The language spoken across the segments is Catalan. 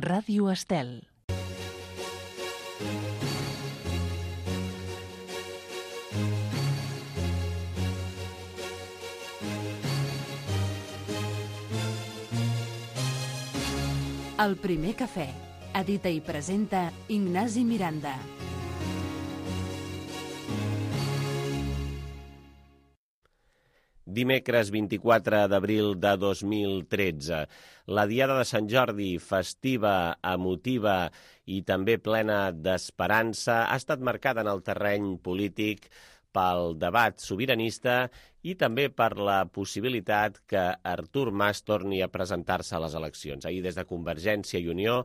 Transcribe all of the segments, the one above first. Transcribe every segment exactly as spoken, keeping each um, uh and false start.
Ràdio Estel. El primer cafè. Edita i presenta Ignasi Miranda. Dimecres vint-i-quatre d'abril de dos mil tretze. La Diada de Sant Jordi, festiva, emotiva i també plena d'esperança, ha estat marcada en el terreny polític pel debat sobiranista i també per la possibilitat que Artur Mas torni a presentar-se a les eleccions. Ahir, des de Convergència i Unió,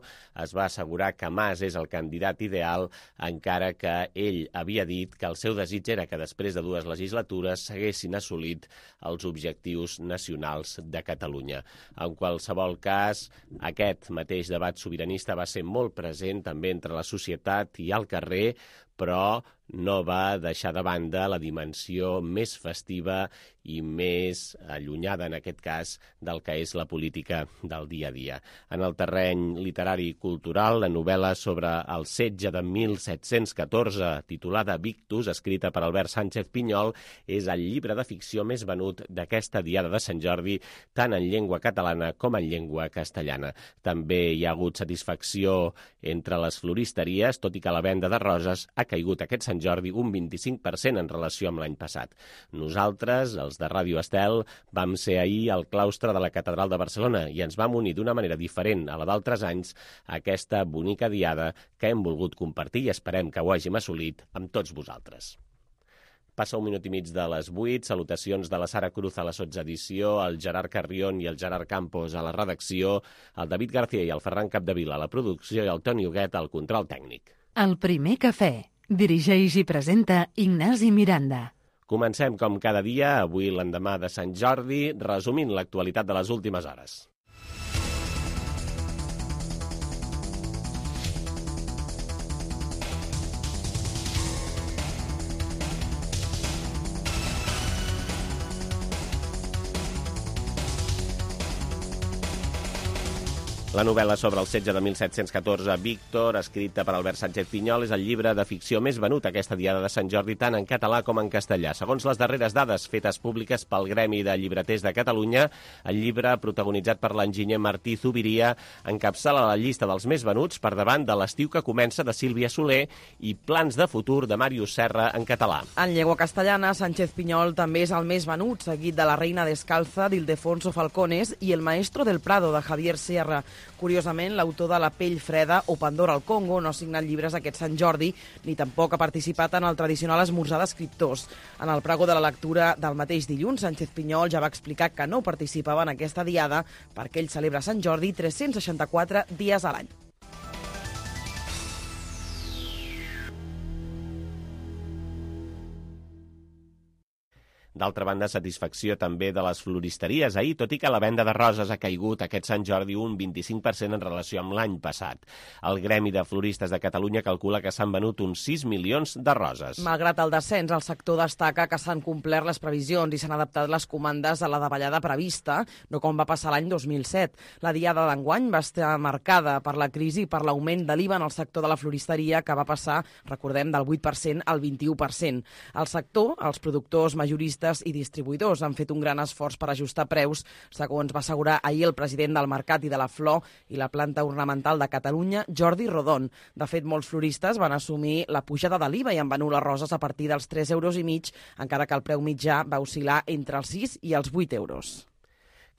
es va assegurar que Mas és el candidat ideal, encara que ell havia dit que el seu desig era que després de dues legislatures s'haguessin assolit els objectius nacionals de Catalunya. En qualsevol cas, aquest mateix debat sobiranista va ser molt present també entre la societat i al carrer, però no va deixar de banda la dimensió més festiva i més allunyada, en aquest cas, del que és la política del dia a dia. En el terreny literari i cultural, la novel·la sobre el setge de mil set-cents catorze, titulada Victus, escrita per Albert Sánchez Pinyol, és el llibre de ficció més venut d'aquesta Diada de Sant Jordi, tant en llengua catalana com en llengua castellana. També hi ha hagut satisfacció entre les floristeries, tot i que la venda de roses ha caigut aquest Sant Jordi un vint-i-cinc per cent en relació amb l'any passat. Nosaltres, els de Ràdio Estel, vam ser ahir al claustre de la Catedral de Barcelona i ens vam unir d'una manera diferent a la d'altres anys a aquesta bonica diada que hem volgut compartir i esperem que ho hàgim assolit amb tots vosaltres. Passa un minut i mig de les vuit, salutacions de la Sara Cruz a la sotsedició, el Gerard Carrion i el Gerard Campos a la redacció, el David García i el Ferran Capdevila a la producció i el Toni Huguet al control tècnic. El primer cafè. Dirigeix i presenta Ignasi Miranda. Comencem com cada dia, avui l'endemà de Sant Jordi, resumint l'actualitat de les últimes hores. La novel·la sobre el setge de mil set-cents catorze, Víctor, escrita per Albert Sánchez Pinyol, és el llibre de ficció més venut aquesta Diada de Sant Jordi, tant en català com en castellà. Segons les darreres dades fetes públiques pel Gremi de Llibreters de Catalunya, el llibre, protagonitzat per l'enginyer Martí Zubiria, encapçala la llista dels més venuts per davant de L'estiu que comença de Sílvia Soler i Plans de futur de Màrius Serra en català. En llengua castellana, Sánchez Pinyol també és el més venut, seguit de La reina descalza d'Ildefonso Falcones i El maestro del Prado de Javier Sierra. Curiosament, l'autor de La pell freda o Pandora al Congo no ha signat llibres aquest Sant Jordi, ni tampoc ha participat en el tradicional esmorzar d'escriptors. En el pregó de la lectura del mateix dilluns, Sánchez Pinyol ja va explicar que no participava en aquesta diada perquè ell celebra Sant Jordi tres-cents seixanta-quatre dies a l'any. D'altra banda, satisfacció també de les floristeries ahir, tot i que la venda de roses ha caigut aquest Sant Jordi un vint-i-cinc per cent en relació amb l'any passat. El Gremi de Floristes de Catalunya calcula que s'han venut uns sis milions de roses. Malgrat el descens, el sector destaca que s'han complert les previsions i s'han adaptat les comandes a la davallada prevista, no com va passar l'any dos mil set. La diada d'enguany va estar marcada per la crisi i per l'augment de l'I V A en el sector de la floristeria, que va passar, recordem, del vuit per cent al vint-i-u per cent. El sector, els productors majoristes i distribuïdors han fet un gran esforç per ajustar preus, segons va assegurar ahir el president del Mercat i de la Flor i la planta ornamental de Catalunya, Jordi Rodon. De fet, molts floristes van assumir la pujada de l'I V A i han venut les roses a partir dels tres euros i mig, encara que el preu mitjà va oscil·lar entre els sis i els vuit euros.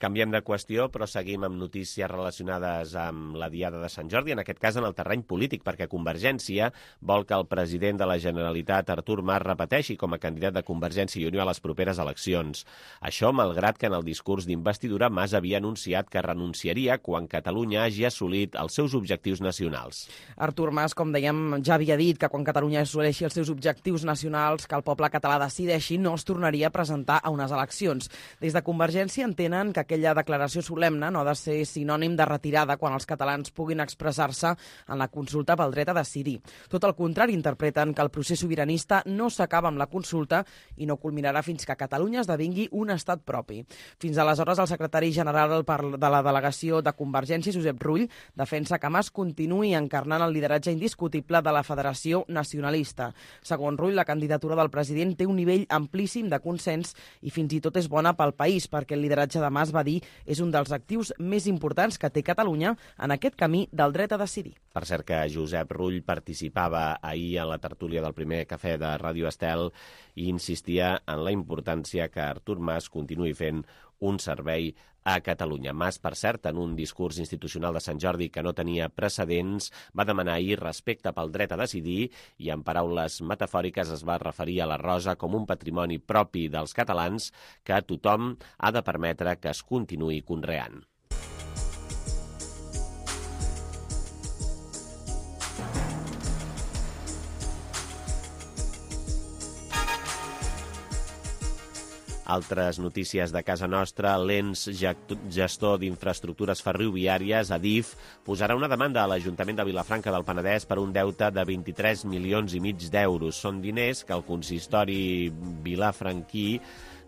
Canviem de qüestió, però seguim amb notícies relacionades amb la Diada de Sant Jordi, en aquest cas en el terreny polític, perquè Convergència vol que el president de la Generalitat, Artur Mas, repeteixi com a candidat de Convergència i Unió a les properes eleccions. Això, malgrat que en el discurs d'investidura Mas havia anunciat que renunciaria quan Catalunya hagi assolit els seus objectius nacionals. Artur Mas, com dèiem, ja havia dit que quan Catalunya assoleixi els seus objectius nacionals, que el poble català decideixi, no es tornaria a presentar a unes eleccions. Des de Convergència entenen que aquella declaració solemne no ha de ser sinònim de retirada quan els catalans puguin expressar-se en la consulta pel dret a decidir. Tot el contrari, interpreten que el procés sobiranista no s'acaba amb la consulta i no culminarà fins que Catalunya esdevingui un estat propi. Fins aleshores, el secretari general de la delegació de Convergència, Josep Rull, defensa que Mas continuï encarnant el lideratge indiscutible de la Federació Nacionalista. Segons Rull, la candidatura del president té un nivell amplíssim de consens i fins i tot és bona pel país, perquè el lideratge de Mas, va dir, és un dels actius més importants que té Catalunya en aquest camí del dret a decidir. Per cert que Josep Rull participava ahir en la tertúlia del primer cafè de Ràdio Estel i insistia en la importància que Artur Mas continuï fent un servei a Catalunya. Mas, per cert, en un discurs institucional de Sant Jordi que no tenia precedents, va demanar ahir respecte pel dret a decidir i, en paraules metafòriques, es va referir a la Rosa com un patrimoni propi dels catalans que tothom ha de permetre que es continuï conreant. Altres notícies de casa nostra, l'ens gestor d'infraestructures ferroviàries, Adif, posarà una demanda a l'Ajuntament de Vilafranca del Penedès per un deute de vint-i-tres milions i mig d'euros. Són diners que el consistori vilafranquí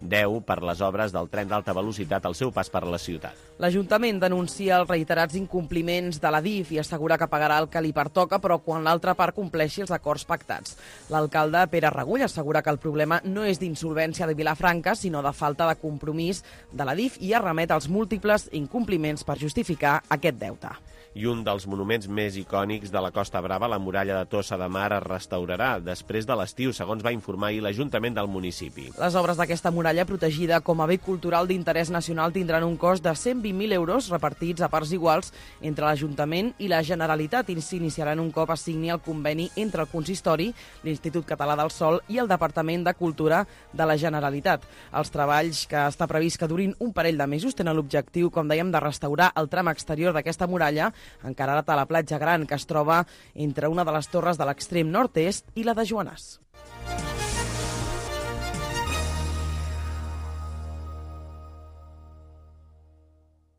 deu per les obres del tren d'alta velocitat al seu pas per la ciutat. L'Ajuntament denuncia els reiterats incompliments de l'Adif i assegura que pagarà el que li pertoca, però quan l'altra part compleixi els acords pactats. L'alcalde Pere Regull assegura que el problema no és d'insolvència de Vilafranca, sinó de falta de compromís de l'Adif i arremet als múltiples incompliments per justificar aquest deute. I un dels monuments més icònics de la Costa Brava, la muralla de Tossa de Mar, es restaurarà després de l'estiu, segons va informar ahir l'Ajuntament del municipi. Les obres d'aquesta muralla, protegida com a bé cultural d'interès nacional, tindran un cost de cent vint mil euros repartits a parts iguals entre l'Ajuntament i la Generalitat i s'iniciaran un cop es signi el conveni entre el Consistori, l'Institut Català del Sòl i el Departament de Cultura de la Generalitat. Els treballs, que està previst que durin un parell de mesos, tenen l'objectiu, com dèiem, de restaurar el tram exterior d'aquesta muralla, encarat a la platja Gran, que es troba entre una de les torres de l'extrem nord-est i la de Joanàs.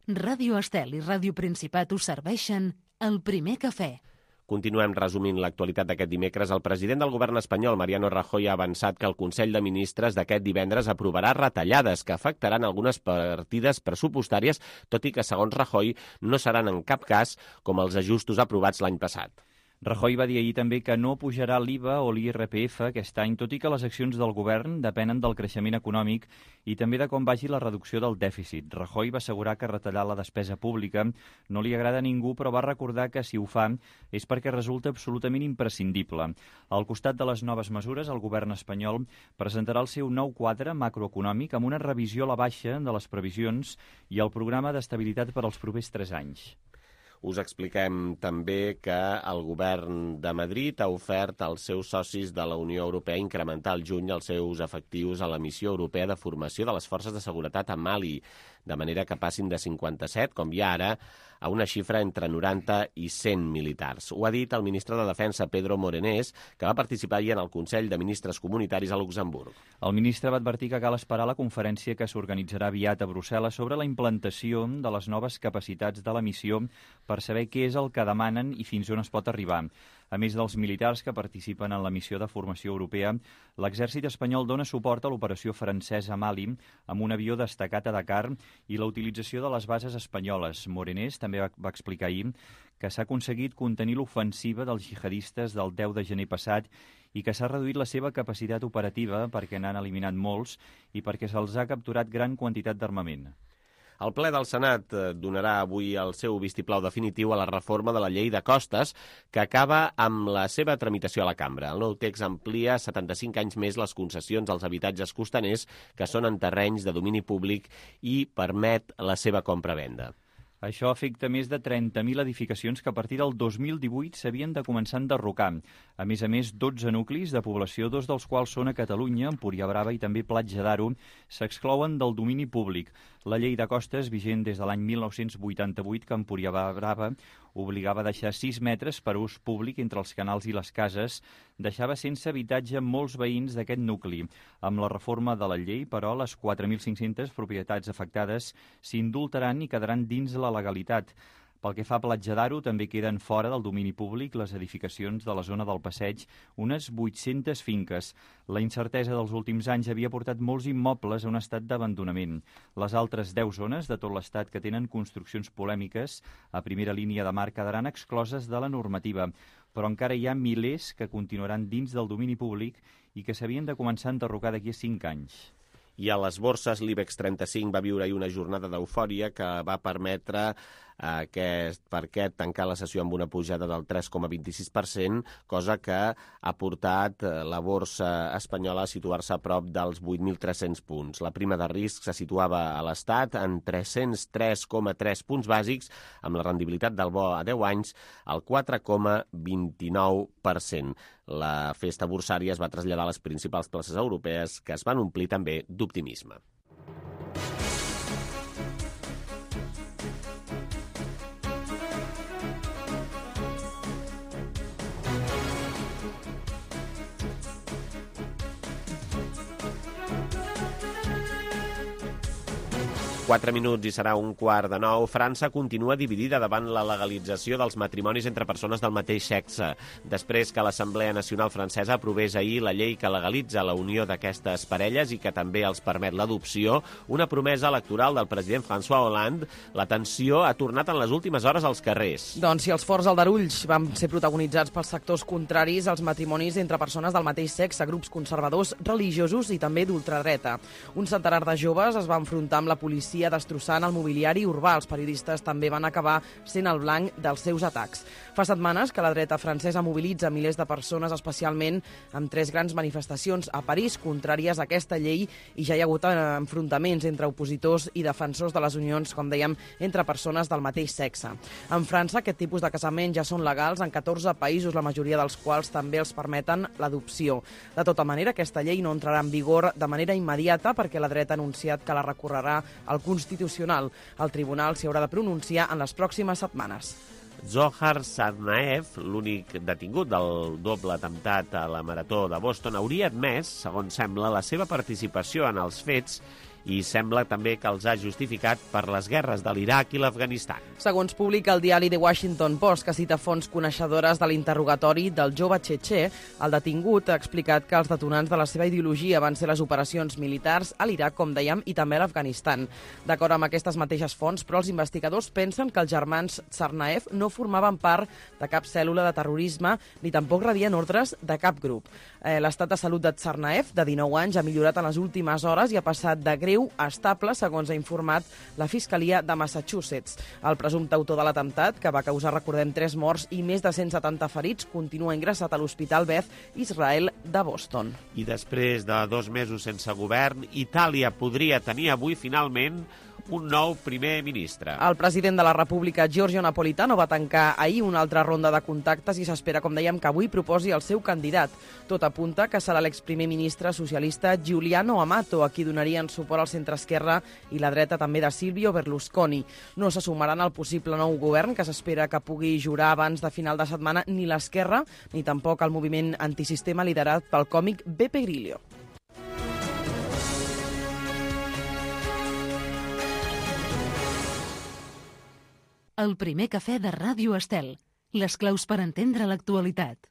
Ràdio Estel i Ràdio Principat us serveixen el primer cafè. Continuem resumint l'actualitat d'aquest dimecres. El president del govern espanyol, Mariano Rajoy, ha avançat que el Consell de Ministres d'aquest divendres aprovarà retallades que afectaran algunes partides pressupostàries, tot i que, segons Rajoy, no seran en cap cas com els ajustos aprovats l'any passat. Rajoy va dir ahir també que no pujarà l'I V A o l'I R P F aquest any, tot i que les accions del govern depenen del creixement econòmic i també de com vagi la reducció del dèficit. Rajoy va assegurar que retallar la despesa pública no li agrada a ningú, però va recordar que si ho fa és perquè resulta absolutament imprescindible. Al costat de les noves mesures, el govern espanyol presentarà el seu nou quadre macroeconòmic amb una revisió a la baixa de les previsions i el programa d'estabilitat per als propers tres anys. Us expliquem també que el govern de Madrid ha ofert als seus socis de la Unió Europea incrementar al juny els seus efectius a la missió europea de formació de les forces de seguretat a Mali, de manera que passin de cinquanta-set, com hi ha ara, a una xifra entre noranta i cent militars. Ho ha dit el ministre de Defensa, Pedro Morenés, que va participar ahir en el Consell de Ministres Comunitaris a Luxemburg. El ministre va advertir que cal esperar la conferència que s'organitzarà aviat a Brussel·les sobre la implantació de les noves capacitats de la missió per saber què és el que demanen i fins on es pot arribar. A més dels militars que participen en la missió de formació europea, l'exèrcit espanyol dona suport a l'operació francesa a Mali amb un avió destacat a Dakar i la utilització de les bases espanyoles. Morenés també va, va explicar ahir que s'ha aconseguit contenir l'ofensiva dels jihadistes del deu de gener passat i que s'ha reduït la seva capacitat operativa perquè n'han eliminat molts i perquè se'ls ha capturat gran quantitat d'armament. El ple del Senat donarà avui el seu vistiplau definitiu a la reforma de la llei de costes, que acaba amb la seva tramitació a la cambra. El nou text amplia setanta-cinc anys més les concessions als habitatges costaners que són en terrenys de domini públic i permet la seva compra-venda. Això afecta més de trenta mil edificacions que a partir del dos mil divuit s'havien de començar a enderrocar. A més a més, dotze nuclis de població, dos dels quals són a Catalunya, Empúria Brava i també Platja d'Aro, s'exclouen del domini públic. La llei de costes, vigent des de l'any mil nou-cents vuitanta-vuit, que Empúria Brava obligava a deixar sis metres per ús públic entre els canals i les cases, deixava sense habitatge molts veïns d'aquest nucli. Amb la reforma de la llei, però, les quatre mil cinc-centes propietats afectades s'indultaran i quedaran dins la legalitat. Pel que fa a Platja d'Aro, també queden fora del domini públic les edificacions de la zona del Passeig, unes vuit-centes finques. La incertesa dels últims anys havia portat molts immobles a un estat d'abandonament. Les altres deu zones de tot l'estat que tenen construccions polèmiques a primera línia de mar quedaran excloses de la normativa, però encara hi ha milers que continuaran dins del domini públic i que s'havien de començar a enderrocar d'aquí a cinc anys. I a les borses, l'IBEX trenta-cinc va viure ahir una jornada d'eufòria que va permetre aquest, per aquest tancar la sessió amb una pujada del tres coma vint-i-sis per cent, cosa que ha portat la borsa espanyola a situar-se a prop dels vuit mil tres-cents punts. La prima de risc se situava a l'Estat en tres-cents tres coma tres punts bàsics, amb la rendibilitat del bo a deu anys al quatre coma vint-i-nou per cent. La festa borsària es va traslladar a les principals places europees, que es van omplir també d'optimisme. Quatre minuts i serà un quart de nou. França continua dividida davant la legalització dels matrimonis entre persones del mateix sexe, després que l'Assemblea Nacional Francesa aprovés ahir la llei que legalitza la unió d'aquestes parelles i que també els permet l'adopció, una promesa electoral del president François Hollande. La tensió ha tornat en les últimes hores als carrers. Doncs si els forts aldarulls van ser protagonitzats pels sectors contraris als matrimonis entre persones del mateix sexe, grups conservadors, religiosos i també d'ultradreta. Un centenar de joves es va enfrontar amb la policia destrossant el mobiliari urbà. Els periodistes també van acabar sent el blanc dels seus atacs. Fa setmanes que la dreta francesa mobilitza milers de persones, especialment amb tres grans manifestacions a París contràries a aquesta llei, i ja hi ha hagut enfrontaments entre opositors i defensors de les unions, com dèiem, entre persones del mateix sexe. En França, aquest tipus de casament ja són legals en catorze països, la majoria dels quals també els permeten l'adopció. De tota manera, aquesta llei no entrarà en vigor de manera immediata perquè la dreta ha anunciat que la recorrerà al Constitucional. El tribunal s'hi haurà de pronunciar en les pròximes setmanes. Zohar Tsarnaev, l'únic detingut del doble atemptat a la Marató de Boston, hauria admès, segons sembla, la seva participació en els fets i sembla també que els ha justificat per les guerres de l'Iraq i l'Afganistan. Segons publica el diari The Washington Post, que cita fonts coneixedores de l'interrogatori del jove txetxè, el detingut ha explicat que els detonants de la seva ideologia van ser les operacions militars a l'Iraq, com dèiem, i també a l'Afganistan. D'acord amb aquestes mateixes fonts, però els investigadors pensen que els germans Tsarnaev no formaven part de cap cèl·lula de terrorisme ni tampoc rebien ordres de cap grup. Eh, l'estat de salut de Tsarnaev, de dinou anys, ha millorat en les últimes hores i ha passat de greu a estable, segons ha informat la Fiscalia de Massachusetts. El presumpte autor de l'atemptat, que va causar, recordem, tres morts i més de cent setanta ferits, continua ingressat a l'Hospital Beth Israel de Boston. I després de dos mesos sense govern, Itàlia podria tenir avui finalment un nou primer ministre. El president de la República, Giorgio Napolitano, va tancar ahir una altra ronda de contactes i s'espera, com dèiem, que avui proposi el seu candidat. Tot apunta que serà l'exprimer ministre socialista Giuliano Amato, a qui donarien suport al centre-esquerra i la dreta també de Silvio Berlusconi. No se sumaran al possible nou govern, que s'espera que pugui jurar abans de final de setmana, ni l'esquerra ni tampoc el moviment antisistema liderat pel còmic Beppe Grillo. El primer cafè de Ràdio Estel. Les claus per entendre l'actualitat.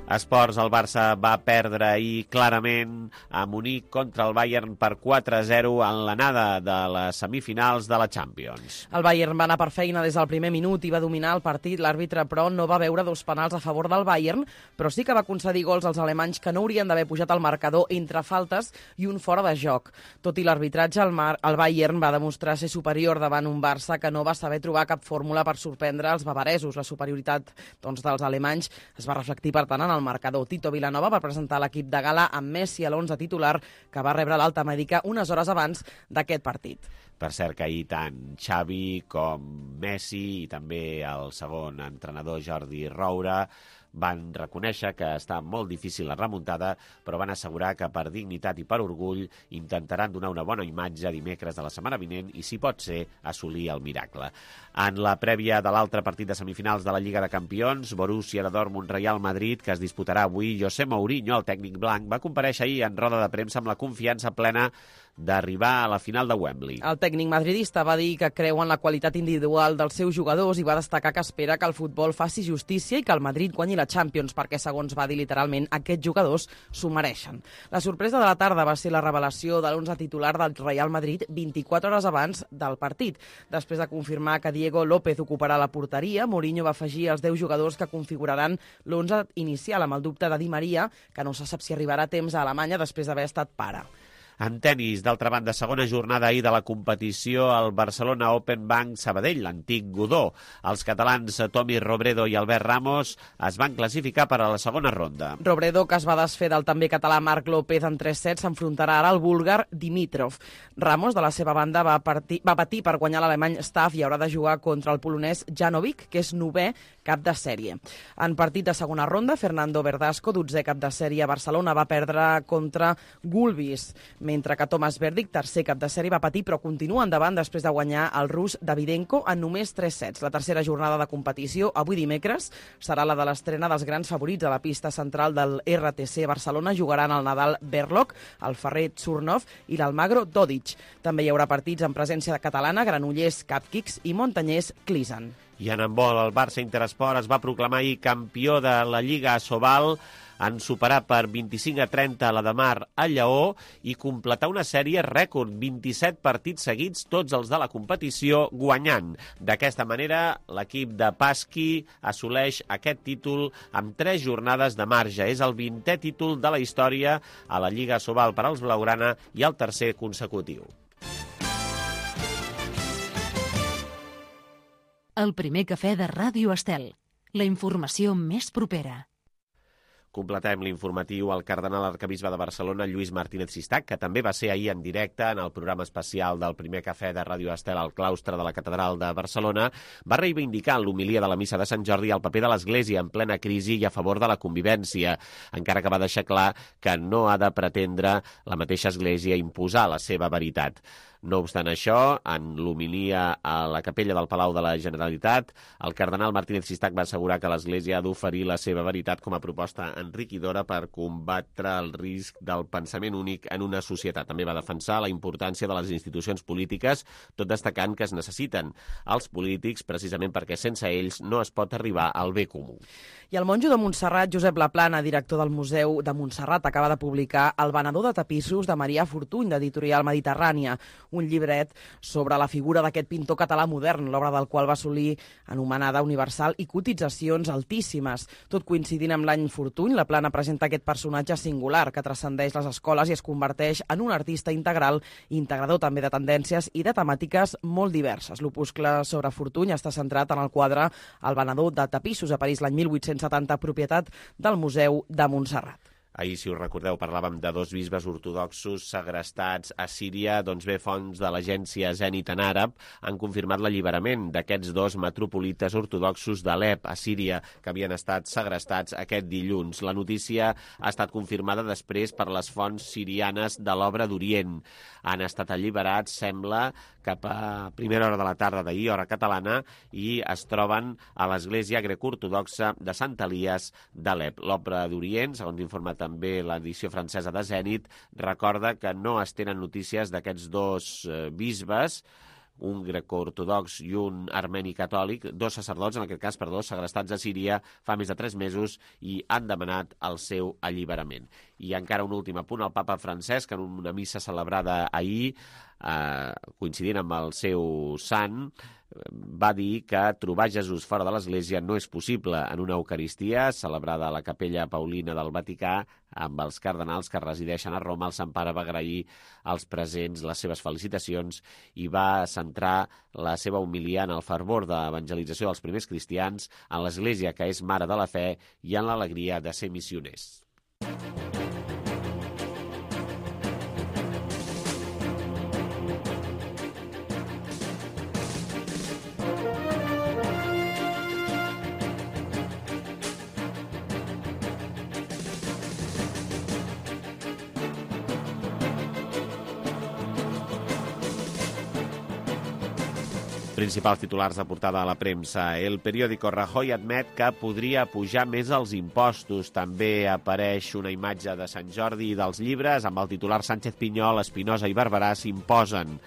Esports, el Barça va perdre ahir clarament a Munic contra el Bayern per quatre a zero en l'anada de les semifinals de la Champions. El Bayern va anar per feina des del primer minut i va dominar el partit. L'àrbitre, però, no va veure dos penals a favor del Bayern, però sí que va concedir gols als alemanys que no haurien d'haver pujat al marcador entre faltes i un fora de joc. Tot i l'arbitratge, el, Mar el Bayern va demostrar ser superior davant un Barça que no va saber trobar cap fórmula per sorprendre els bavaresos. La superioritat doncs, dels alemanys es va reflectir, per tant, en al marcador. Tito Vilanova va presentar l'equip de gala amb Messi a l'onze titular, que va rebre l'alta mèdica unes hores abans d'aquest partit. Per cert que ahir tant Xavi com Messi i també el segon entrenador Jordi Roura van reconèixer que està molt difícil la remuntada, però van assegurar que per dignitat i per orgull intentaran donar una bona imatge dimecres de la setmana vinent i, si pot ser, assolir el miracle. En la prèvia de l'altre partit de semifinals de la Lliga de Campions, Borussia de Dortmund Real Madrid, que es disputarà avui, José Mourinho, el tècnic blanc, va comparèixer ahir en roda de premsa amb la confiança plena d'arribar a la final de Wembley. El tècnic madridista va dir que creu en la qualitat individual dels seus jugadors i va destacar que espera que el futbol faci justícia i que el Madrid guanyi la Champions, perquè, segons va dir literalment, aquests jugadors s'ho mereixen. La sorpresa de la tarda va ser la revelació de l'onze titular del Real Madrid vint-i-quatre hores abans del partit. Després de confirmar que Diego López ocuparà la porteria, Mourinho va afegir els deu jugadors que configuraran l'onze inicial, amb el dubte de Di Maria, que no se sap si arribarà a temps a Alemanya després d'haver estat pare. En tenis, d'altra banda, segona jornada ahir de la competició al Barcelona Open Bank Sabadell, l'antic Godó. Els catalans Tommy Robredo i Albert Ramos es van classificar per a la segona ronda. Robredo, que es va desfer del també català Marc López en tres sets, s'enfrontarà ara al búlgar Dimitrov. Ramos, de la seva banda, va, partir, va patir per guanyar l'alemany Staff i haurà de jugar contra el polonès Janovic, que és novè cap de sèrie. En partit de segona ronda, Fernando Verdasco, dotzè cap de sèrie a Barcelona, va perdre contra Gulbis, mentre que Thomas Berdych, tercer cap de sèrie, va patir però continua endavant després de guanyar el rus Davydenko en només tres sets. La tercera jornada de competició, avui dimecres, serà la de l'estrena dels grans favorits a la pista central del R T C Barcelona. Jugaran el Nadal Berlocq, el Ferrer Tsurnoff i l'Almagro Dodic. També hi haurà partits en presència catalana, Granollers Capkicks i Montanyers Clisen. I en handbol, el Barça Interesport es va proclamar ahir campió de la Lliga Asobal en superar per vint-i-cinc a trenta la de Mar a Lleó i completar una sèrie rècord, vint-i-set partits seguits, tots els de la competició, guanyant. D'aquesta manera, l'equip de Pasqui assoleix aquest títol amb tres jornades de marge. És el vintè títol de la història a la Lliga Asobal per als blaugrana i el tercer consecutiu. El primer cafè de Ràdio Estel. La informació més propera. Completem l'informatiu al cardenal arquebisbe de Barcelona, Lluís Martínez Sistac, que també va ser ahir en directe en el programa especial del primer cafè de Ràdio Estel al claustre de la Catedral de Barcelona. Va reivindicar en l'homilia de la missa de Sant Jordi el paper de l'Església en plena crisi i a favor de la convivència, encara que va deixar clar que no ha de pretendre la mateixa Església imposar la seva veritat. No obstant això, en l'homilia a la capella del Palau de la Generalitat, el cardenal Martínez Sistac va assegurar que l'Església ha d'oferir la seva veritat com a proposta enriquidora per combatre el risc del pensament únic en una societat. També va defensar la importància de les institucions polítiques, tot destacant que es necessiten els polítics precisament perquè sense ells no es pot arribar al bé comú. I el monjo de Montserrat, Josep Laplana, director del Museu de Montserrat, acaba de publicar El venedor de tapissos de Marià Fortuny, d'Editorial Mediterrània, un llibret sobre la figura d'aquest pintor català modern, l'obra del qual va assolir anomenada universal i cotitzacions altíssimes. Tot coincidint amb l'any Fortuny, Laplana presenta aquest personatge singular que transcendeix les escoles i es converteix en un artista integral, integrador també de tendències i de temàtiques molt diverses. L'opuscle sobre Fortuny està centrat en el quadre El venedor de tapissos, a París l'any mil vuit-cents setanta, propietat del Museu de Montserrat. Ahir, si us recordeu, parlàvem de dos bisbes ortodoxos segrestats a Síria. Doncs bé, fonts de l'agència Zenit en àrab han confirmat l'alliberament d'aquests dos metropolites ortodoxos d'Alep, a Síria, que havien estat segrestats aquest dilluns. La notícia ha estat confirmada després per les fonts sirianes de l'Obra d'Orient. Han estat alliberats, sembla, cap a primera hora de la tarda d'ahir, hora catalana, i es troben a l'església greco-ortodoxa de Sant Elies d'Alep. L'Obra d'Orient, segons informa també l'edició francesa de Zenit, recorda que no es tenen notícies d'aquests dos eh, bisbes, un greco-ortodox i un armeni catòlic, dos sacerdots, en aquest cas, perdó, segrestats a Síria fa més de tres mesos i han demanat el seu alliberament. I encara un últim apunt, el papa Francesc, en una missa celebrada ahir, eh, coincidint amb el seu sant, va dir que trobar Jesús fora de l'Església no és possible. En una Eucaristia celebrada a la Capella Paulina del Vaticà, amb els cardenals que resideixen a Roma, el Sant Pare va agrair als presents les seves felicitacions i va centrar la seva homilia en el fervor d'evangelització dels primers cristians, en l'Església, que és mare de la fe, i en l'alegria de ser missioners. Principals titulars de portada a la premsa. El periòdico Rajoy admet que podria pujar més els impostos. També apareix una imatge de Sant Jordi i dels llibres amb el titular Sánchez Pinyol, Espinosa i Barberà s'imposen.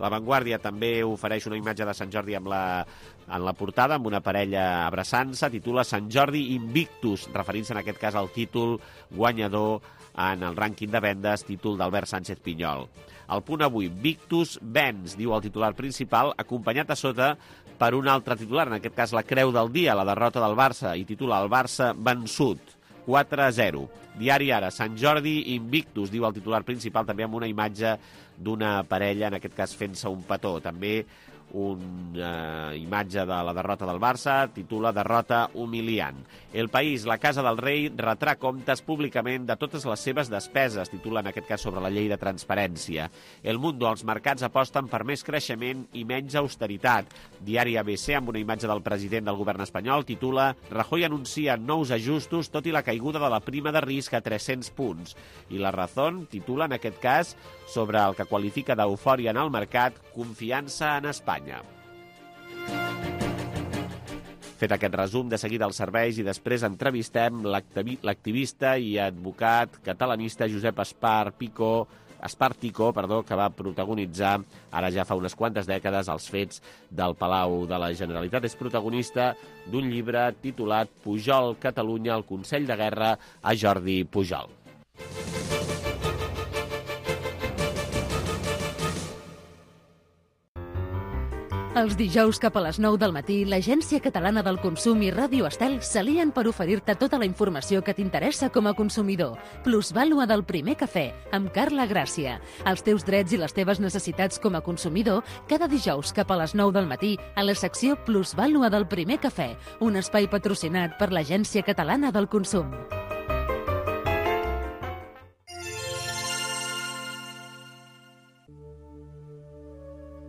La Vanguardia també ofereix una imatge de Sant Jordi amb la, en la portada, amb una parella abraçant-se, titula Sant Jordi Invictus, referint-se en aquest cas al títol guanyador en el rànquing de vendes, títol d'Albert Sánchez Pinyol. El Punt Avui, Victus Vens, diu el titular principal, acompanyat a sota per un altre titular, en aquest cas la creu del dia, la derrota del Barça, i titula El Barça vençut, quatre a zero. Diari Ara, Sant Jordi Invictus, diu el titular principal, també amb una imatge d'una parella, en aquest cas fent-se un petó. També una imatge de la derrota del Barça, titula Derrota humiliant. El País, la Casa del Rei retrà comptes públicament de totes les seves despeses, titula en aquest cas sobre la llei de transparència. El Mundo, els mercats aposten per més creixement i menys austeritat. Diari A B C, amb una imatge del president del govern espanyol, titula Rajoy anuncia nous ajustos tot i la caiguda de la prima de risc a tres-cents punts. I La Razón titula en aquest cas sobre el que qualifica d'eufòria en el mercat, confiança en Espanya. Fet aquest resum, de seguida els serveis i després entrevistem l'activista i advocat catalanista Josep Espar Pico, Espar Tico, perdó, que va protagonitzar ara ja fa unes quantes dècades els fets del Palau de la Generalitat. És protagonista d'un llibre titulat Pujol, Catalunya, el Consell de Guerra a Jordi Pujol. Els dijous cap a les nou del matí, l'Agència Catalana del Consum i Ràdio Estel s'alien per oferir-te tota la informació que t'interessa com a consumidor. Plusvàlua del primer cafè, amb Carla Gràcia. Els teus drets i les teves necessitats com a consumidor, cada dijous cap a les nou del matí, a la secció Plusvàlua del primer cafè, un espai patrocinat per l'Agència Catalana del Consum.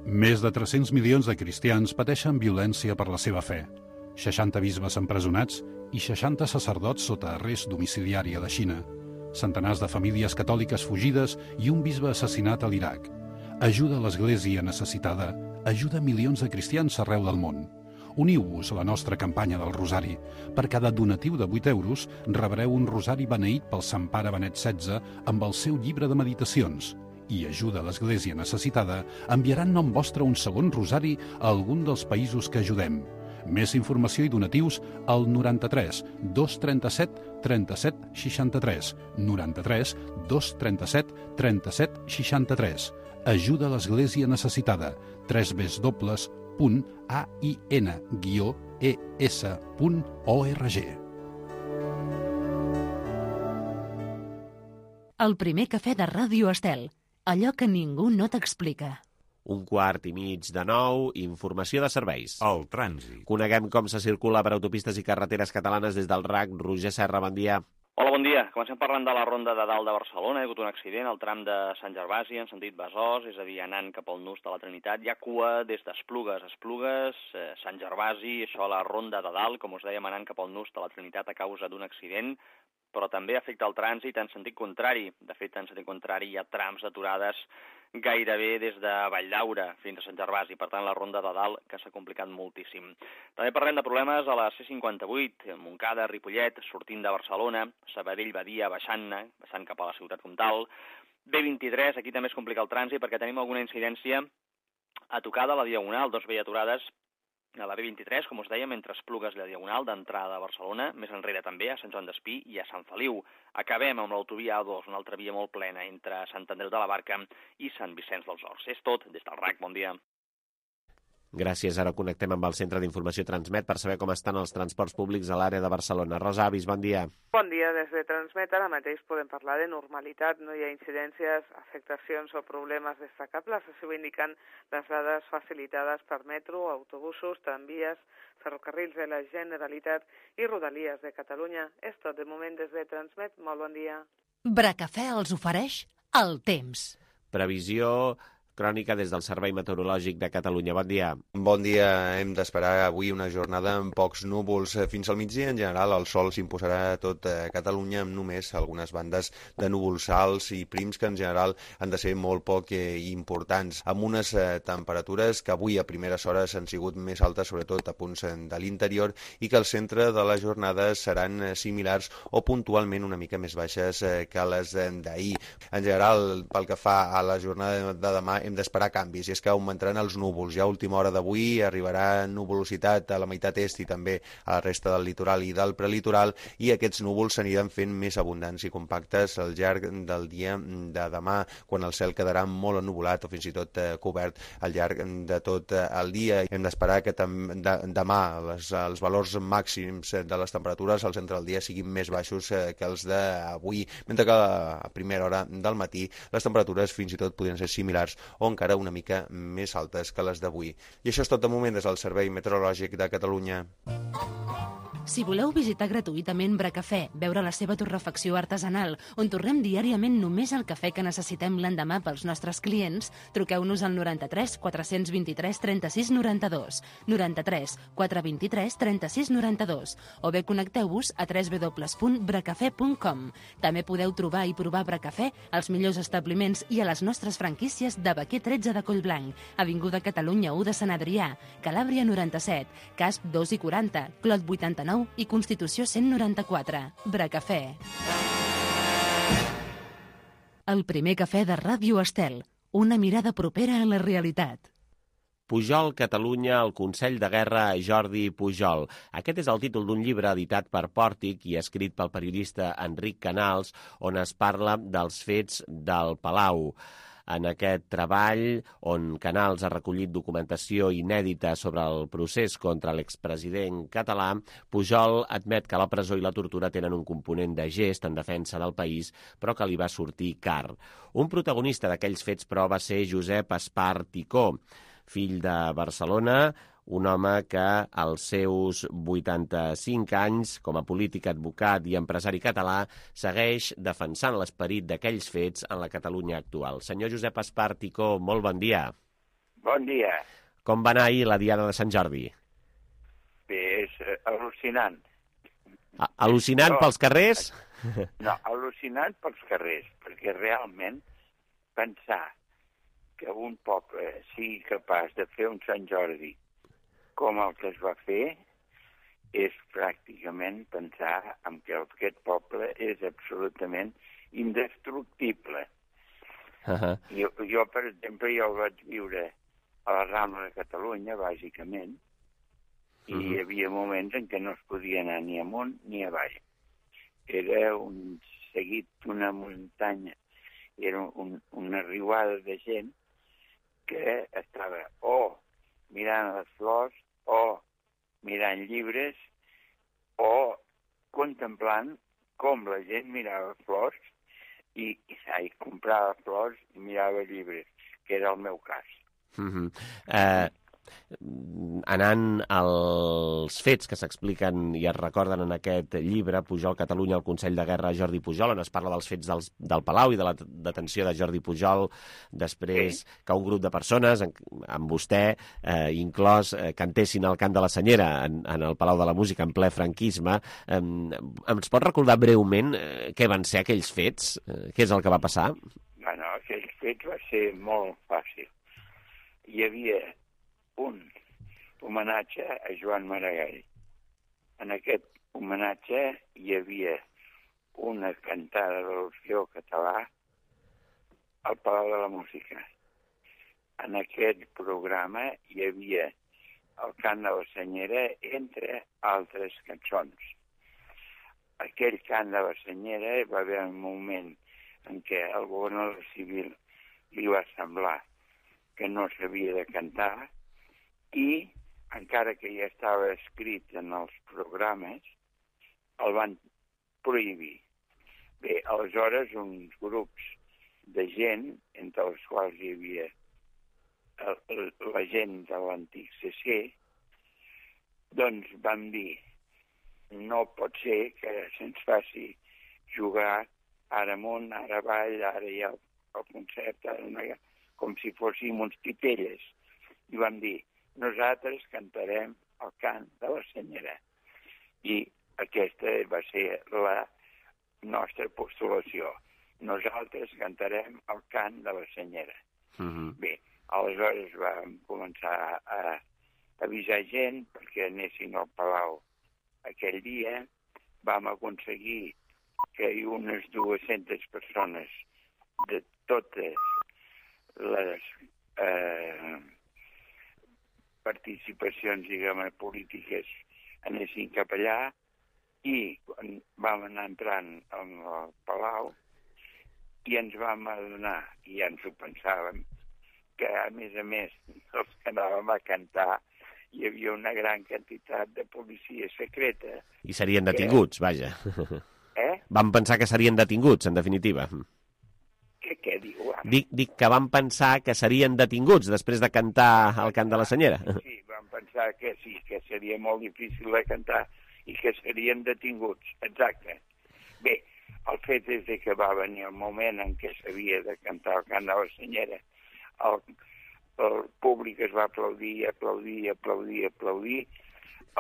Més de tres-cents milions de cristians pateixen violència per la seva fe. seixanta bisbes empresonats i seixanta sacerdots sota arrest domiciliari a la Xina. Centenars de famílies catòliques fugides i un bisbe assassinat a l'Iraq. Ajuda a l'Església necessitada, ajuda milions de cristians arreu del món. Uniu-vos a la nostra campanya del Rosari. Per cada donatiu de vuit euros rebreu un rosari beneït pel Sant Pare Benet setze amb el seu llibre de meditacions. I ajuda a l'Església necessitada, enviaran nom vostre un segon rosari a algun dels països que ajudem. Més informació i donatius al noranta-tres dos trenta-set trenta-set seixanta-tres, noranta-tres dos trenta-set trenta-set seixanta-tres. Ajuda a l'Església necessitada, w w w punt a i n guió e s punt org. El primer cafè de Ràdio Estel. Allò que ningú no t'explica. Un quart i mig de nou, informació de serveis. El trànsit. Coneguem com se circula per autopistes i carreteres catalanes des del R A C. Roger Serra, bon dia. Hola, bon dia. Comencem parlant de la ronda de dalt de Barcelona. Hi ha hagut un accident al tram de Sant Gervasi en sentit Besòs, és a dir, anant cap al nus de la Trinitat. Hi ha cua des d'Esplugues, Esplugues, eh, Sant Gervasi, això a la ronda de dalt, com us dèiem, anant cap al nus de la Trinitat a causa d'un accident, però també afecta el trànsit en sentit contrari. De fet, en sentit contrari hi ha trams aturades gairebé des de Valldaura fins a Sant Gervasi, per tant la ronda de dalt que s'ha complicat moltíssim. També parlem de problemes a la C cinquanta-vuit, Montcada, Ripollet, sortint de Barcelona, Sabadell, Badia, baixant-ne, baixant cap a la ciutat comtal. B vint-i-tres, aquí també es complica el trànsit perquè tenim alguna incidència a tocar de la Diagonal, dos veies aturades a la B vint-i-tres, com us dèiem, entre Esplugues i la Diagonal, d'entrada a Barcelona, més enrere també, a Sant Joan d'Espí i a Sant Feliu. Acabem amb l'autovia A dos, una altra via molt plena entre Sant Andreu de la Barca i Sant Vicenç dels Horts. És tot des del R A C, bon dia. Gràcies. Ara connectem amb el Centre d'Informació Transmet per saber com estan els transports públics a l'àrea de Barcelona. Rosa Avis, bon dia. Bon dia. Des de Transmet ara mateix podem parlar de normalitat. No hi ha incidències, afectacions o problemes destacables. Així ho indiquen les dades facilitades per metro, autobusos, tramvies, ferrocarrils de la Generalitat i Rodalies de Catalunya. És tot de moment des de Transmet. Molt bon dia. Bracafè els ofereix el temps. Previsió crònica des del Servei Meteorològic de Catalunya. Bon dia. Bon dia. Hem d'esperar avui una jornada amb pocs núvols. Fins al migdia, en general, el sol s'imposarà a tot Catalunya amb només algunes bandes de núvols alts i prims que en general han de ser molt poc eh, importants, amb unes eh, temperatures que avui a primeres hores han sigut més altes, sobretot a punts de l'interior, i que al centre de la jornada seran eh, similars o puntualment una mica més baixes eh, que les d'ahir. En general, pel que fa a la jornada de demà, hem d'esperar canvis, i és que augmentaran els núvols. Ja a última hora d'avui arribarà nuvolositat a la meitat est i també a la resta del litoral i del prelitoral, i aquests núvols s'aniran fent més abundants i compactes al llarg del dia de demà, quan el cel quedarà molt ennuvolat o fins i tot eh, cobert al llarg de tot eh, el dia. Hem d'esperar que de, demà les, els valors màxims de les temperatures al centre del dia siguin més baixos eh, que els d'avui, mentre que a primera hora del matí les temperatures fins i tot podrien ser similars o encara una mica més altes que les d'avui. I això és tot de moment des del Servei Meteorològic de Catalunya. Si voleu visitar gratuïtament Bracafè, veure la seva torrefacció artesanal, on torrem diàriament només el cafè que necessitem l'endemà pels nostres clients, truqueu-nos al noranta-tres quatre vint tres trenta-sis noranta-dos, noranta-tres quatre vint tres trenta-sis noranta-dos, o bé connecteu-vos a w w w punt bracafè punt com. També podeu trobar i provar Bracafè als millors establiments i a les nostres franquícies de Baquer tretze de Collblanc, Avinguda Catalunya u de Sant Adrià, Calàbria noranta-set, Casp dos i quaranta, Clot vuitanta-nou i Constitució cent noranta-quatre. Bracafè. El primer cafè de Ràdio Estel. Una mirada propera a la realitat. Pujol, Catalunya, el Consell de Guerra a Jordi Pujol. Aquest és el títol d'un llibre editat per Pòrtic i escrit pel periodista Enric Canals, on es parla dels fets del Palau. En aquest treball, on Canals ha recollit documentació inèdita sobre el procés contra l'expresident català, Pujol admet que la presó i la tortura tenen un component de gest en defensa del país, però que li va sortir car. Un protagonista d'aquells fets, però, va ser Josep Espar Ticó, fill de Barcelona, un home que als seus vuitanta-cinc anys, com a polític, advocat i empresari català, segueix defensant l'esperit d'aquells fets en la Catalunya actual. Senyor Josep Espar Ticó, molt bon dia. Bon dia. Com va anar ahir la Diada de Sant Jordi? Bé, és uh, al·lucinant. A al·lucinant no, pels carrers? No, al·lucinant pels carrers, perquè realment pensar que un poble sigui capaç de fer un Sant Jordi com el que es va fer, és pràcticament pensar en que aquest poble és absolutament indestructible. Uh-huh. jo, jo, per exemple, jo vaig viure a la Rambla de Catalunya, bàsicament, i uh-huh. hi havia moments en què no es podia anar ni amunt ni avall. Era un seguit d'una muntanya, era un, una riuada de gent que estava o mirant les flors, o mirant llibres, o contemplant com la gent mirava flors i, i comprava flors i mirava llibres, que era el meu cas. Mm-hmm. eh, anant als fets que s'expliquen i es recorden en aquest llibre, Pujol, Catalunya, el Consell de Guerra a Jordi Pujol, on es parla dels fets dels, del Palau i de la detenció de Jordi Pujol, després sí. que un grup de persones, amb vostè eh, inclòs, eh, cantessin el cant de la Senyera en, en el Palau de la Música en ple franquisme. Eh, ens pot recordar breument eh, què van ser aquells fets? Eh, què és el que va passar? Bueno, aquells fets va ser molt fàcil. Hi havia un homenatge a Joan Maragall. En aquest homenatge hi havia una cantada de l'Orfeó Català al Palau de la Música. En aquest programa hi havia el cant de la Senyera, entre altres cançons. Aquell cant de la Senyera va haver un moment en què al governador civil li va semblar que no s'havia de cantar, i, encara que ja estava escrit en els programes, el van prohibir. Bé, aleshores, uns grups de gent, entre els quals hi havia el, la gent de l'antic C C, doncs van dir, no pot ser que se'ns faci jugar ara amunt, ara avall, ara hi ha el concert, ara no hi ha, com si fóssim uns titelles. I vam dir, nosaltres cantarem el cant de la senyera. I aquesta va ser la nostra postulació. Nosaltres cantarem el cant de la senyera. Uh-huh. Bé, aleshores vam començar a avisar gent perquè anessin al Palau aquell dia. Vam aconseguir que hi unes dues-centes persones de totes les eh, participacions, diguem, polítiques anessin cap allà, i vam anar entrant al Palau i ens vam adonar, i ja ens ho pensàvem, que a més a més els que anàvem a cantar hi havia una gran quantitat de policia secreta. I serien detinguts, que... vaja. Eh? Vam pensar que serien detinguts, en definitiva. Què, què diu? Dic, dic que vam pensar que serien detinguts després de cantar el cant de la senyera. Sí, vam pensar que sí, que seria molt difícil de cantar i que serien detinguts, exacte. Bé, el fet és que va venir el moment en què s'havia de cantar el cant de la senyera. El, el públic es va aplaudir, aplaudir, aplaudir, aplaudir.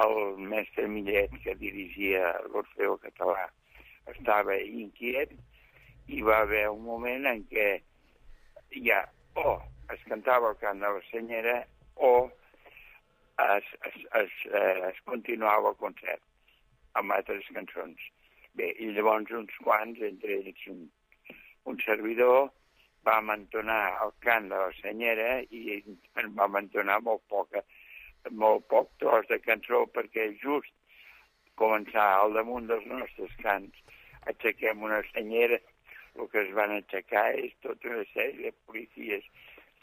El mestre Millet, que dirigia l'Orfeó Català, estava inquiet, i va haver un moment en què ja o es cantava el cant de la senyera o es, es, es, es continuava el concert amb altres cançons. Bé, i llavors uns quants, entre ells un, un servidor, vam entonar el cant de la senyera i en vam entonar molt poca, molt poc tros de cançó, perquè just començar al damunt dels nostres cants aixequem una senyera. El que es van aixecar és tota una sèrie de policies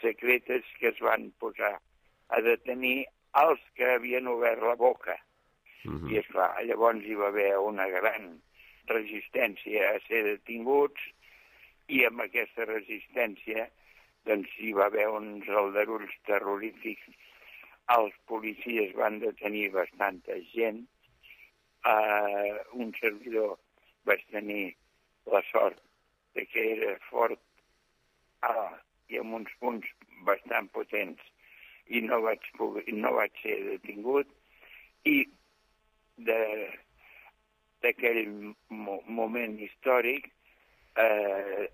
secretes que es van posar a detenir els que havien obert la boca. Uh-huh. I, esclar, llavors hi va haver una gran resistència a ser detinguts, i amb aquesta resistència doncs hi va haver uns aldarulls terrorífics. Els policies van detenir bastanta gent. Uh, un servidor vaig tenir la sort de que era fort ah, i amb uns punts bastant potents, i no vaig, poder, no vaig ser detingut. I d'aquell mo moment històric eh,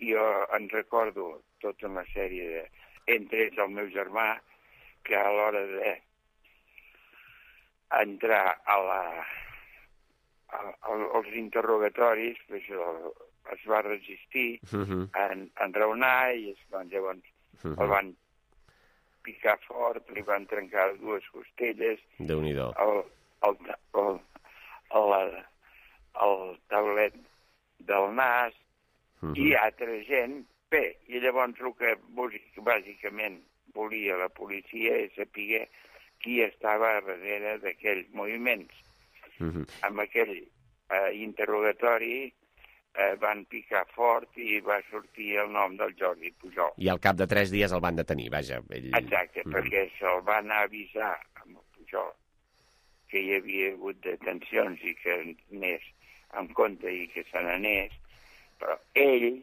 jo en recordo tota una sèrie de... Entre ells el meu germà, que a l'hora de entrar a la, a, a, als interrogatoris pues, el, es va resistir uh-huh. a enraonar, i doncs, llavors uh-huh. el van picar fort, li van trencar dues costelles, Déu-n'hi-do. el, el, el, el, el taulet del nas, uh-huh. i altra gent. Bé, i llavors el que bàsicament volia la policia és saber qui estava darrere d'aquells moviments. Uh-huh. Amb aquell eh, interrogatori eh, van picar fort i va sortir el nom del Jordi Pujol. I al cap de tres dies el van detenir, vaja. Ell... Exacte, uh-huh. perquè se'l van avisar amb el Pujol que hi havia hagut detencions i que anés en compte i que se n'anés, però ell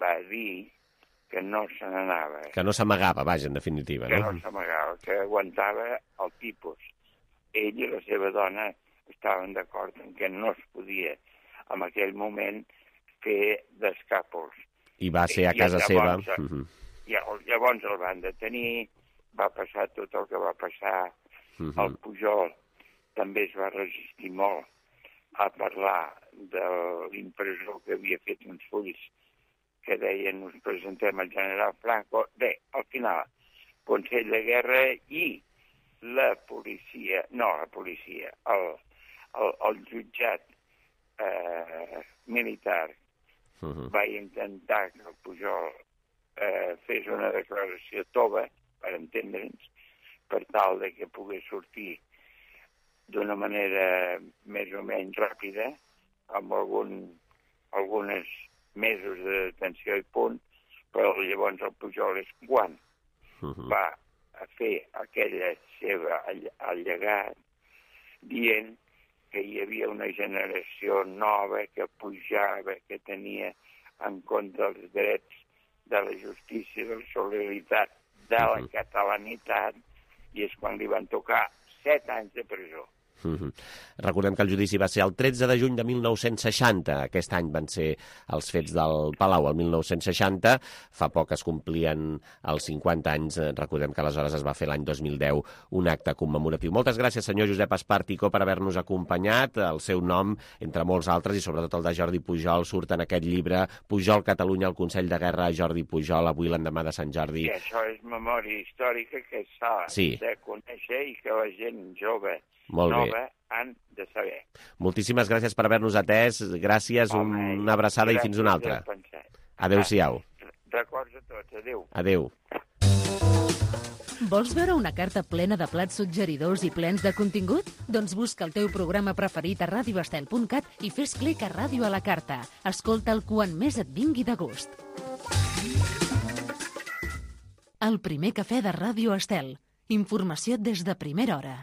va dir que no se n'anava. Que no s'amagava, vaja, en definitiva. Que no, no s'amagava, que aguantava el tipus. Ell i la seva dona estaven d'acord en que no es podia, en aquell moment, fer d'escàpols. I va ser a casa seva. Uh-huh. Llavors el van detenir, va passar tot el que va passar. Uh-huh. El Pujol també es va resistir molt a parlar de l'impressor que havia fet uns fulls que deien us presentem al general Franco. Bé, al final, Consell de Guerra i la policia, no la policia, el, el, el jutjat eh, militar uh-huh. va intentar que el Pujol eh, fes una declaració tova, per entendre'ns, per tal de que pogués sortir d'una manera més o menys ràpida, amb algun, algunes mesos de detenció i punt, però llavors el Pujol és quan uh-huh. va a fer aquella seva allegat dient que hi havia una generació nova que pujava, que tenia en compte els drets de la justícia, de la solidaritat, de la uh-huh. catalanitat, i és quan li van tocar set anys de presó. Mm-hmm. Recordem que el judici va ser el tretze de juny de mil nou-cents seixanta. Aquest any van ser els fets del Palau, el mil nou-cents seixanta. Fa poc es complien els cinquanta anys. Recordem que aleshores es va fer l'any dos mil deu un acte commemoratiu. Moltes gràcies, senyor Josep Espartico, per haver-nos acompanyat. El seu nom, entre molts altres, i sobretot el de Jordi Pujol, surt en aquest llibre Pujol, Catalunya, el Consell de Guerra, Jordi Pujol, avui l'endemà de Sant Jordi. I això és memòria històrica que s'ha sí. de conèixer i que la gent jove Molt nova bé. han de saber. Moltíssimes gràcies per haver-nos atès. Gràcies, Home, una abraçada i fins una altra. Adéu-siau. Records a tots. Adéu. Adéu. Vols veure una carta plena de plats suggeridors i plens de contingut? Doncs busca el teu programa preferit a radio estel punt cat i fes clic a Ràdio a la Carta. Escolta'l quan més et vingui de gust. El primer cafè de Ràdio Estel. Informació des de primera hora.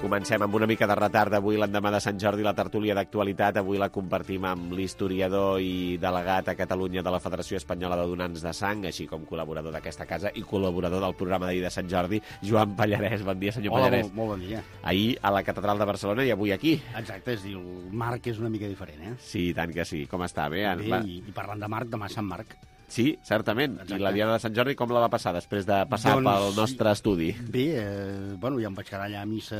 Comencem amb una mica de retard avui, l'endemà de Sant Jordi, la tertúlia d'actualitat. Avui la compartim amb l'historiador i delegat a Catalunya de la Federació Espanyola de Donants de Sang, així com col·laborador d'aquesta casa i col·laborador del programa d'ahir de Sant Jordi, Joan Pallarès. Bon dia, senyor Hola, Pallarès. Molt, molt bon dia. Ahir a la Catedral de Barcelona i avui aquí. Exacte, és dir, el Marc és una mica diferent, eh? Sí, tant que sí. Com està? Bé? Bé, va... i, i parlant de Marc, demà Sant Marc. Sí, certament. Exacte. I la Diada de Sant Jordi com la va passar després de passar doncs, pel nostre estudi? Bé, eh, bueno, ja em vaig quedar allà a missa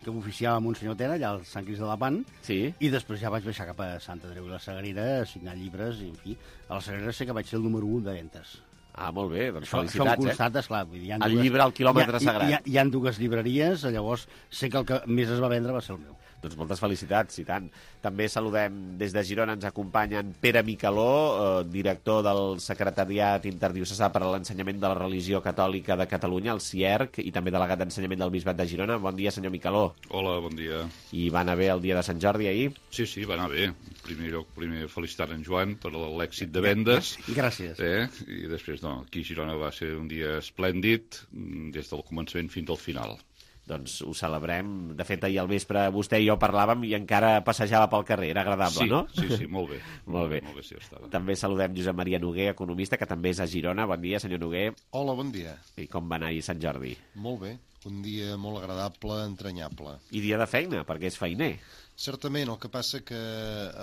que m'oficiava Monsenyor Tena, allà al Sant Crist de la Pan, sí. I després ja vaig baixar cap a Sant Andreu i la Sagrera a signar llibres, i en fi, a la Sagrera sé que vaig ser el número un de ventes. Ah, molt bé, doncs això, felicitats, això em constata, eh? Esclar, vull dir, el dues... llibre al quilòmetre hi ha, sagrat. Hi ha, hi ha dues llibreries, llavors sé que el que més es va vendre va ser el meu. Doncs moltes felicitats, i tant. També saludem des de Girona, ens acompanyen Pere Micaló, eh, director del Secretariat Interdiocesà per a l'Ensenyament de la Religió Catòlica de Catalunya, el C I E R C, i també delegat d'Ensenyament del Bisbat de Girona. Bon dia, senyor Micaló. Hola, bon dia. I va anar bé el dia de Sant Jordi ahir? Sí, sí, va anar bé. En primer lloc, primer felicitar en Joan per l'èxit de vendes. Gràcies. Eh? I després, no, aquí a Girona va ser un dia esplèndid, des del començament fins al final. Doncs ho celebrem. De fet, ahir al vespre vostè i jo parlàvem i encara passejava pel carrer. Era agradable, sí, no? Sí, sí, molt bé. molt bé. Molt bé sí, estava. També saludem Josep Maria Noguer, economista, que també és a Girona. Bon dia, senyor Noguer. Hola, bon dia. I com va anar ahir Sant Jordi? Molt bé. Un dia molt agradable, entranyable. I dia de feina, perquè és feiner. Certament, el que passa que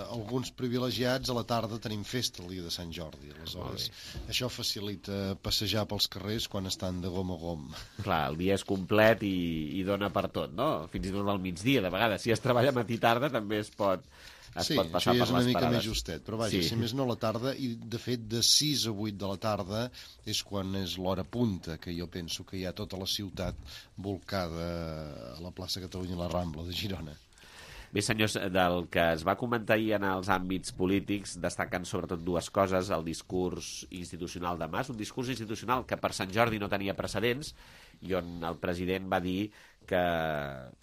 alguns privilegiats a la tarda tenim festa el dia de Sant Jordi. Aleshores, això facilita passejar pels carrers quan estan de gom a gom. Clar, el dia és complet i, i dona per tot, no? Fins i tot al migdia, de vegades. Si es treballa matí tarda també es pot, es sí, pot passar per les parades. Sí, és una mica més justet, però vaja, sí. si més no a la tarda, i de fet de sis a vuit de la tarda és quan és l'hora punta, que jo penso que hi ha tota la ciutat volcada a la plaça Catalunya i la Rambla de Girona. Bé, senyors, del que es va comentar ahir en els àmbits polítics, destaquen sobretot dues coses: el discurs institucional de Mas, un discurs institucional que per Sant Jordi no tenia precedents, i on el president va dir que,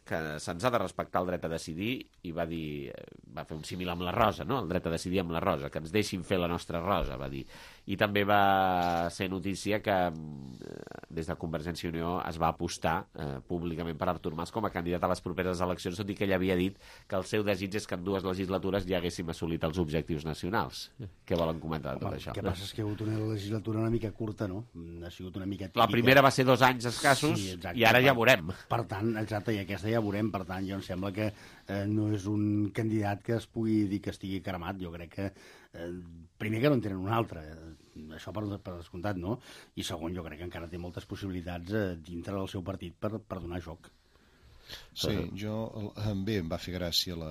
que se'ns ha de respectar el dret a decidir, i va dir, va fer un símil amb la rosa, no? El dret a decidir amb la rosa, que ens deixin fer la nostra rosa, va dir. I també va ser notícia que des de Convergència i Unió es va apostar eh, públicament per Artur Mas com a candidat a les properes eleccions, tot i que ell havia dit que el seu desig és que en dues legislatures ja haguéssim assolit els objectius nacionals. Què volen comentar de tot Home, això? El que passa és que ha hagut una legislatura una mica curta, no? Ha sigut una mica típica. La primera va ser dos anys escassos, sí, i ara ja veurem. Per tant, exacte, i aquesta ja veurem, per tant, jo em sembla que eh, no és un candidat que es pugui dir que estigui cremat, jo crec que eh, primer que no en tenen un altre, eh, això per, per descomptat, no? I segon, jo crec que encara té moltes possibilitats eh, dintre del seu partit per, per donar joc. Sí, jo, bé, em va fer gràcia la,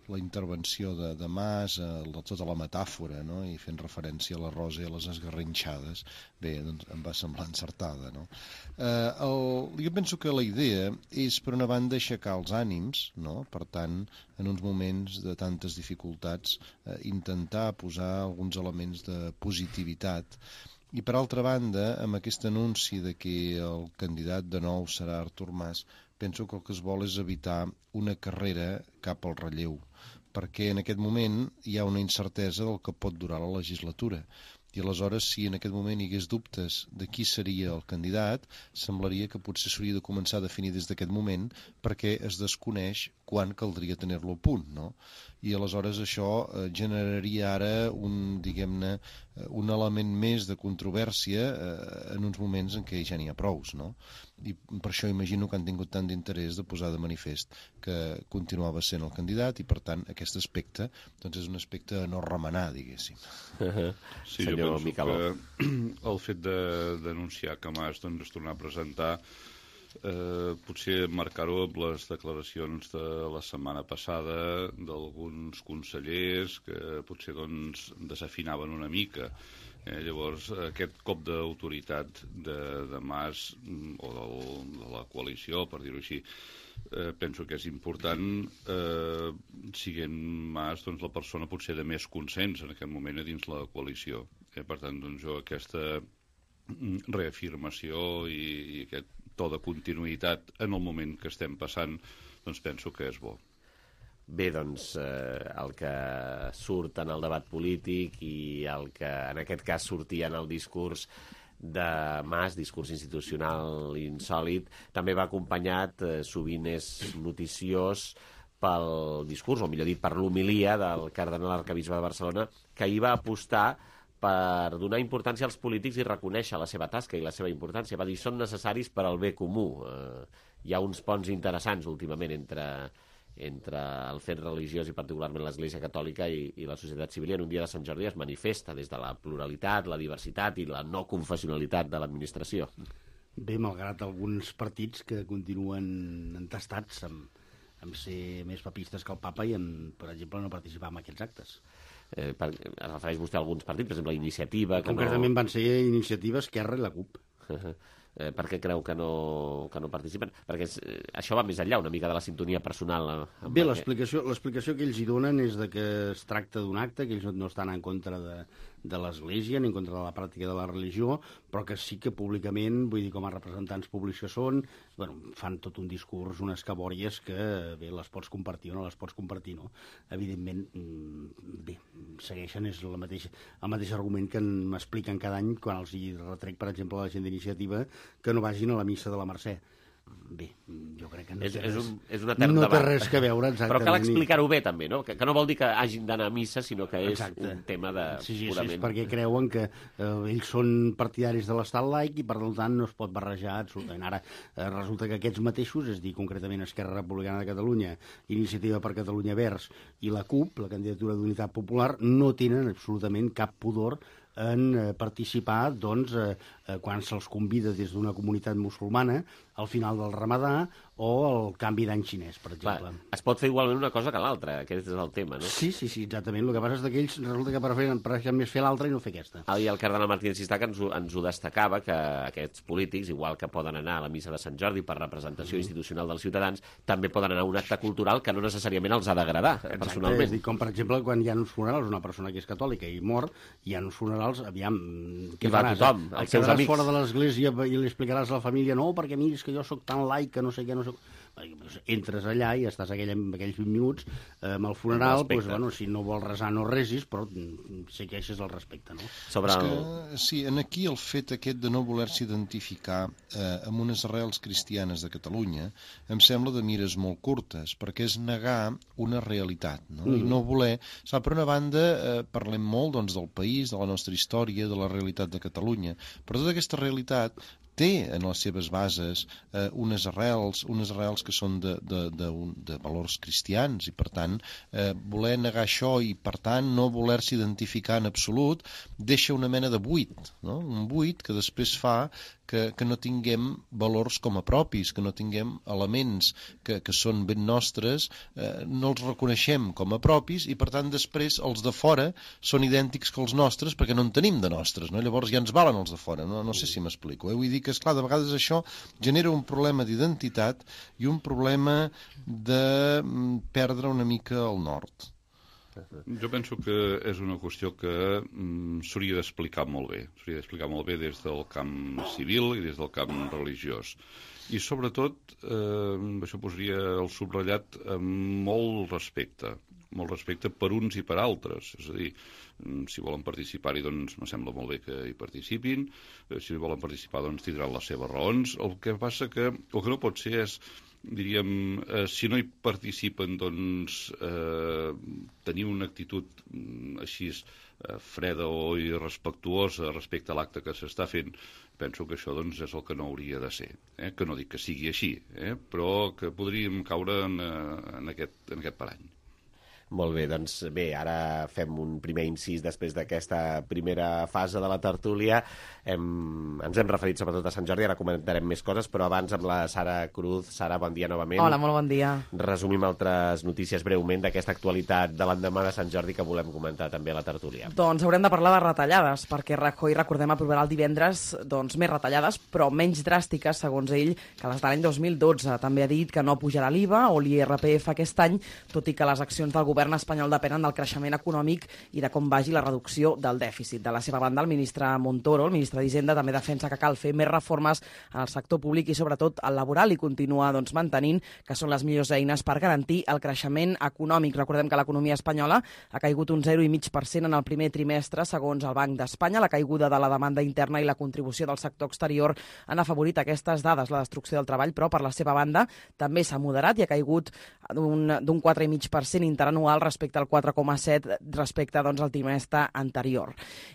la intervenció de, de Mas, eh, tota la metàfora, no? I fent referència a la Rosa i a les esgarrinxades. Bé, doncs em va semblar encertada, no? Eh, el, jo penso que la idea és, per una banda, aixecar els ànims, no? Per tant, en uns moments de tantes dificultats, eh, intentar posar alguns elements de positivitat. I, per altra banda, amb aquest anunci de que el candidat de nou serà Artur Mas, penso que el que es vol és evitar una carrera cap al relleu, perquè en aquest moment hi ha una incertesa del que pot durar la legislatura. I aleshores, si en aquest moment hi hagués dubtes de qui seria el candidat, semblaria que potser s'hauria de començar a definir des d'aquest moment, perquè es desconeix quan caldria tenir-lo a punt, no? I aleshores això eh, generaria ara un, diguem-ne, un element més de controvèrsia eh, en uns moments en què ja n'hi ha prous, no? I per això imagino que han tingut tant d'interès de posar de manifest que continuava sent el candidat i, per tant, aquest aspecte doncs és un aspecte a no remenar, diguéssim. Sí, jo penso Micaló. que el fet de denunciar que Mas doncs, es tornar a presentar Eh, potser marcar-ho amb les declaracions de la setmana passada d'alguns consellers que potser doncs, desafinaven una mica. Eh, llavors, aquest cop d'autoritat de, de Mas o del, de la coalició, per dir-ho així, eh, penso que és important, eh, siguent Mas doncs, la persona potser de més consens en aquest moment a dins la coalició. Eh, per tant, doncs, jo aquesta reafirmació i, i aquest to de continuïtat en el moment que estem passant, doncs penso que és bo. Bé, doncs, eh, el que surt en el debat polític i el que en aquest cas sortia en el discurs de Mas, discurs institucional insòlid, també va acompanyat, eh, sovint és noticiós, pel discurs, o millor dit, per l'homilia del cardenal arcabisbe de Barcelona, que hi va apostar per donar importància als polítics i reconèixer la seva tasca i la seva importància. Va dir, són necessaris per al bé comú. Eh, hi ha uns ponts interessants últimament entre, entre el fet religiós i particularment l'Església Catòlica i, i la societat civil. I en un dia de Sant Jordi es manifesta des de la pluralitat, la diversitat i la no confessionalitat de l'administració. Bé, malgrat alguns partits que continuen entestats amb, amb ser més papistes que el papa i, en, per exemple, no participar en aquests actes. Eh, per, es refereix vostè a alguns partits, per exemple, la Iniciativa... Que Concretament no... van ser Iniciativa, Esquerra i la CUP. eh, per què creu que no, que no participen? Perquè eh, això va més enllà una mica de la sintonia personal. Amb Bé, l'explicació l'explicació que ells hi donen és de que es tracta d'un acte, que ells no estan en contra de, de l'Església ni en contra de la pràctica de la religió, però que sí que públicament, vull dir, com a representants públics que són, bueno, fan tot un discurs, unes cabòries que, bé, les pots compartir o no les pots compartir, no? Evidentment, bé, segueixen, és la mateixa, el mateix argument que m'expliquen cada any quan els hi retrec, per exemple, a la gent d'Iniciativa, que no vagin a la missa de la Mercè. Bé, jo crec que no, és, té, és res, un, és un etern no debat. té res que veure, exactament. Però cal explicar-ho bé, també, no? Que, que no vol dir que hagin d'anar a missa, sinó que és Exacte. un tema de sí, sí, purament... Sí, és perquè creuen que eh, ells són partidaris de l'estat laic i, per tant, no es pot barrejar absolutament. Ara, eh, resulta que aquests mateixos, és dir, concretament Esquerra Republicana de Catalunya, Iniciativa per Catalunya Verds i la CUP, la candidatura d'Unitat Popular, no tenen absolutament cap pudor en eh, participar doncs, eh, eh, quan se'ls convida des d'una comunitat musulmana al final del Ramadà o el canvi d'any xinès, per exemple. Clar, es pot fer igualment una cosa que l'altra, aquest és el tema, no? Sí, sí, sí, exactament. El que passa és que ells resulta que prefereixen, prefereixen més fer l'altra i no fer aquesta. Ah, i el cardenal Martínez Sistac ens, ho- ens ho destacava, que aquests polítics, igual que poden anar a la missa de Sant Jordi per representació institucional dels ciutadans, també poden anar a un acte cultural que no necessàriament els ha d'agradar, Exacte, personalment. és dir, com per exemple quan hi ha uns funerals, una persona que és catòlica i mor, hi ha uns funerals, aviam, què Hi va faràs? tothom, El els seus quedaràs amics. fora de l'església i li explicaràs a la família, no, perquè miris que jo sóc tan laic que no sé què, no sé... Entres allà i estàs aquell, aquells vint minuts eh, amb el funeral, doncs, bueno, si no vols resar no resis, però sé queeixes el respecte, no? Sobre És el... que, sí, en aquí el fet aquest de no voler-se identificar eh, amb unes arrels cristianes de Catalunya em sembla de mires molt curtes, perquè és negar una realitat, no? Mm. I no voler... Sap, per una banda, eh, parlem molt doncs, del país, de la nostra història, de la realitat de Catalunya, però tota aquesta realitat té en les seves bases eh, unes arrels, unes arrels que són de, de, de, de valors cristians, i per tant eh, voler negar això i per tant no voler-se identificar en absolut deixa una mena de buit, no? Un buit que després fa que, que no tinguem valors com a propis, que no tinguem elements que, que són ben nostres, eh, no els reconeixem com a propis i per tant després els de fora són idèntics que els nostres perquè no en tenim de nostres, no? Llavors ja ens valen els de fora, no, no sé si m'explico, eh? Vull dir que, esclar, de vegades això genera un problema d'identitat i un problema de perdre una mica el nord. Jo penso que és una qüestió que mm, s'hauria d'explicar molt bé. S'hauria d'explicar molt bé des del camp civil i des del camp religiós. I sobretot, eh, això posaria el subratllat amb molt respecte. Molt respecte per uns i per altres. És a dir, si volen participar-hi, doncs me sembla molt bé que hi participin. Si volen participar, doncs tindran les seves raons. El que passa que el que no pot ser és, diríem, eh, si no hi participen, doncs eh, tenir una actitud mm, així eh, freda o irrespectuosa respecte a l'acte que s'està fent. Penso que això doncs, és el que no hauria de ser. Eh? Que no dic que sigui així, eh? però que podríem caure en, en, aquest, en aquest parany. Molt bé, doncs bé, ara fem un primer incís després d'aquesta primera fase de la tertúlia. Hem, ens hem referit sobretot a Sant Jordi, ara comentarem més coses, però abans amb la Sara Cruz. Sara, bon dia novament. Hola, molt bon dia. Resumim altres notícies breument d'aquesta actualitat de l'endemà de Sant Jordi que volem comentar també a la tertúlia. Doncs haurem de parlar de retallades, perquè Rajoy, recordem, aprovarà el divendres doncs, més retallades, però menys dràstiques, segons ell, que les de l'any dos mil dotze. També ha dit que no pujarà l'I V A o l'I R P F aquest any, tot i que les accions del govern espanyol depenen del creixement econòmic i de com vagi la reducció del dèficit. De la seva banda, el ministre Montoro, el ministre d'Hisenda, també defensa que cal fer més reformes en el sector públic i sobretot al laboral i continua doncs, mantenint que són les millors eines per garantir el creixement econòmic. Recordem que l'economia espanyola ha caigut un zero coma cinc per cent en el primer trimestre, segons el Banc d'Espanya. La caiguda de la demanda interna i la contribució del sector exterior han afavorit aquestes dades, la destrucció del treball, però per la seva banda també s'ha moderat i ha caigut d'un quatre coma cinc per cent interanual respecte al quatre coma set respecte doncs, al trimestre anterior.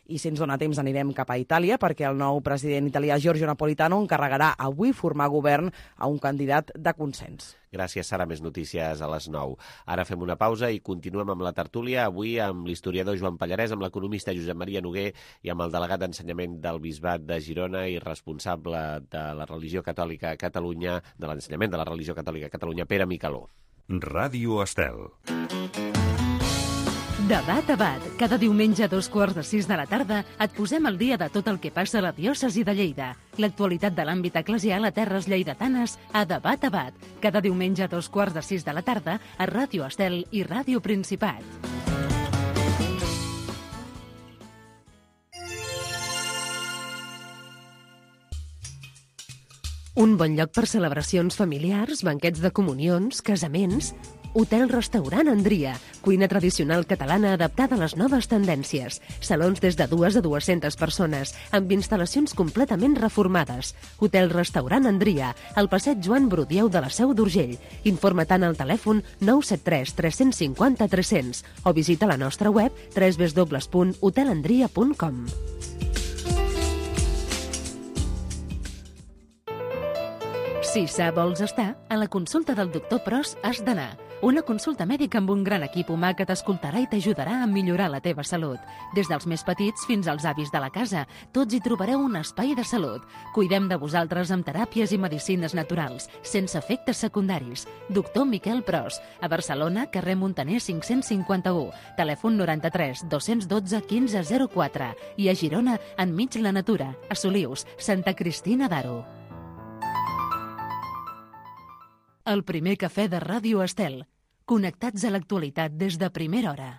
I si ens dona temps anirem cap a Itàlia perquè el nou president italià Giorgio Napolitano encarregarà avui formar govern a un candidat de consens. Gràcies, Sara. Més notícies a les nou. Ara fem una pausa i continuem amb la tertúlia, avui amb l'historiador Joan Pallarès, amb l'economista Josep Maria Noguer i amb el delegat d'ensenyament del Bisbat de Girona i responsable de la religió catòlica a Catalunya, de l'ensenyament de la religió catòlica a Catalunya, Pere Micaló. Ràdio Estel. Debat a Bat. Cada diumenge a dos quarts de sis de la tarda et posem al dia de tot el que passa a la diòcesi de Lleida. L'actualitat de l'àmbit eclesial a terres lleidatanes a Debat a Bat. Cada diumenge a dos quarts de sis de la tarda a Ràdio Estel i Ràdio Principat. Un bon lloc per celebracions familiars, banquets de comunions, casaments... Hotel-restaurant Andria, cuina tradicional catalana adaptada a les noves tendències. Salons des de dues a dues-centes persones, amb instal·lacions completament reformades. Hotel-restaurant Andria, al passeig Joan Brudieu de la Seu d'Urgell. Informa tant al telèfon nou set tres tres cinc zero tres cents o visita la nostra web w w w punt hotel andria punt com. Si sa vols estar, a la consulta del doctor Pros has d'anar. Una consulta mèdica amb un gran equip humà que t'escoltarà i t'ajudarà a millorar la teva salut. Des dels més petits fins als avis de la casa, tots hi trobareu un espai de salut. Cuidem de vosaltres amb teràpies i medicines naturals, sense efectes secundaris. Doctor Miquel Pros, a Barcelona, carrer Montaner cinc-cents cinquanta-u, telèfon noranta-tres dos-cents dotze quinze zero quatre i a Girona, enmig la natura, a Solius, Santa Cristina d'Aro. El primer cafè de Ràdio Estel. Connectats a l'actualitat des de primera hora.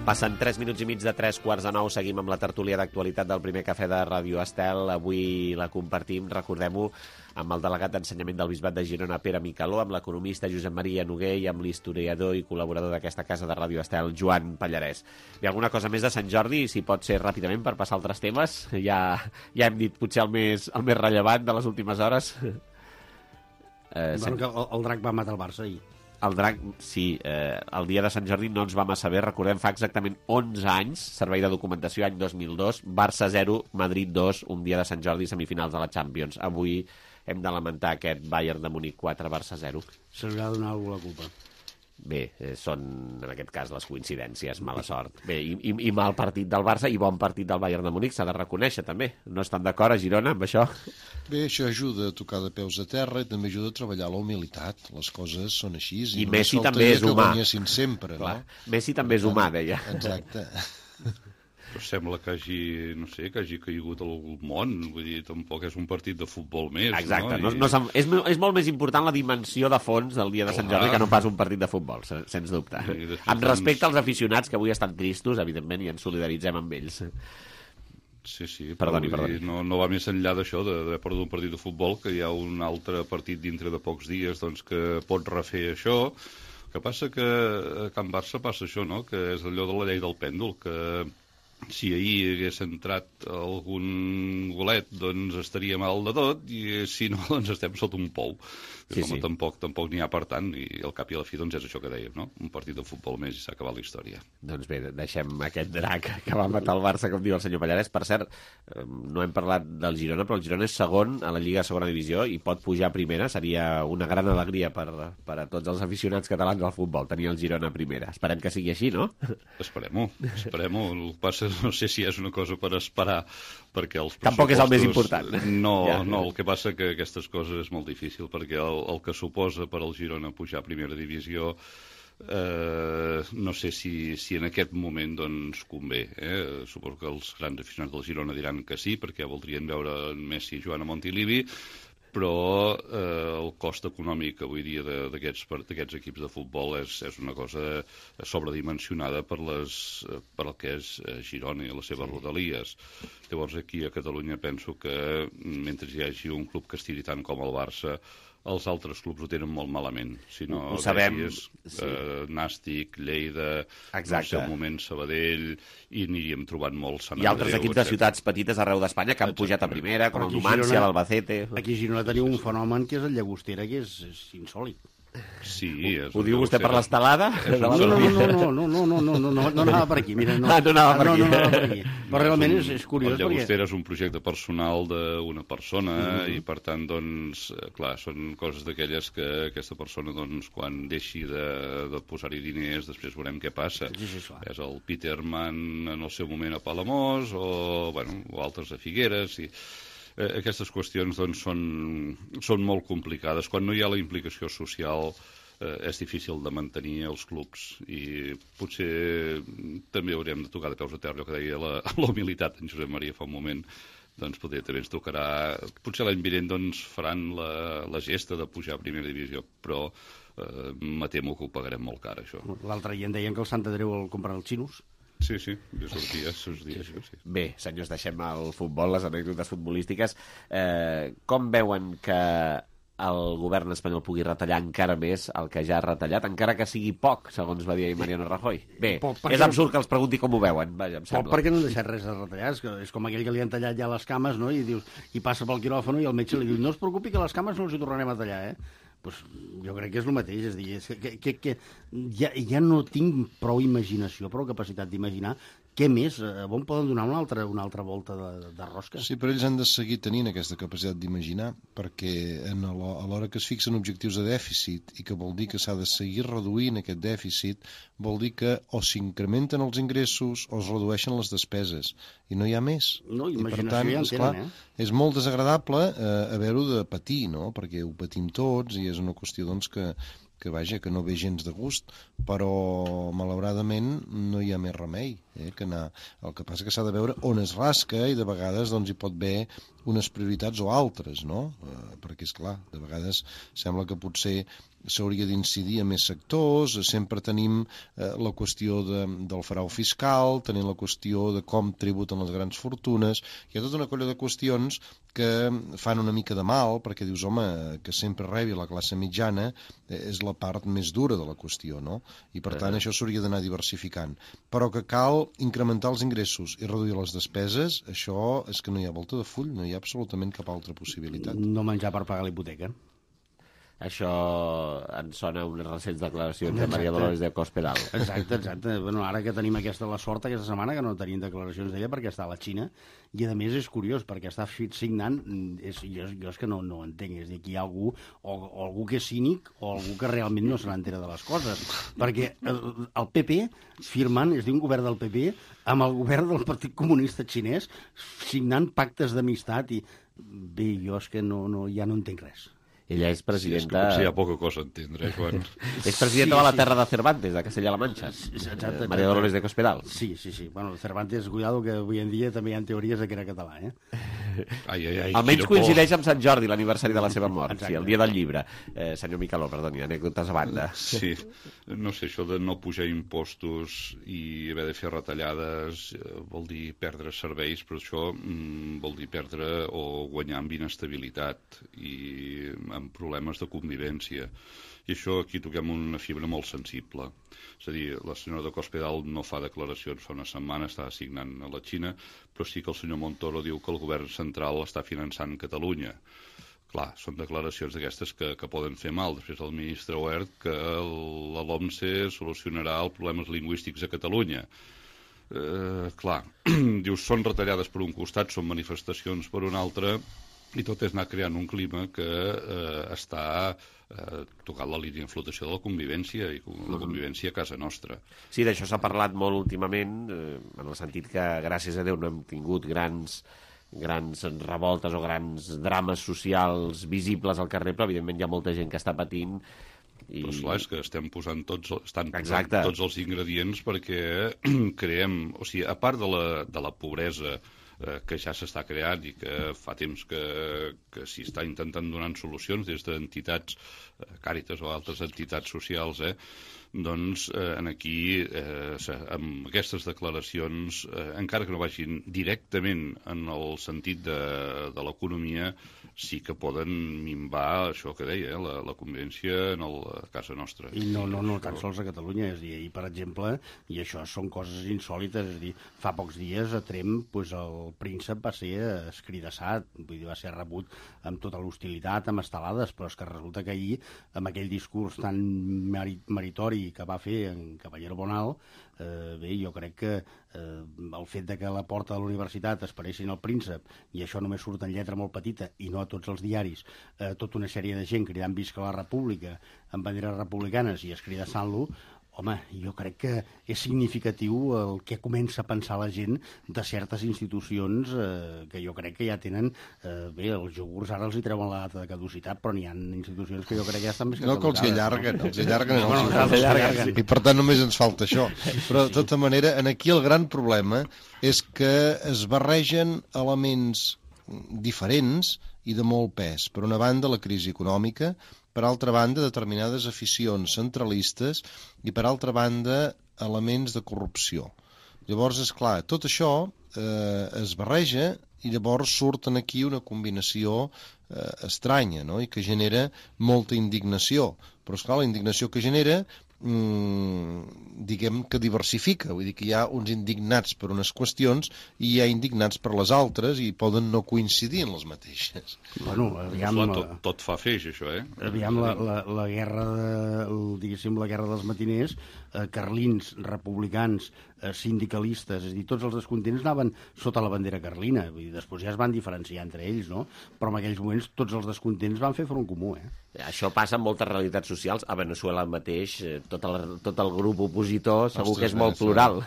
Passen tres minuts i mig de tres quarts de nou. Seguim amb la tertúlia d'actualitat del primer cafè de Ràdio Estel. Avui la compartim, recordem-ho, amb el delegat d'Ensenyament del Bisbat de Girona, Pere Micaló, amb l'economista Josep Maria Noguer i amb l'historiador i col·laborador d'aquesta casa de Ràdio Estel, Joan Pallarès. Hi ha alguna cosa més de Sant Jordi, si pot ser ràpidament per passar a altres temes? Ja, ja hem dit potser el més, el més rellevant de les últimes hores. Eh, bueno, que el, el Drac va matar el Barça ahir. El Drac, sí, eh, el dia de Sant Jordi no ens vam a saber, recordem, fa exactament onze anys, servei de documentació, any dos mil dos, Barça zero, Madrid dos, un dia de Sant Jordi, semifinals de la Champions. Avui hem de lamentar aquest Bayern de Múnich quatre, Barça zero. Se li ha de donar algú la culpa. Bé, eh, són, en aquest cas, les coincidències, mala sort. Bé, i, i, i mal partit del Barça i bon partit del Bayern de Múnich, s'ha de reconèixer, també. No estan d'acord a Girona amb això? Bé, això ajuda a tocar de peus a terra i també ajuda a treballar la humilitat. Les coses són així. I, I Messi també és humà. Sempre, clar, no? Messi també és humà, deia. Exacte. Però sembla que hagi, no sé, que hagi caigut al món, vull dir, tampoc és un partit de futbol més, exacte, no? no, no és, és molt més important la dimensió de fons del dia de Sant Jordi que no pas un partit de futbol, sens dubte. Amb respecte als aficionats, que avui estan tristos, evidentment, i ens solidaritzem amb ells. Sí, sí, perdoni, però perdoni. No, no va més enllà d'això, d'haver perdut un partit de futbol, que hi ha un altre partit dintre de pocs dies doncs, que pot refer això. El que passa que a Can Barça passa això, no?, que és allò de la llei del pèndol, que si ahir hagués entrat algun golet, doncs estaria mal de tot, i si no, doncs estem sota un pou. Sí, home, sí. Tampoc, tampoc n'hi ha per tant, i al cap i a la fi doncs és això que dèiem, no? Un partit de futbol més i s'ha acabat la història. Doncs bé, deixem aquest drac que va matar el Barça, com diu el senyor Pallarès. Per cert, no hem parlat del Girona, però el Girona és segon a la Lliga de Segona Divisió i pot pujar a primera. Seria una gran alegria per, per a tots els aficionats catalans al futbol, tenir el Girona a primera. Esperem que sigui així, no? Esperem-ho, esperem-ho. El que passa, no sé si és una cosa per esperar, perquè els pressupostos... Tampoc és el més important. No, ja. no, el que passa que aquestes coses és molt difícil, perquè el, el que suposa per al Girona pujar a primera divisió, eh, no sé si, si en aquest moment doncs convé. Eh? Suposo que els grans aficionats del Girona diran que sí, perquè voldrien veure Messi jugant a Montilivi, però eh, el cost econòmic avui dia d'aquests equips de futbol és, és una cosa sobredimensionada per, les, per el que és Girona i les seves sí. rodalies. Llavors aquí a Catalunya penso que mentre hi hagi un club que estiri tant com el Barça, els altres clubs ho tenen molt malament. Si no, ho sabem. És, sí. eh, Nàstic, Lleida, exacte. No sé, un moment Sabadell, i aniríem trobant molts Sant Andreu. Hi ha altres equips de ciutats petites arreu d'Espanya que han pujat a primera, com el Numancia, l'Albacete... Aquí a Girona teniu un fenomen que és el Llagostera, que és, és insòlid. Sí, és ho diu vostè per l'estelada? No, no, no, no, no, no, no, no, no, no anava per aquí, mira, no. Ah, no anava per aquí. No, no anava per aquí. Però realment és, és curiós perquè... El Llagostera perquè... és un projecte personal d'una persona mm-hmm. i, per tant, doncs, clar, són coses d'aquelles que aquesta persona, doncs, quan deixi de, de posar-hi diners, després veurem què passa. Sí, sí, és el Peterman en el seu moment a Palamós o, bueno, o altres a Figueres i... Aquestes qüestions doncs, són, són molt complicades. Quan no hi ha la implicació social eh, és difícil de mantenir els clubs i potser també haurem de tocar de peus a terra, allò que deia la, la humilitat en Josep Maria fa un moment. Doncs potser també ens tocarà... Potser l'any vinent doncs, faran la, la gesta de pujar a primera divisió, però eh, me temo que ho pagarem molt car, això. L'altre dia en deien que el Sant Andreu el compren els xinos. Sí, sí, de sortia, sortia, sí, sí. Bé, senyors, deixem el futbol, les anècdotes futbolístiques. Eh, com veuen que el govern espanyol pugui retallar encara més el que ja ha retallat, encara que sigui poc, segons va dir Mariano Rajoy? Bé, poc, és absurd que els pregunti com ho veuen, vaja, em sembla. Poc perquè no han deixat res de retallar, és, que és com aquell que li han tallat ja les cames, no?, i dius, i passa pel quiròfano i el metge li diu, no es preocupi que les cames no els hi tornarem a tallar, eh? Pues jo crec que és el mateix, és a dir, és que, que, que ja, ja no tinc prou imaginació, prou capacitat d'imaginar què més, on poden donar una altra, una altra volta de, de rosca. Sí, però ells han de seguir tenint aquesta capacitat d'imaginar, perquè en a l'hora que es fixen objectius de dèficit i que vol dir que s'ha de seguir reduint aquest dèficit, vol dir que o s'incrementen els ingressos o es redueixen les despeses, i no hi ha més. No, imaginació I per tant, ja en esclar, tenen, eh? És molt desagradable eh, haver-ho de patir, no?, perquè ho patim tots i és una qüestió doncs, que, que, vaja, que no ve gens de gust, però malauradament no hi ha més remei, eh, que anar. El que passa que s'ha de veure on es rasca i de vegades doncs, hi pot haver unes prioritats o altres, no? Eh, perquè, és clar, de vegades sembla que potser s'hauria d'incidir en més sectors, sempre tenim eh, la qüestió de, del frau fiscal, tenim la qüestió de com tributen les grans fortunes, hi ha tota una colla de qüestions que fan una mica de mal, perquè dius, home, que sempre rebi la classe mitjana eh, és la part més dura de la qüestió, no? I per tant això s'hauria d'anar diversificant. Però que cal incrementar els ingressos i reduir les despeses, això és que no hi ha volta de full, no hi ha absolutament cap altra possibilitat. No menjar per pagar l'hipoteca. Això ens sona unes recents declaracions de Maria Dolores de Cospedal. Exacte, exacte. Bueno, ara que tenim aquesta la sort aquesta setmana que no tenim declaracions d'ella perquè està a la Xina, i a més és curiós perquè està signant, és, jo, jo és que no, no ho entenc, és a dir, que hi ha algú o, o algú que és cínic o algú que realment no se n'entera de les coses, perquè el, el P P firmant, és a dir, un govern del P P amb el govern del Partit Comunista Xinès signant pactes d'amistat i bé, jo és que no, no, ja no entenc res. Ella és presidenta... Sí, és que potser hi ha poca cosa a entendre, Joan. És presidenta sí, de la terra sí. de Cervantes, de Castella-La Manxa. Exacte, Maria Dolores de Cospedal. Sí, sí, sí. Bueno, Cervantes, cuidado, que avui en dia també hi ha teories de que era català, eh? Ai, ai, ai, Almenys coincideix amb Sant Jordi, l'aniversari de la seva mort. Exacte. Sí, el dia del llibre. Eh, senyor Micaló, perdoni, anècdotes a banda. Sí, no sé, això de no pujar impostos i haver de fer retallades eh, vol dir perdre serveis, però això mm, vol dir perdre o guanyar amb inestabilitat i amb problemes de convivència. I això aquí toquem una fibra molt sensible. És a dir, la senyora de Cospedal no fa declaracions fa una setmana, està assignant a la Xina, però sí que el senyor Montoro diu que el govern central està finançant Catalunya. Clar, són declaracions d'aquestes que, que poden fer mal. Després el ministre Wert que la LOMSE solucionarà els problemes lingüístics a Catalunya. Eh, clar, dius, són retallades per un costat, són manifestacions per un altre, i tot és anar creant un clima que eh, està eh, tocant la línia de flotació de la convivència i la convivència a casa nostra. Sí, d'això s'ha parlat molt últimament, eh, en el sentit que gràcies a Déu no hem tingut grans grans revoltes o grans drames socials visibles al carrer, però evidentment hi ha molta gent que està patint. I... Però esclar, és que estem posant tots, estan posant tots els ingredients perquè creem, o sigui, a part de la, de la pobresa eh, que ja s'està creant i que fa temps que, que s'hi està intentant donar solucions des d'entitats, eh, Càritas o altres entitats socials, eh, doncs eh, en aquí, eh, amb aquestes declaracions, eh, encara que no vagin directament en el sentit de, de l'economia, sí que poden minvar això que deia, eh, la, la convivència en el, a casa nostra. I no, no, no tan sols a Catalunya, és a dir, ahir, per exemple, i això són coses insòlites, és a dir, fa pocs dies a Tremp pues, el príncep va ser escridassat, vull dir, va ser rebut amb tota l'hostilitat, amb estelades, però és que resulta que ahir, amb aquell discurs tan meritori que va fer en Caballero Bonal, eh, bé, jo crec que eh, el fet de que a la porta de la universitat esperessin el príncep, i això només surt en lletra molt petita, i no a tots els diaris, eh, tota una sèrie de gent cridant visca la república, amb banderes republicanes i escridassant-lo, home, jo crec que és significatiu el que comença a pensar la gent de certes institucions eh, que jo crec que ja tenen... Eh, bé, els iogurts ara els hi treuen la data de caducitat, però n'hi ha institucions que jo crec que ja estan més que no, que els hi allarguen, no? els hi allarguen, no, els no, els allarguen. I per tant només ens falta això. Però de tota manera, en aquí el gran problema és que es barregen elements diferents i de molt pes. Per una banda, la crisi econòmica, per altra banda, determinades aficions centralistes i, per altra banda, elements de corrupció. Llavors, és clar, tot això eh, es barreja i llavors surten aquí una combinació eh, estranya, no? I que genera molta indignació. Però, esclar, la indignació que genera mm, diguem que diversifica, vull dir que hi ha uns indignats per unes qüestions i hi ha indignats per les altres i poden no coincidir en les mateixes. Bueno, aviam, Clar, tot, tot fa feix, això, eh? Aviam la, la, la guerra de, el, diguéssim, la guerra dels matiners, eh, carlins, republicans, eh, sindicalistes, és a dir, tots els descontents anaven sota la bandera carlina, vull dir, després ja es van diferenciar entre ells, no? Però en aquells moments tots els descontents van fer front comú, eh? Això passa en moltes realitats socials. A Veneçuela mateix, tot el, tot el grup opositor segur Ostres, que és molt plural.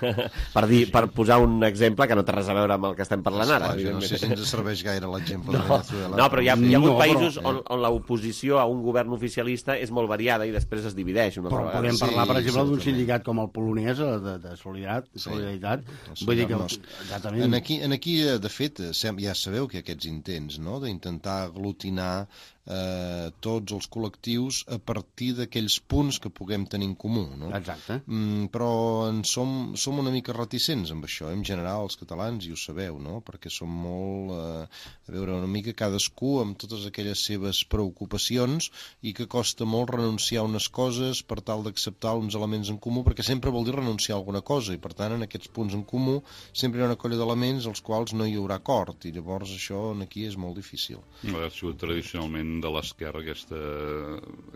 per, dir, per posar un exemple que no té res a veure amb el que estem parlant ara. Esclar, no sé si ens serveix gaire l'exemple no, de Veneçuela. No, però hi ha, hi ha hagut no, països però, on, on l'oposició a un govern oficialista és molt variada i després es divideix. Una però altra podem vegada. parlar, per sí, exemple, d'un certament. sindicat com el polonès de, de solidaritat. Sí, solidaritat. Vull dir que, exactament. En aquí, en aquí, de fet, ja sabeu que aquests intents, no?, d'intentar aglutinar eh, tots els col·lectius a partir d'aquells punts que puguem tenir en comú, no? Exacte. Mm, però en som, som una mica reticents amb això, en general, els catalans, i ho sabeu, no?, perquè som molt, eh, a veure, una mica cadascú amb totes aquelles seves preocupacions i que costa molt renunciar a unes coses per tal d'acceptar uns elements en comú, perquè sempre vol dir renunciar a alguna cosa, i per tant, en aquests punts en comú sempre hi ha una colla d'elements als quals no hi haurà acord, i llavors això aquí és molt difícil. Ha sigut tradicionalment de l'esquerra aquesta,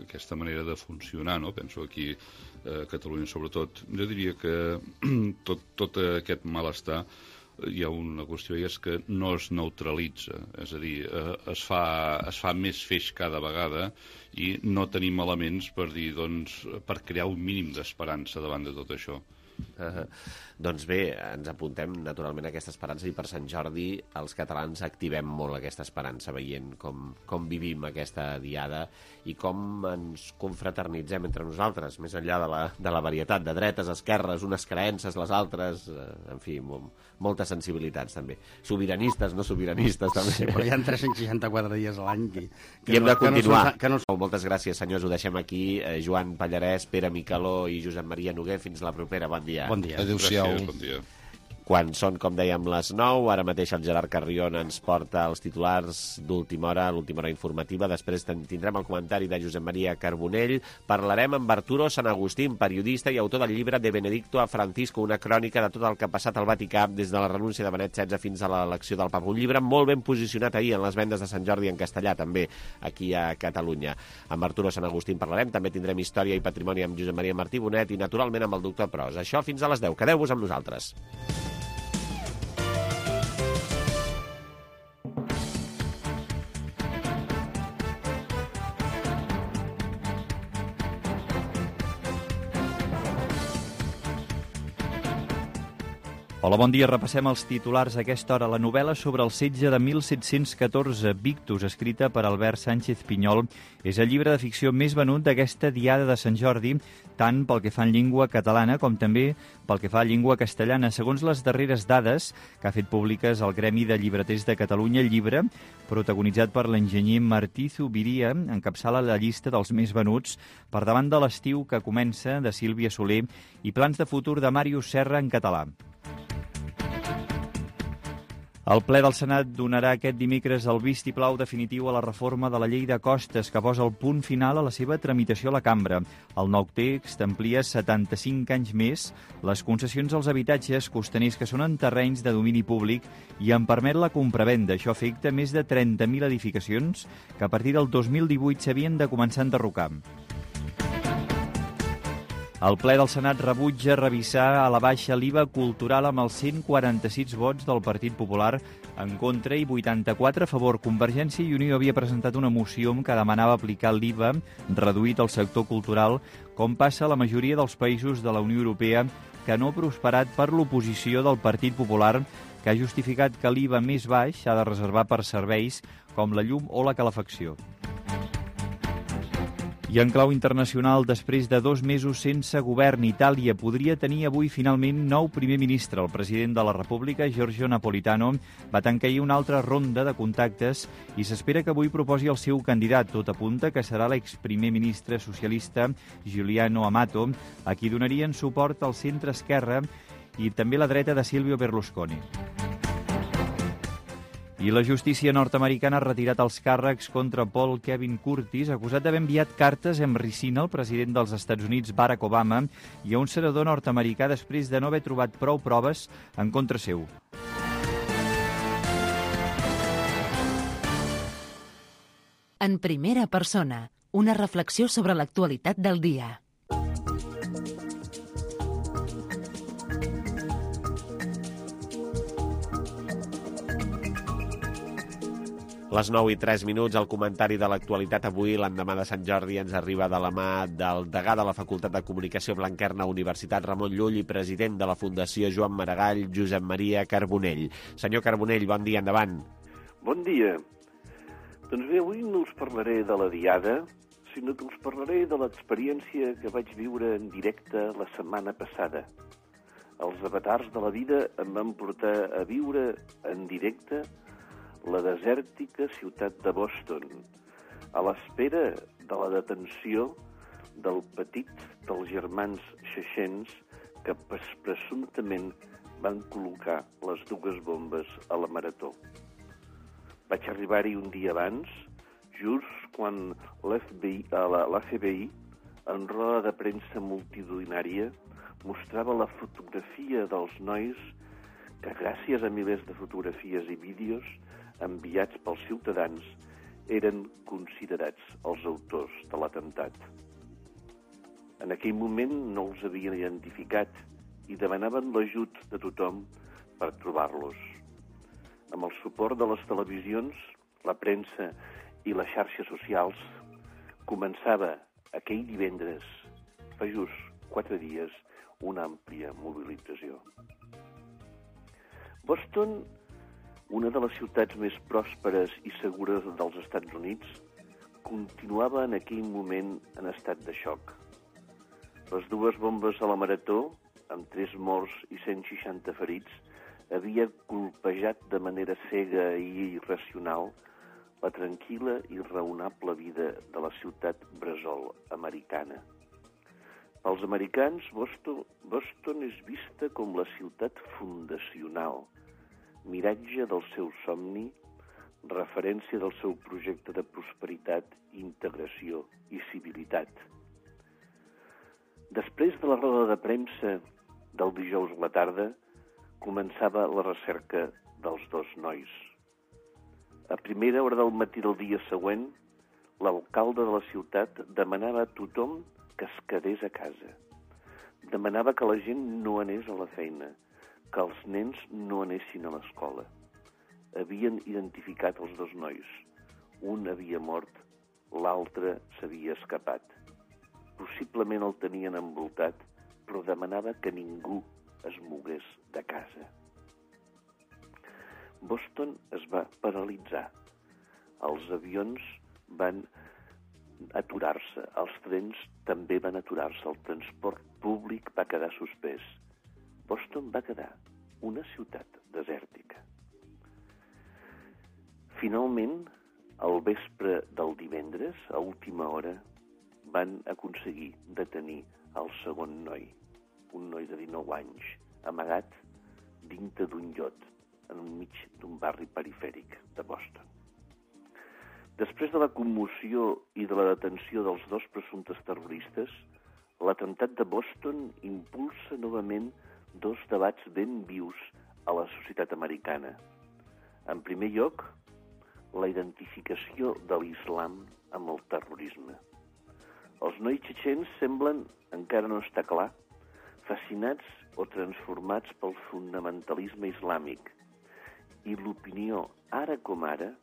aquesta manera de funcionar, no? Penso aquí a Catalunya sobretot. Jo diria que tot, tot aquest malestar hi ha una qüestió i és que no es neutralitza, és a dir, es fa, es fa més feix cada vegada i no tenim elements per dir, doncs, per crear un mínim d'esperança davant de tot això. Uh, doncs bé, ens apuntem naturalment a aquesta esperança i per Sant Jordi els catalans activem molt aquesta esperança veient com, com vivim aquesta diada i com ens confraternitzem entre nosaltres, més enllà de la, de la varietat de dretes, esquerres, unes creences, les altres, uh, en fi, molt, moltes sensibilitats també. Sobiranistes, no sobiranistes també. Sí, però hi ha tres-cents seixanta-quatre dies a l'any que, que I hem no, de continuar. Que no, que no... Moltes gràcies, senyors, ho deixem aquí. Eh, Joan Pallarès, Pere Micaló i Josep Maria Noguer, fins la propera. Bon dia. Bon dia. Adéu-siau. Gràcies, bon dia. Quan són, com dèiem, les nou, ara mateix el Gerard Carrion ens porta els titulars d'última hora, l'última hora informativa. Després tindrem el comentari de Josep Maria Carbonell. Parlarem amb Arturo San Agustín, periodista i autor del llibre De Benedicto a Francisco, una crònica de tot el que ha passat al Vaticà des de la renúncia de Benet setze fins a l'elecció del Papa. Un llibre molt ben posicionat ahir en les vendes de Sant Jordi en castellà, també, aquí a Catalunya. Amb Arturo San Agustín parlarem. També tindrem història i patrimoni amb Josep Maria Martí Bonet i, naturalment, amb el doctor Pros. Això fins a les deu. Quedeu-vos amb nosaltres. Hola, bon dia. Repassem els titulars a aquesta hora. La novel·la sobre el setge de mil set-cents catorze, Victus, escrita per Albert Sánchez Pinyol, és el llibre de ficció més venut d'aquesta diada de Sant Jordi, tant pel que fa en llengua catalana com també pel que fa a llengua castellana. Segons les darreres dades que ha fet públiques el Gremi de Llibreters de Catalunya, el llibre, protagonitzat per l'enginyer Martí Zubiria, encapçala la llista dels més venuts per davant de l'Estiu que comença, de Sílvia Soler, i Plans de futur de Màrius Serra en català. El ple del Senat donarà aquest dimecres el vistiplau definitiu a la reforma de la llei de costes que posa el punt final a la seva tramitació a la cambra. El nou text amplia setanta-cinc anys més les concessions als habitatges costaners que són en terrenys de domini públic i en permet la compravenda. Això afecta més de trenta mil edificacions que a partir del dos mil divuit s'havien de començar a enderrocar. El ple del Senat rebutja revisar a la baixa l'I V A cultural amb els cent quaranta-sis vots del Partit Popular en contra i vuitanta-quatre a favor. Convergència i Unió havia presentat una moció que demanava aplicar l'I V A reduït al sector cultural, com passa a la majoria dels països de la Unió Europea, que no ha prosperat per l'oposició del Partit Popular, que ha justificat que l'I V A més baix s'ha de reservar per serveis com la llum o la calefacció. I en clau internacional, després de dos mesos sense govern, Itàlia podria tenir avui finalment nou primer ministre. El president de la República, Giorgio Napolitano, va tancar ahir una altra ronda de contactes i s'espera que avui proposi el seu candidat. Tot apunta que serà l'exprimer ministre socialista Giuliano Amato, a qui donarien suport al centre-esquerra i també la dreta de Silvio Berlusconi. I la justícia nord-americana ha retirat els càrrecs contra Paul Kevin Curtis, acusat d'haver enviat cartes amb ricina al president dels Estats Units, Barack Obama, i a un senador nord-americà després de no haver trobat prou proves en contra seu. En primera persona, una reflexió sobre l'actualitat del dia. Les nou i tres minuts, el comentari de l'actualitat avui, l'endemà de Sant Jordi, ens arriba de la mà del degà de la Facultat de Comunicació Blanquerna, Universitat Ramon Llull, i president de la Fundació Joan Maragall, Josep Maria Carbonell. Senyor Carbonell, bon dia, endavant. Bon dia. Doncs bé, avui no us parlaré de la diada, sinó que us parlaré de l'experiència que vaig viure en directe la setmana passada. Els avatars de la vida em van portar a viure en directe la desèrtica ciutat de Boston, a l'espera de la detenció del petit dels germans Xexens que presumptament van col·locar les dues bombes a la Marató. Vaig arribar-hi un dia abans, just quan l'F B I, la F B I, en roda de premsa multitudinària, mostrava la fotografia dels nois que, gràcies a milers de fotografies i vídeos enviats pels ciutadans, eren considerats els autors de l'atemptat. En aquell moment no els havien identificat i demanaven l'ajut de tothom per trobar-los. Amb el suport de les televisions, la premsa i les xarxes socials, començava aquell divendres, fa just quatre dies, una àmplia mobilització. Boston, una de les ciutats més pròsperes i segures dels Estats Units, continuava en aquell moment en estat de xoc. Les dues bombes a la Marató, amb tres morts i cent seixanta ferits, havia colpejat de manera cega i irracional la tranquil·la i raonable vida de la ciutat bressol americana. Pels americans, Boston, Boston és vista com la ciutat fundacional, miratge del seu somni, referència del seu projecte de prosperitat, integració i civilitat. Després de la roda de premsa del dijous a la tarda, començava la recerca dels dos nois. A primera hora del matí del dia següent, l'alcalde de la ciutat demanava a tothom que es quedés a casa. Demanava que la gent no anés a la feina, que els nens no anessin a l'escola. Havien identificat els dos nois. Un havia mort, l'altre s'havia escapat. Possiblement el tenien envoltat, però demanava que ningú es mogués de casa. Boston es va paralitzar. Els avions van aturar-se, els trens també van aturar-se, el transport públic va quedar suspès. Boston va quedar una ciutat desèrtica. Finalment, al vespre del divendres, a última hora, van aconseguir detenir el segon noi, un noi de dinou anys, amagat dintre d'un iot, enmig d'un barri perifèric de Boston. Després de la commoció i de la detenció dels dos presumptes terroristes, l'atemptat de Boston impulsa novament dos debats ben vius a la societat americana. En primer lloc, la identificació de l'islam amb el terrorisme. Els nois txetxens semblen, encara no està clar, fascinats o transformats pel fonamentalisme islàmic. I l'opinió, ara com ara,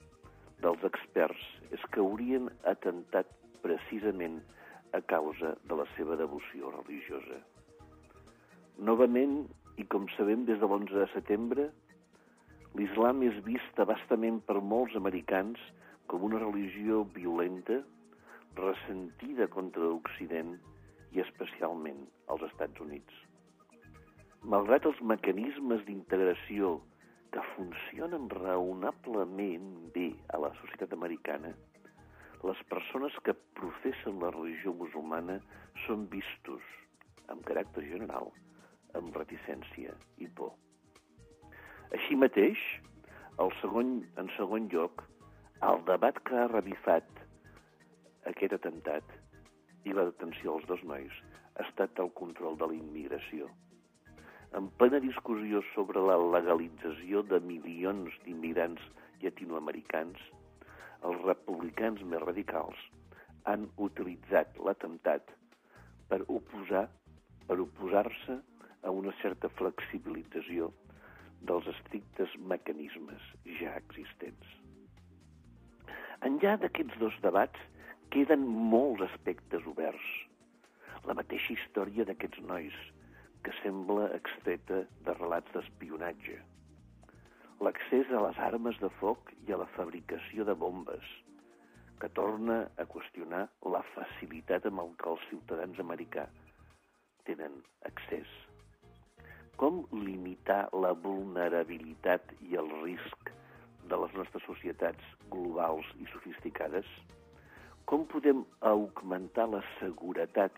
dels experts és que haurien atemptat precisament a causa de la seva devoció religiosa. Novament, i com sabem des de l'onze de setembre, l'islam és vist abastament per molts americans com una religió violenta, ressentida contra l'Occident i especialment als Estats Units. Malgrat els mecanismes d'integració que funcionen raonablement bé a la societat americana, les persones que professen la religió musulmana són vistos, amb caràcter general, amb reticència i por. Així mateix, el segon, en segon lloc, el debat que ha revifat aquest atemptat i la detenció dels dos nois ha estat el control de la immigració. En plena discussió sobre la legalització de milions d'immigrants llatinoamericans, els republicans més radicals han utilitzat l'atemptat per oposar, per oposar-se a una certa flexibilització dels estrictes mecanismes ja existents. Enllà d'aquests dos debats queden molts aspectes oberts. La mateixa història d'aquests nois, que sembla extreta de relats d'espionatge. L'accés a les armes de foc i a la fabricació de bombes, que torna a qüestionar la facilitat amb el que els ciutadans americans tenen accés. Com limitar la vulnerabilitat i el risc de les nostres societats globals i sofisticades? Com podem augmentar la seguretat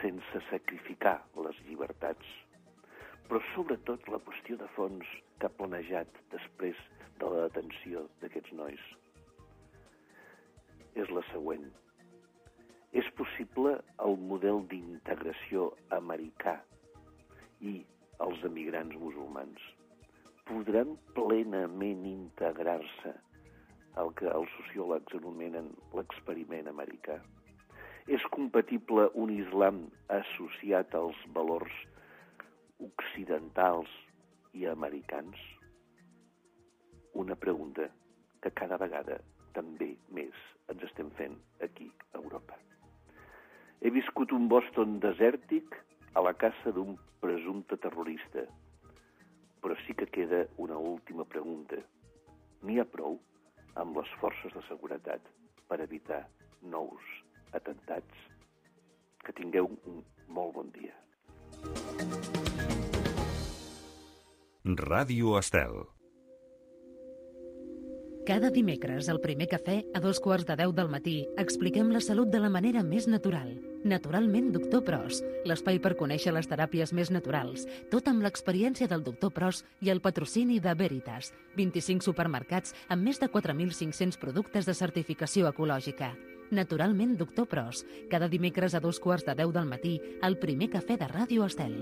sense sacrificar les llibertats? Però sobretot la qüestió de fons que ha planejat després de la detenció d'aquests nois és la següent. És possible el model d'integració americà i els emigrants musulmans podran plenament integrar-se al que els sociòlegs anomenen l'experiment americà? És compatible un islam associat als valors occidentals i americans? Una pregunta que cada vegada també més ens estem fent aquí a Europa. He viscut un Boston desèrtic a la caça d'un presumpte terrorista, però sí que queda una última pregunta. N'hi ha prou amb les forces de seguretat per evitar nous atemptats? Que tingueu un molt bon dia. Ràdio Estel. Cada dimecres, al primer cafè, a dos quarts de deu del matí, expliquem la salut de la manera més natural. Naturalment, doctor Pros, l'espai per conèixer les teràpies més naturals, tot amb l'experiència del doctor Pros i el patrocini de Veritas, vint-i-cinc supermercats amb més de quatre mil cinc-cents productes de certificació ecològica. Naturalment, doctor Pros, cada dimecres a dos quarts de deu del matí, al primer cafè de Ràdio Estel.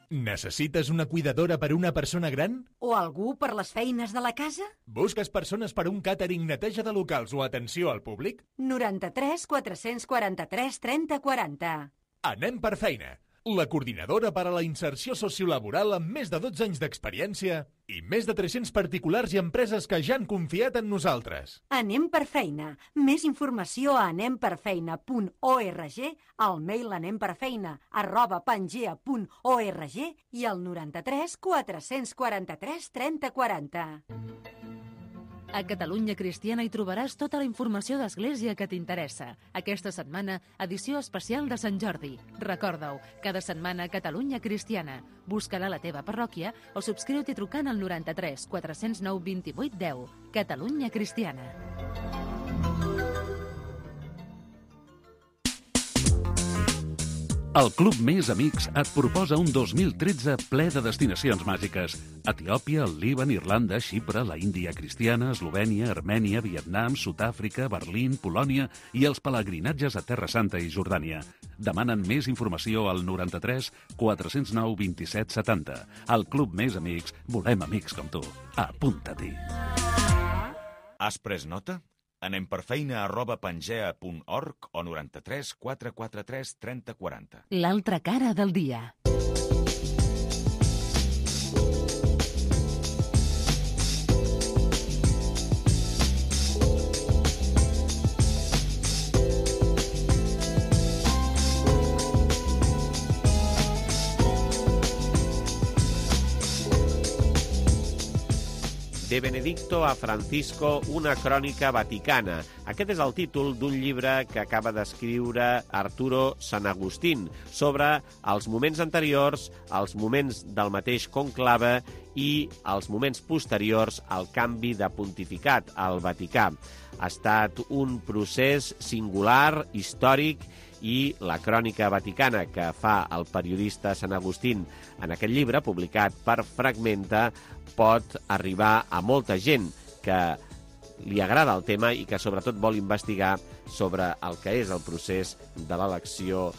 Necessites una cuidadora per una persona gran? O algú per les feines de la casa? Busques persones per un càtering, neteja de locals o atenció al públic? noranta-tres quatre-cents quaranta-tres trenta quaranta. Anem per feina. La coordinadora per a la inserció sociolaboral amb més de dotze anys d'experiència i més de tres-cents particulars i empreses que ja han confiat en nosaltres. Anem per feina. Més informació a anemperfeina punt org, al mail anemperfeina arroba pangea punt org i al noranta-tres quatre-cents quaranta-tres trenta quaranta. A Catalunya Cristiana hi trobaràs tota la informació d'Església que t'interessa. Aquesta setmana, edició especial de Sant Jordi. Recorda-ho, cada setmana Catalunya Cristiana. Busca-la a la teva parròquia o subscriu-t'hi trucant al noranta-tres quatre-cents nou vint-i-vuit deu. Catalunya Cristiana. El Club Més Amics et proposa un dos mil tretze ple de destinacions màgiques. Etiòpia, el Líban, Irlanda, Xipre, la Índia cristiana, Eslovènia, Armènia, Vietnam, Sud-àfrica, Berlín, Polònia i els pelegrinatges a Terra Santa i Jordània. Demanen més informació al noranta-tres quatre-cents nou vint-i-set setanta. Al Club Més Amics volem amics com tu. Apunta-t'hi. Has pres nota? Anem per feina arroba pangea punt org o noranta-tres quatre quatre tres trenta quaranta. L'altra cara del dia. De Benedicto a Francisco, una crònica vaticana. Aquest és el títol d'un llibre que acaba d'escriure Arturo Sanagustín sobre els moments anteriors, els moments del mateix conclave i els moments posteriors al canvi de pontificat al Vaticà. Ha estat un procés singular, històric, i la crònica vaticana que fa el periodista Sanagustín en aquest llibre, publicat per Fragmenta, pot arribar a molta gent que li agrada el tema i que sobretot vol investigar sobre el que és el procés de l'elecció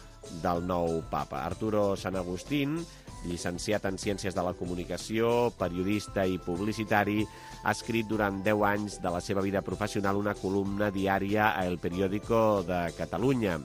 del nou papa. Arturo Sanagustín, llicenciat en Ciències de la Comunicació, periodista i publicitari, ha escrit durant deu anys de la seva vida professional una columna diària a El Periódico de Catalunya.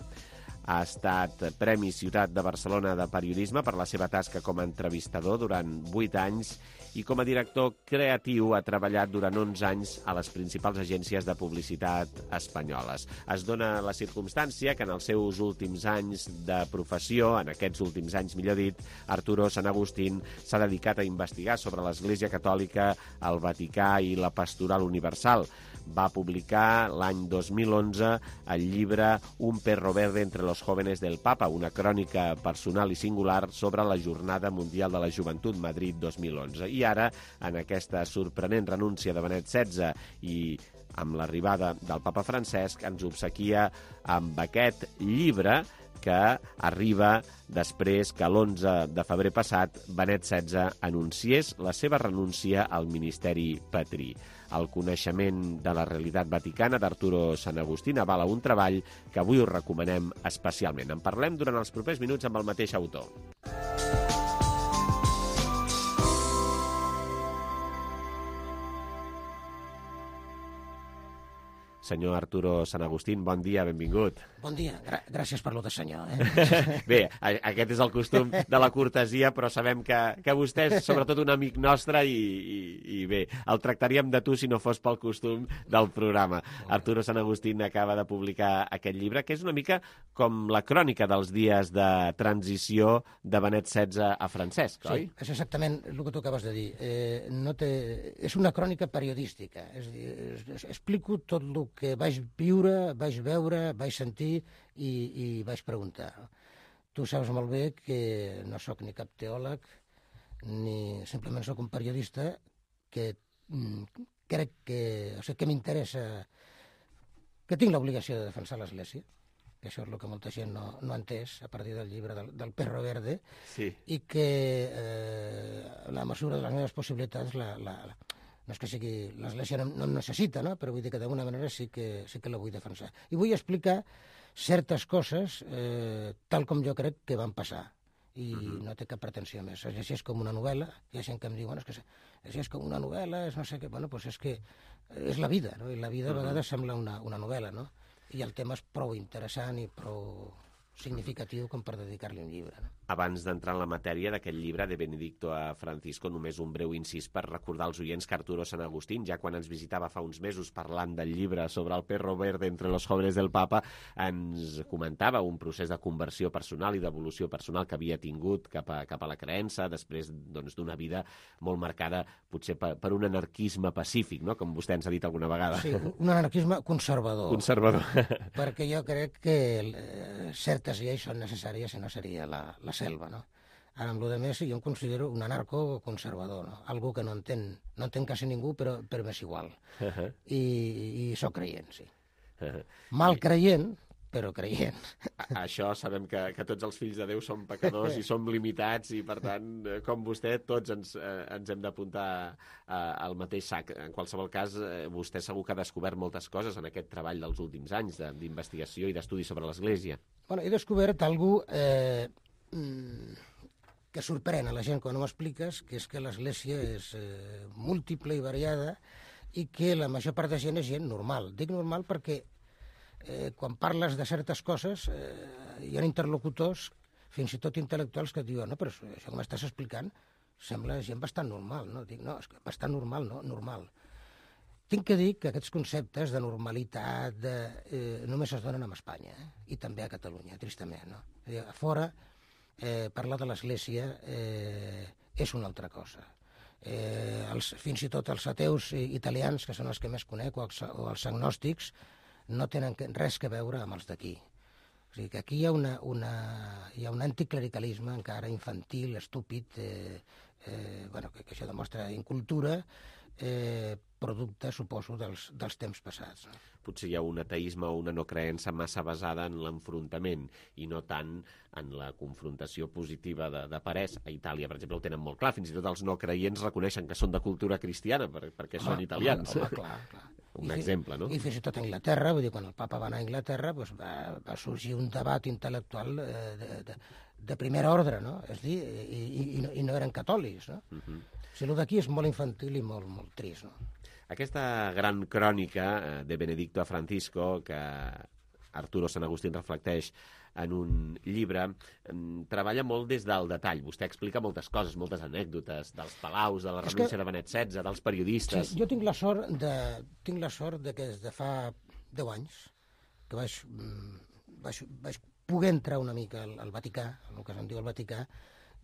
ha estat Premi Ciutat de Barcelona de Periodisme per la seva tasca com a entrevistador durant vuit anys i com a director creatiu ha treballat durant onze anys a les principals agències de publicitat espanyoles. Es dona la circumstància que en els seus últims anys de professió, en aquests últims anys millor dit, Arturo Sant Agustín s'ha dedicat a investigar sobre l'Església Catòlica, el Vaticà i la Pastoral Universal. Va publicar l'any dos mil onze el llibre Un perro verde entre los jóvenes del Papa, una crònica personal i singular sobre la Jornada Mundial de la Joventut Madrid dos mil onze. I ara, en aquesta sorprenent renúncia de Benet setze i amb l'arribada del papa Francesc, ens obsequia amb aquest llibre que arriba després que l'onze de febrer passat Benet setze anunciés la seva renúncia al ministeri patrí. El coneixement de la realitat vaticana d'Arturo Sant Agustín avala un treball que avui us recomanem especialment. En parlem durant els propers minuts amb el mateix autor. Senyor Arturo Sant Agustín, bon dia, benvingut. Bon dia, Gra gràcies per lo de senyor. Eh? Bé, aquest és el costum de la cortesia, però sabem que, que vostè és sobretot un amic nostre i, i, i bé, el tractaríem de tu si no fos pel costum del programa. Arturo Sant Agustín acaba de publicar aquest llibre, que és una mica com la crònica dels dies de transició de Benet setze a Francesc, oi? Sí, és exactament el que tu acabes de dir. Eh, no té... És una crònica periodística, és a dir, es, explico tot el que vaig viure, vaig veure, vaig sentir i, i vaig preguntar. Tu saps molt bé que no sóc ni cap teòleg, ni simplement sóc un periodista que mm, crec que... O sigui, que m'interessa... que tinc l'obligació de defensar l'Església, que això és el que molta gent no, no ha entès a partir del llibre del, del Perro Verde, sí. I que eh, la mesura de les meves possibilitats la... la, la no és que sigui, l'Església no, no necessita, no? Però vull dir que d'alguna manera sí que, sí que la vull defensar. I vull explicar certes coses eh, tal com jo crec que van passar. I uh-huh. no té cap pretensió més. Es llegeix com una novel·la, hi ha gent que em diu, bueno, és que es llegeix com una novel·la, és no sé què, bueno, doncs és que és la vida, no? I la vida a vegades uh-huh. sembla una, una novel·la, no? I el tema és prou interessant i prou significatiu com per dedicar-li un llibre, no? Abans d'entrar en la matèria d'aquest llibre de Benedicto a Francisco, només un breu incís per recordar als oients que Arturo Sant Agustín, ja quan ens visitava fa uns mesos parlant del llibre sobre el perro verde entre los jóvenes del Papa, ens comentava un procés de conversió personal i d'evolució personal que havia tingut cap a, cap a la creença, després doncs, d'una vida molt marcada potser per, per un anarquisme pacífic, no? Com vostè ens ha dit alguna vegada. Sí, un anarquisme conservador. Conservador. Perquè jo crec que eh, certes lleis són necessàries i no seria la, la selva, no? Ara, amb lo de més, jo em considero un anarco-conservador, no? Algú que no entén, no entén quasi ningú, però, però m'és igual. Uh-huh. I, I soc creient, sí. Uh-huh. Mal creient, però creient. A, això sabem que, que tots els fills de Déu som pecadors i som limitats i, per tant, com vostè, tots ens, eh, ens hem d'apuntar eh, al mateix sac. En qualsevol cas, eh, vostè segur que ha descobert moltes coses en aquest treball dels últims anys d'investigació i d'estudi sobre l'Església. Bueno, he descobert algú eh, que sorprèn a la gent quan ho expliques, que és que l'Església és eh, múltiple i variada i que la major part de gent és gent normal. Dic normal perquè eh, quan parles de certes coses eh, hi ha interlocutors, fins i tot intel·lectuals, que et diuen no, però això que m'estàs explicant sembla gent bastant normal. No? Dic, no, és que bastant normal, no, normal. Tinc que dir que aquests conceptes de normalitat de, eh, només es donen a Espanya, eh? I també a Catalunya, tristament. No? A fora, eh, parlar de l'Església eh, és una altra cosa. Eh, els, fins i tot els ateus italians, que són els que més conec, o els, o els agnòstics, no tenen res que veure amb els d'aquí. O sigui que aquí hi ha, una, una, hi ha un anticlericalisme encara infantil, estúpid, eh, eh, bueno, que, que això demostra incultura, eh, producte, suposo, dels, dels temps passats. No? Potser hi ha un ateisme o una no creença massa basada en l'enfrontament i no tant en la confrontació positiva de, de parers. A Itàlia, per exemple, ho tenen molt clar. Fins i tot els no creients reconeixen que són de cultura cristiana per, perquè home, són italians. Home, home, clar, clar. Un I, exemple, no? I fins i tot a Anglaterra, vull dir, quan el papa va anar a Anglaterra, doncs va, va sorgir un debat intel·lectual eh, de, de, de primer ordre, no? És dir, i, i, i, no, i no eren catòlics, no? Uh -huh. O sigui, el d'aquí és molt infantil i molt, molt trist, no? Aquesta gran crònica de Benedicto a Francisco, que Arturo Sant Agustín reflecteix en un llibre, treballa molt des del detall. Vostè explica moltes coses, moltes anècdotes, dels palaus, de la renúncia de Benet setze, dels periodistes... Sí, jo tinc la sort de, tinc la sort de que des de fa deu anys que vaig, vaig, vaig poder entrar una mica al, al Vaticà, el que se'n diu el Vaticà.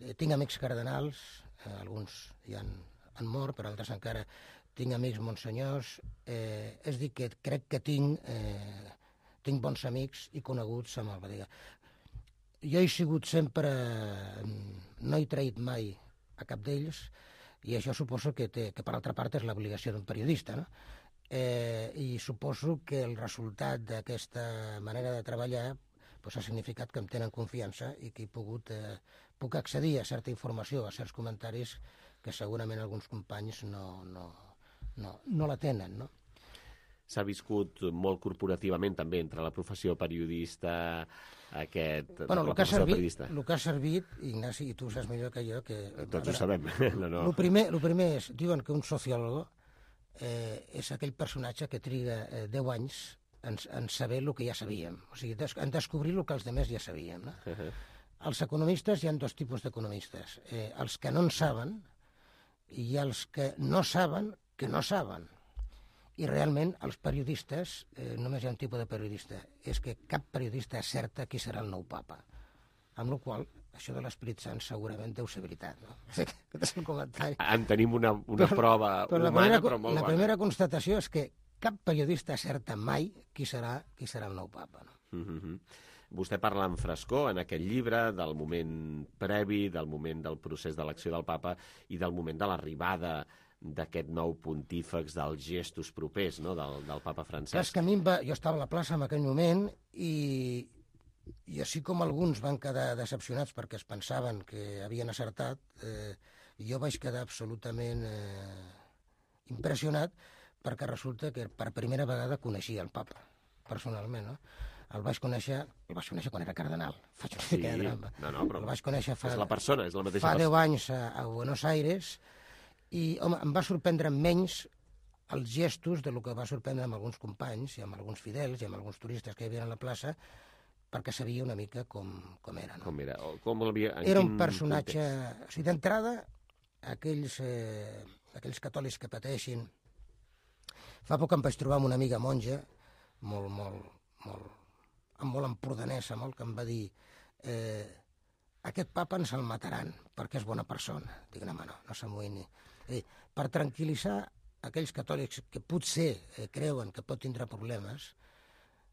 Eh, tinc amics cardenals, eh, alguns ja han, han mort, però altres encara tinc amics monsenyors. Eh, és dir, que crec que tinc... Eh, tinc bons amics i coneguts amb el Vaticà. Jo he sigut sempre... No he traït mai a cap d'ells, i això suposo que, té, que per altra part és l'obligació d'un periodista, no? Eh, I suposo que el resultat d'aquesta manera de treballar pues, ha significat que em tenen confiança i que he pogut, eh, puc accedir a certa informació, a certs comentaris que segurament alguns companys no, no, no, no la tenen, no? S'ha viscut molt corporativament també entre la professió periodista, aquest... Bueno, el que, servit, el que ha servit, Ignasi, i tu ho saps millor que jo, que... Tots ho sabem. No, no. El primer, el primer és, diuen que un sociólogo eh, és aquell personatge que triga eh, deu anys en, en saber el que ja sabíem, o sigui, des, en descobrir el que els altres ja sabíem, no? Uh -huh. Els economistes, hi ha dos tipus d'economistes, eh, els que no en saben i els que no saben que no saben. I realment els periodistes, eh, només hi ha un tipus de periodista, és que cap periodista acerta qui serà el nou papa. Amb la qual cosa, això de l'Esperit Sant segurament deu ser veritat, no? Aquest és un comentari. En tenim una, una però, prova però humana, primera, però molt la bona. La primera constatació és que cap periodista acerta mai qui serà, qui serà el nou papa, no? Mm-hmm. Vostè parla en frescor en aquest llibre del moment previ, del moment del procés d'elecció del papa i del moment de l'arribada d'aquest nou pontífex, dels gestos propers, no?, del, del papa Francesc. És que a mi va... Jo estava a la plaça en aquell moment i, i així com alguns van quedar decepcionats perquè es pensaven que havien acertat, eh, jo vaig quedar absolutament eh, impressionat perquè resulta que per primera vegada coneixia el papa, personalment, no? El vaig conèixer, el vaig conèixer quan era cardenal. Faig una sí, mica de drama. No, no, però el vaig conèixer fa, és la persona, és la mateixa fa persona. deu anys a, a Buenos Aires. I, home, em va sorprendre menys els gestos de lo que va sorprendre amb alguns companys i amb alguns fidels i amb alguns turistes que hi havia a la plaça, perquè sabia una mica com, com era. No? Com era? O com havia, era un personatge... Context? O sigui, d'entrada, aquells, eh, aquells catòlics que pateixin... Fa poc em vaig trobar amb una amiga monja, molt, molt, molt, molt empordanesa, molt, que em va dir... Eh, aquest papa ens el mataran, perquè és bona persona. Dic, no, no, no s'amoïni. Eh, per tranquil·litzar aquells catòlics que potser eh, creuen que pot tindre problemes,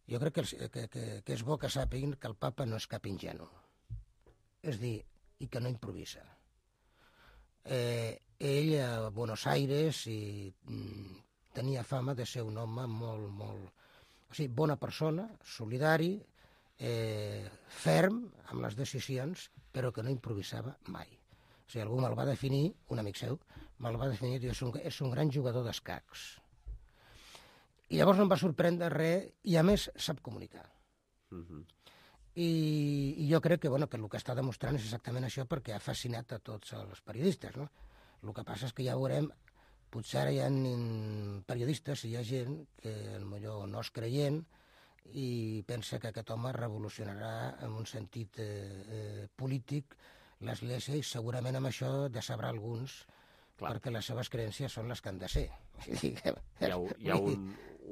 jo crec que, els, que, que, que és bo que sàpiguen que el papa no és cap ingenu. És dir, i que no improvisa. Eh, ell a Buenos Aires i, mm, tenia fama de ser un home molt, molt... O sigui, bona persona, solidari, eh, ferm amb les decisions, però que no improvisava mai. O sigui, algú me'l va definir, un amic seu, me'l va definir, diu, és un, és un gran jugador d'escacs. I llavors no em va sorprendre res, i a més sap comunicar. Uh-huh. I, I jo crec que, bueno, que el que està demostrant és exactament això, perquè ha fascinat a tots els periodistes, no? El que passa és que ja veurem, potser ara hi ha periodistes i hi ha gent que potser no és creient i pensa que aquest home revolucionarà en un sentit eh, eh, polític l'Església, i segurament amb això decebrà alguns. Clar. Perquè les seves creences són les que han de ser. Hi ha, hi ha un,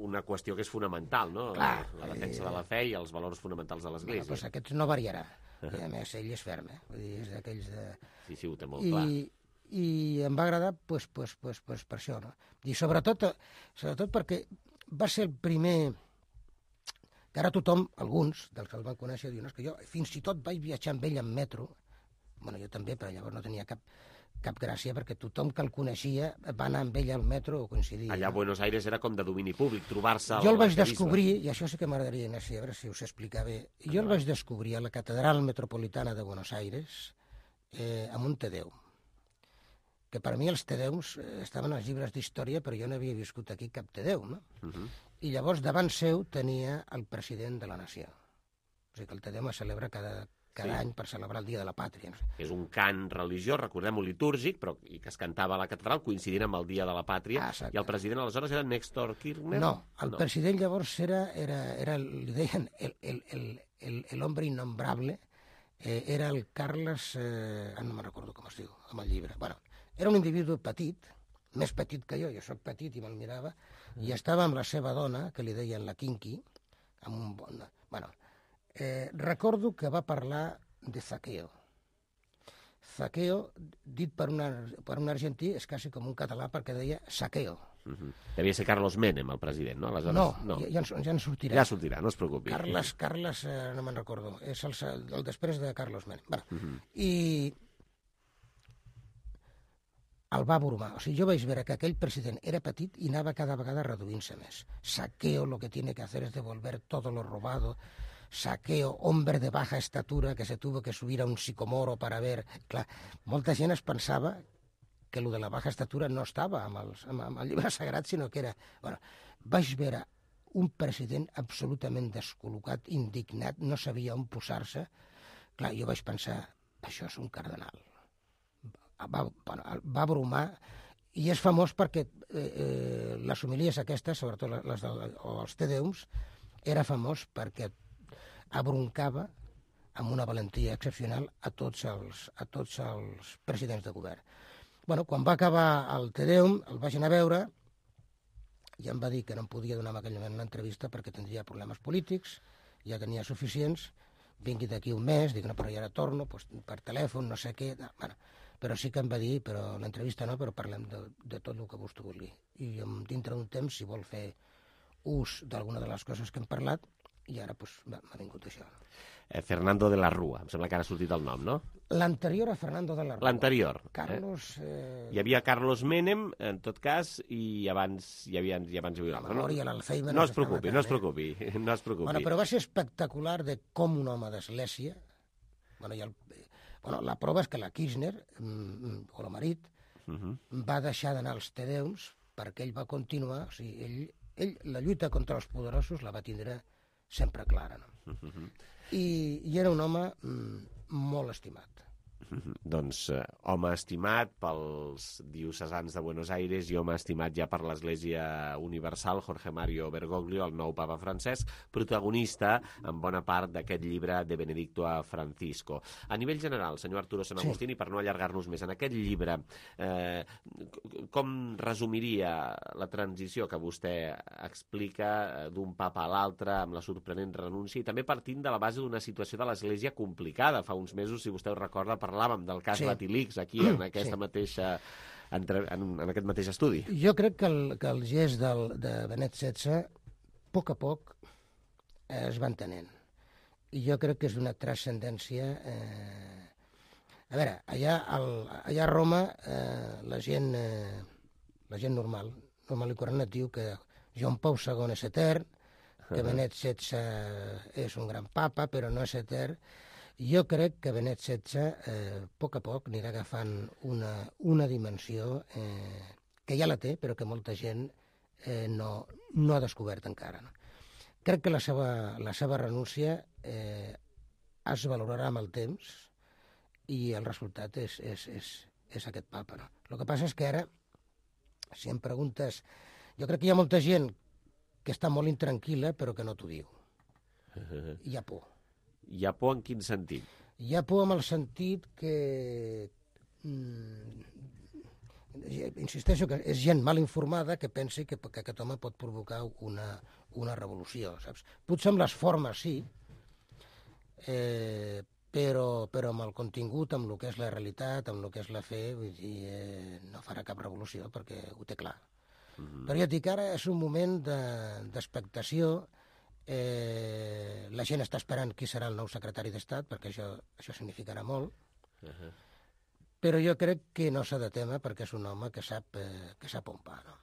una qüestió que és fonamental, no? Clar, la defensa eh... de la fe i els valors fonamentals de l'Església. Bueno, doncs aquests no variarà. I a més, ell és ferm, eh? Vull dir, és d'aquells de... Sí, sí, ho té molt I, clar. I em va agradar pues, pues, pues, pues, per això, no? I sobretot, sobretot perquè va ser el primer... que ara tothom, alguns dels que el van conèixer, diuen que jo fins i tot vaig viatjar amb ell en metro. Bueno, jo també, però llavors no tenia cap, cap gràcia, perquè tothom que el coneixia va anar amb ell al metro o coincidia. Allà a Buenos Aires era com de domini públic, trobar-se... Jo el vaig descobrir, i això sí que m'agradaria, a veure si us explicar bé, jo el vaig descobrir a la Catedral Metropolitana de Buenos Aires eh, amb un Te Deum. Que per mi els Te Deums eh, estaven als llibres d'història, però jo no havia viscut aquí cap Te Deum, no? Uh-huh. I llavors davant seu tenia el president de la nació. O sigui que el Te Deum es celebra cada... cada any per celebrar el Dia de la Pàtria. No sé. És un cant religiós, recordem-ho, litúrgic, però i que es cantava a la catedral coincidint amb el Dia de la Pàtria, ah, i el president aleshores era Néstor Kirchner? No, el no. president llavors era, era, era li deien el, el, el, el, el hombre innombrable, eh, era el Carles, eh, no me'n recordo com es diu, amb el llibre. Bueno, era un individu petit, més petit que jo, jo soc petit i me'l mirava, i estava amb la seva dona, que li deien la Kinky, amb un bon... Bueno, eh, recordo que va parlar de Zaqueo. Zaqueo, dit per, una, per un argentí, és quasi com un català perquè deia saqueo. Uh -huh. Devia ser Carlos Menem, el president, no? Aleshores, no, no. Ja, ja, ja en sortirà. Ja sortirà, no es preocupi. Carles, Carles eh, no me'n recordo, és el, el després de Carlos Menem. Bueno, uh -huh. I el va bromar. O sigui, jo vaig veure que aquell president era petit i anava cada vegada reduint-se més. Saqueo lo que tiene que hacer es devolver todo lo robado. Saqueo, hombre de baja estatura que se tuvo que subir a un sicomoro para ver... Clar, molta gent es pensava que lo de la baja estatura no estava amb, els, amb, amb el llibre sagrat, sinó que era... Bueno, vaig veure un president absolutament descol·locat, indignat, no sabia on posar-se. Clar, jo vaig pensar, això és un cardenal. Va, bueno, va bromar, i és famós perquè eh, eh, les homilies aquestes, sobretot les de, o els Tedeums, era famós perquè abroncava amb una valentia excepcional a tots els, a tots els presidents de govern. Bueno, quan va acabar el Tedeum, el vaig anar a veure i em va dir que no em podia donar en aquell moment una entrevista perquè tindria problemes polítics, ja tenia suficients, vingui d'aquí un mes, dic, no, però ja ara torno, doncs, per telèfon, no sé què... Bueno, però sí que em va dir, però l'entrevista no, però parlem de, de tot el que vostè vulgui. I dintre d'un temps, si vol fer ús d'alguna de les coses que hem parlat, i ara doncs, m'ha vingut això. Eh, Fernando de la Rúa, em sembla que ara ha sortit el nom, no? L'anterior a Fernando de la Rúa. L'anterior. Carlos... Eh... Hi havia Carlos Menem, en tot cas, i abans hi havia... I abans hi havia la memòria, no? l'Alzheimer... No es preocupi, no es preocupi, no es preocupi. Bueno, però va ser espectacular de com un home d'església... Bueno, i el... Bueno, la prova és que la Kirchner, o el marit, uh -huh. va deixar d'anar als Tedeums perquè ell va continuar, o sigui, ell, ell la lluita contra els poderosos la va tindre sempre clara, no? Uh -huh. I, i era un home mm, molt estimat. Doncs eh, home estimat pels diocesans de Buenos Aires i home estimat ja per l'Església Universal, Jorge Mario Bergoglio, el nou papa francès, protagonista en bona part d'aquest llibre de Benedicto a Francisco. A nivell general, senyor Arturo San Agustín, sí. I per no allargar-nos més, en aquest llibre, eh, com resumiria la transició que vostè explica d'un papa a l'altre amb la sorprenent renúncia i també partint de la base d'una situació de l'Església complicada? Fa uns mesos, si vostè ho recorda, parlàvem del cas sí. Batilix aquí en aquesta sí. mateixa entre, en, en aquest mateix estudi. Jo crec que el, que el gest del, de Benet setze a poc a poc eh, es va entenent. I jo crec que és d'una transcendència... Eh... A veure, allà, el, allà a Roma eh, la gent eh, la gent normal, normal i corrent et diu que Joan Pau segon és etern, que Benet setze és un gran papa, però no és etern. Jo crec que Benet setze, eh, a poc a poc, anirà agafant una, una dimensió eh, que ja la té, però que molta gent eh, no, no ha descobert encara. No? Crec que la seva, la seva renúncia eh, es valorarà amb el temps i el resultat és, és, és, és aquest papa. No? El que passa és que ara, si em preguntes... Jo crec que hi ha molta gent que està molt intranquil·la, però que no t'ho diu. Hi ha por. Hi ha por en quin sentit? Hi ha por en el sentit que... Mm, insisteixo que és gent mal informada que pensi que, que aquest home pot provocar una, una revolució, saps? Potser amb les formes sí, eh, però, però amb el contingut, amb el que és la realitat, amb el que és la fe, vull dir, eh, no farà cap revolució perquè ho té clar. Mm-hmm. Però jo et dic, ara és un moment d'expectació. Eh, la gent està esperant qui serà el nou secretari d'Estat, perquè això, això significarà molt. Uh-huh. Però jo crec que no s'ha de témer perquè és un home que sap, eh, que sap on va, no?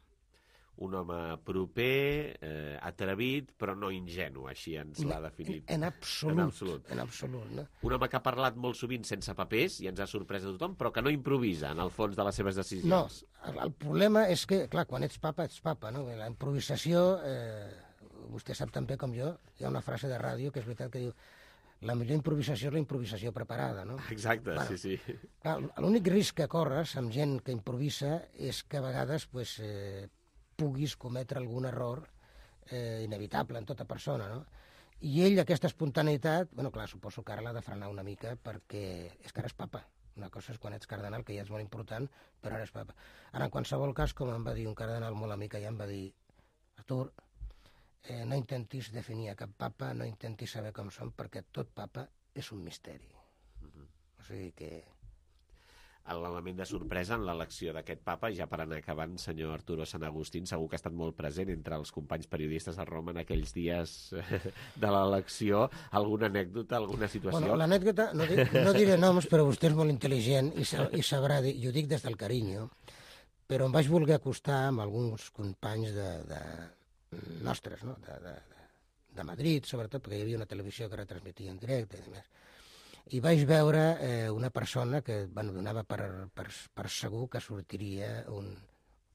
Un home proper, eh, atrevit, però no ingenu, així ens l'ha definit. En, en absolut, en absolut. En absolut, no? Un home que ha parlat molt sovint sense papers i ens ha sorprès a tothom, però que no improvisa en el fons de les seves decisions. No, el, el problema és que, clar, quan ets papa, ets papa, no? La improvisació... Eh, vostè sap tan bé com jo, hi ha una frase de ràdio que és veritat que diu la millor improvisació és la improvisació preparada, no? Exacte, bueno, sí, sí. L'únic risc que corres amb gent que improvisa és que a vegades pues, eh, puguis cometre algun error eh, inevitable en tota persona, no? I ell, aquesta espontaneïtat, bueno, clar, suposo que ara l'ha de frenar una mica perquè és que ara és papa. Una cosa és quan ets cardenal, que ja és molt important, però ara és papa. Ara, en qualsevol cas, com em va dir un cardenal molt amic, ja em va dir, Artur, eh, no intentis definir a cap papa, no intentis saber com són, perquè tot papa és un misteri. Uh-huh. O sigui que... L'element de sorpresa en l'elecció d'aquest papa, ja per anar acabant, senyor Arturo Sant Agustín, segur que ha estat molt present entre els companys periodistes a Roma en aquells dies de l'elecció. Alguna anècdota, alguna situació? Bueno, l'anècdota, no, di no diré noms, però vostè és molt intel·ligent i, sa i sabrà dir, i ho dic des del carinyo, però em vaig voler acostar amb alguns companys de, de nostres, no? de, de, de Madrid, sobretot, perquè hi havia una televisió que retransmetia en directe i demés. I vaig veure eh, una persona que bueno, donava per, per, per segur que sortiria un,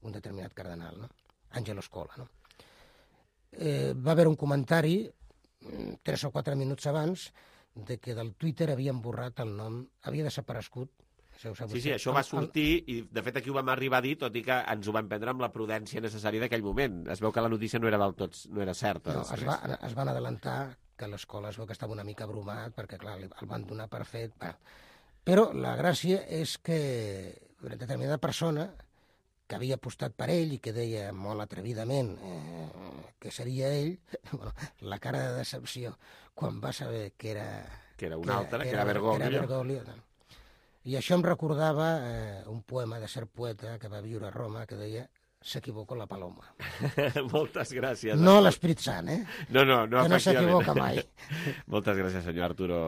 un determinat cardenal, no? Angelo Scola. No? Eh, va haver un comentari, tres o quatre minuts abans, de que del Twitter havien borrat el nom, havia desaparegut. Sí, sí, això va sortir i, de fet, aquí ho vam arribar a dir, tot i que ens ho vam prendre amb la prudència necessària d'aquell moment. Es veu que la notícia no era del tot, no era certa. No, es, va, es van adelantar que l'escola es veu que estava una mica abrumat, perquè, clar, el van donar per fet. Bueno, però la gràcia és que una determinada persona que havia apostat per ell i que deia molt atrevidament eh, que seria ell, bueno, la cara de decepció quan va saber que era... Que era un altre, que era, que era Bergoglio. Que era Bergoglio no? I això em recordava eh, un poema de cert poeta que va viure a Roma que deia s'equivoca la paloma. Moltes gràcies. No l'Esprit Sant, eh? No, no, no, que no s'equivoca mai. Moltes gràcies, senyor Arturo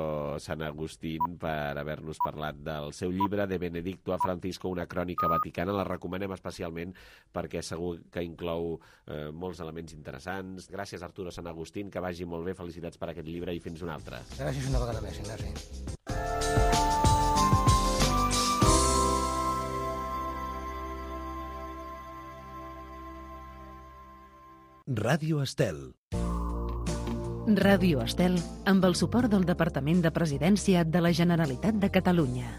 Sant Agustín, per haver-nos parlat del seu llibre De Benedicto a Francisco, una crònica vaticana. La recomanem especialment perquè segur que inclou eh, molts elements interessants. Gràcies, Arturo Sant Agustín, que vagi molt bé. Felicitats per aquest llibre i fins un altre. Gràcies una vegada més, Ignasi. Ràdio Estel. Ràdio Estel, amb el suport del Departament de Presidència de la Generalitat de Catalunya.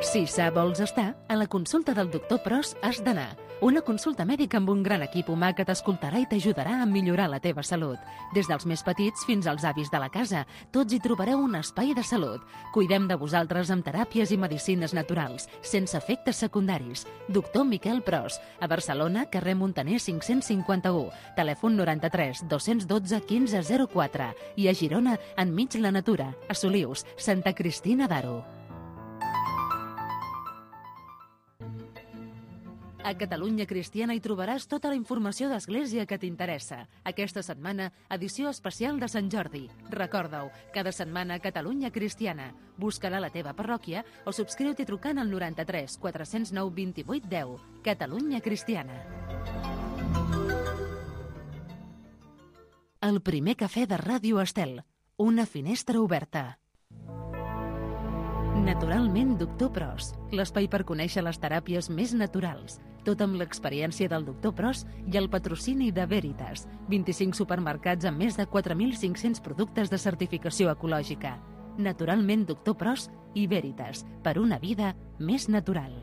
Si sa vols estar, a la consulta del doctor Pros has d'anar. Una consulta mèdica amb un gran equip humà que t'escoltarà i t'ajudarà a millorar la teva salut. Des dels més petits fins als avis de la casa, tots hi trobareu un espai de salut. Cuidem de vosaltres amb teràpies i medicines naturals, sense efectes secundaris. Doctor Miquel Pros, a Barcelona, carrer Montaner cinc-cents cinquanta-u, telèfon noranta-tres dos-cents dotze quinze zero quatre i a Girona, enmig la natura, a Solius, Santa Cristina d'Aro. A Catalunya Cristiana hi trobaràs tota la informació d'Església que t'interessa. Aquesta setmana, edició especial de Sant Jordi. Recorda-ho, cada setmana Catalunya Cristiana. Busca-la a la teva parròquia o subscriu-t'hi trucant al noranta-tres quatre-cents nou vint-i-vuit deu. Catalunya Cristiana. El primer cafè de Ràdio Estel. Una finestra oberta. Naturalment, doctor Pros, l'espai per conèixer les teràpies més naturals. Tot amb l'experiència del doctor Pros i el patrocini de Veritas. vint-i-cinc supermercats amb més de quatre mil cinc-cents productes de certificació ecològica. Naturalment, doctor Pros i Veritas, per una vida més natural.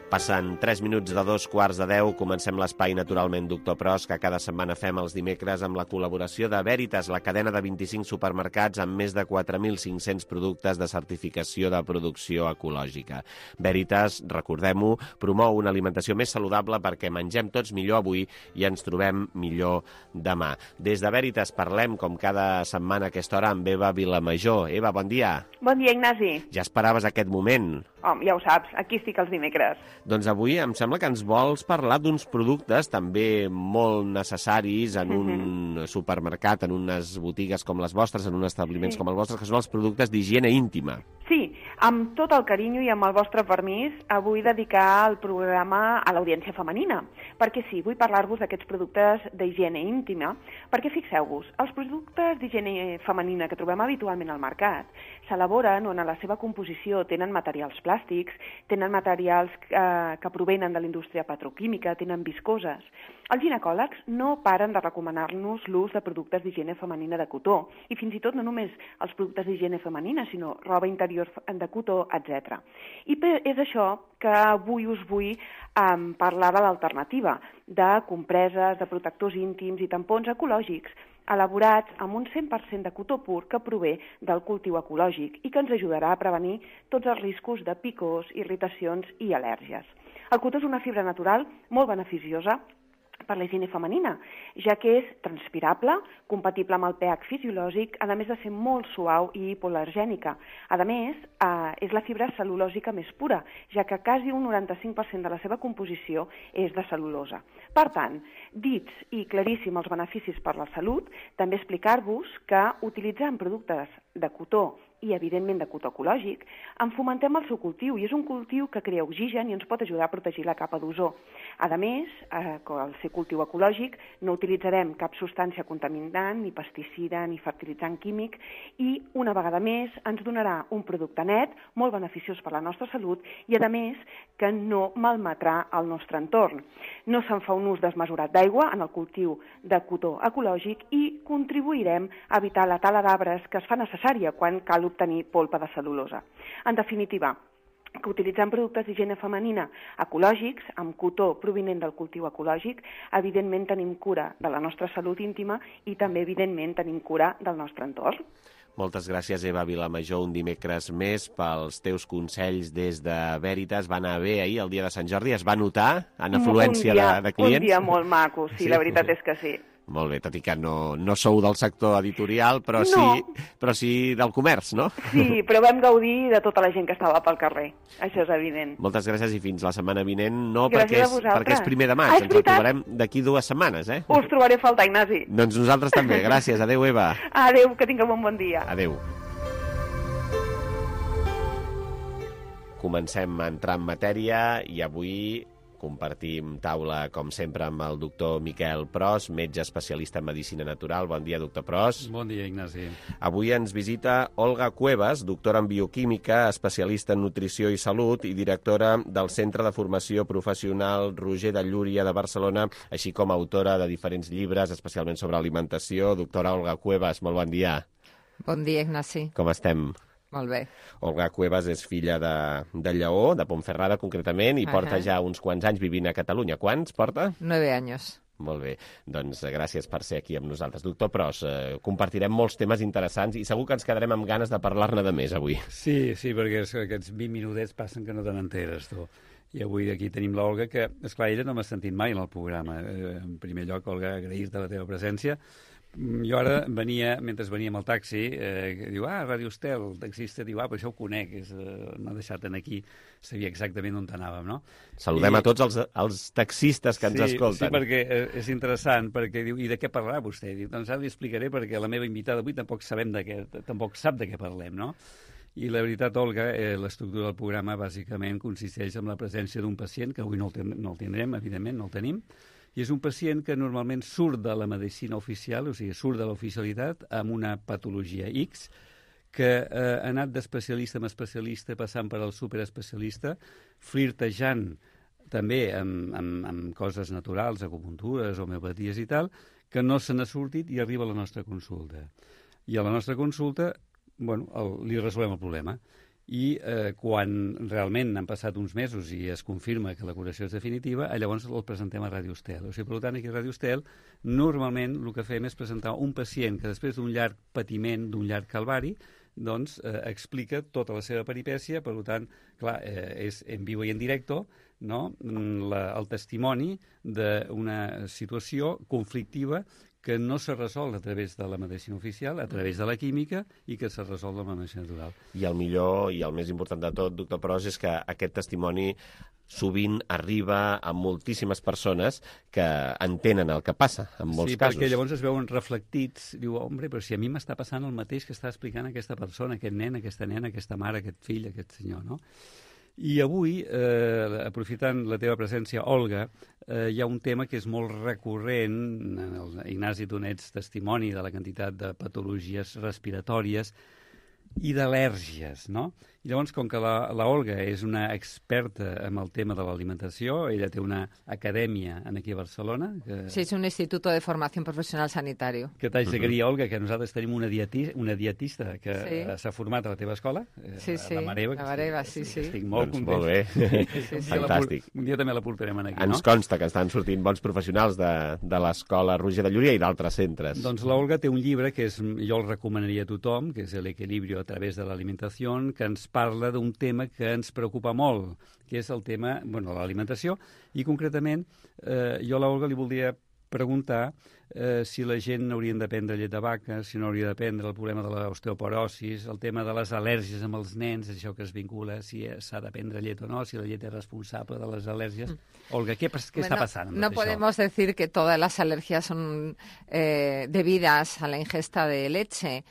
Passen tres minuts de dos quarts de deu, comencem l'espai Naturalment Doctor Pros, que cada setmana fem els dimecres amb la col·laboració de Veritas, la cadena de vint-i-cinc supermercats amb més de quatre mil cinc-cents productes de certificació de producció ecològica. Veritas, recordem-ho, promou una alimentació més saludable perquè mengem tots millor avui i ens trobem millor demà. Des de Veritas parlem, com cada setmana a aquesta hora, amb Eva Vilamajor. Eva, bon dia. Bon dia, Ignasi. Ja esperaves aquest moment? Home, ja ho saps, aquí estic els dimecres. Doncs avui em sembla que ens vols parlar d'uns productes també molt necessaris en un mm-hmm. supermercat, en unes botigues com les vostres, en uns establiments sí. com els vostres, que són els productes d'higiene íntima. Sí, amb tot el carinyo i amb el vostre permís, vull dedicar el programa a l'audiència femenina, perquè sí, vull parlar-vos d'aquests productes d'higiene íntima, perquè fixeu-vos, els productes d'higiene femenina que trobem habitualment al mercat s'elaboren on a la seva composició tenen materials plàstics, tenen materials eh, que provenen de la indústria petroquímica, tenen viscoses. Els ginecòlegs no paren de recomanar-nos l'ús de productes d'higiene femenina de cotó, i fins i tot no només els productes d'higiene femenina, sinó roba interior de cotó, etcètera. I és això que avui us vull um, parlar de l'alternativa, de compreses, de protectors íntims i tampons ecològics, elaborats amb un cent per cent de cotó pur que prové del cultiu ecològic i que ens ajudarà a prevenir tots els riscos de picors, irritacions i al·lèrgies. El cotó és una fibra natural molt beneficiosa per la higiene femenina, ja que és transpirable, compatible amb el pH fisiològic, a més de ser molt suau i hipoal·lergènica. A més, eh, és la fibra cel·lulòsica més pura, ja que quasi un noranta-cinc per cent de la seva composició és de cel·lulosa. Per tant, dits i claríssim els beneficis per la salut, també explicar-vos que utilitzant productes de cotó i, evidentment, de cotó ecològic, en fomentem el seu cultiu, i és un cultiu que crea oxigen i ens pot ajudar a protegir la capa d'ozó. A més, eh, al ser cultiu ecològic, no utilitzarem cap substància contaminant, ni pesticida, ni fertilitzant químic, i, una vegada més, ens donarà un producte net, molt beneficiós per la nostra salut, i, a més, que no malmetrà el nostre entorn. No se'n fa un ús desmesurat d'aigua en el cultiu de cotó ecològic i contribuirem a evitar la tala d'arbres que es fa necessària quan cal obtenir polpa de cel·lulosa. En definitiva, que utilitzant productes d'higiene femenina ecològics, amb cotó provinent del cultiu ecològic, evidentment tenim cura de la nostra salut íntima i també, evidentment, tenim cura del nostre entorn. Moltes gràcies, Eva Vilamajor, un dimecres més pels teus consells des de Veritas. Va anar bé ahir, el dia de Sant Jordi, es va notar en afluència dia, de, de clients? Un dia molt maco, sí, sí, la veritat és que sí. Molt bé, tot i que no, no sou del sector editorial, però, no. sí, però sí del comerç, no? Sí, però vam gaudir de tota la gent que estava pel carrer. Això és evident. Moltes gràcies i fins la setmana vinent. No gràcies perquè és, perquè és primer de maig, ah, ens retrobarem d'aquí dues setmanes, eh? Us trobaré a faltar, Ignasi. Doncs nosaltres també. Gràcies. Adéu, Eva. Adéu, que tingueu un bon dia. Adéu. Comencem a entrar en matèria i avui compartim taula, com sempre, amb el doctor Miquel Pros, metge especialista en medicina natural. Bon dia, doctor Pros. Bon dia, Ignasi. Avui ens visita Olga Cuevas, doctora en bioquímica, especialista en nutrició i salut i directora del Centre de Formació Professional Roger de Llúria de Barcelona, així com autora de diferents llibres, especialment sobre alimentació. Doctora Olga Cuevas, molt bon dia. Bon dia, Ignasi. Com estem? Molt bé. Olga Cuevas és filla de, de Lleó, de Pontferrada concretament, i uh -huh. porta ja uns quants anys vivint a Catalunya. Quants porta? Nueve anys. Molt bé, doncs gràcies per ser aquí amb nosaltres. Doctor Pros, eh, compartirem molts temes interessants i segur que ens quedarem amb ganes de parlar-ne de més avui. Sí, sí, perquè és, aquests vint minutets passen que no te n'enteres, tu. I avui aquí tenim l'Olga, que, esclar, ella no m'ha sentit mai en el programa. Eh, en primer lloc, Olga, agrair-te la teva presència. Jo ara venia, mentre venia amb el taxi, eh, diu, ah, Ràdio Estel, el taxista diu, ah, però això ho conec, és, eh, m'ha deixat en aquí, sabia exactament on anàvem, no? Saludem I... a tots els, els taxistes que ens sí, escolten. Sí, perquè eh, és interessant, perquè diu, i de què parlarà vostè? Diu, doncs ara li explicaré, perquè la meva invitada avui tampoc sabem de què, tampoc sap de què parlem, no? I la veritat, Olga, eh, l'estructura del programa bàsicament consisteix en la presència d'un pacient, que avui no el, ten no el tindrem, evidentment, no el tenim, i és un pacient que normalment surt de la medicina oficial, o sigui, surt de l'oficialitat amb una patologia X, que eh, ha anat d'especialista en especialista, passant per al superespecialista, flirtejant també amb, amb, amb coses naturals, acupuntures, homeopaties i tal, que no se n'ha sortit i arriba a la nostra consulta. I a la nostra consulta, bueno, el, li resolem el problema. i eh, quan realment han passat uns mesos i es confirma que la curació és definitiva, llavors el presentem a Ràdio Estel. O sigui, per tant, aquí a Ràdio Estel normalment el que fem és presentar un pacient que després d'un llarg patiment, d'un llarg calvari, doncs eh, explica tota la seva peripècia, per tant, clar, eh, és en viu i en directe, no? la, el testimoni d'una situació conflictiva que no se resol a través de la medicina oficial, a través de la química, i que se resol amb la medicina natural. I el millor i el més important de tot, doctor Pros, és que aquest testimoni sovint arriba a moltíssimes persones que entenen el que passa, en molts sí, casos. Sí, perquè llavors es veuen reflectits, diu, hombre, però si a mi m'està passant el mateix que està explicant aquesta persona, aquest nen, aquesta nena, aquesta mare, aquest fill, aquest senyor, no? I avui, eh, aprofitant la teva presència, Olga, eh, hi ha un tema que és molt recurrent, el Ignasi, tu n'ets testimoni de la quantitat de patologies respiratòries i d'al·lèrgies, no? I llavors, com que la, la Olga és una experta en el tema de l'alimentació, ella té una acadèmia aquí a Barcelona... Que... Sí, és un Instituto de Formación Profesional Sanitario. Que t'haig de dir, Olga, que nosaltres tenim una, dieti una dietista que sí. s'ha format a la teva escola, sí, sí. la Mareva. La Mareva, sí, sí. Estic molt doncs content. Molt bé, sí, sí. Fantàstic. Un dia també la portarem aquí, Ens no? consta que estan sortint bons professionals de, de l'escola Roger de Llúria i d'altres centres. Doncs l'Olga té un llibre que és, jo el recomanaria a tothom, que és El equilibrio a través de l'alimentació, que ens parla d'un tema que ens preocupa molt, que és el tema, bueno, l'alimentació, i concretament eh, jo a l'Olga li voldria preguntar eh, si la gent haurien de prendre llet de vaca, si no hauria de prendre el problema de l'osteoporosis, el tema de les al·lèrgies amb els nens, això que es vincula, si s'ha de prendre llet o no, si la llet és responsable de les al·lèrgies. Mm. Olga, ¿qué, qué bueno, está pasando? No podemos decir que todas las alergias son eh, debidas a la ingesta de leche,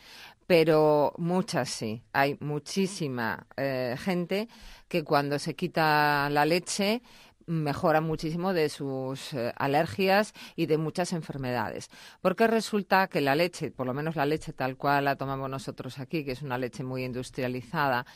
pero muchas sí. Hay muchísima eh, gente que cuando se quita la leche mejora muchísimo de sus eh, alergias y de muchas enfermedades. Porque resulta que la leche, por lo menos la leche tal cual la tomamos nosotros aquí, que es una leche muy industrializada,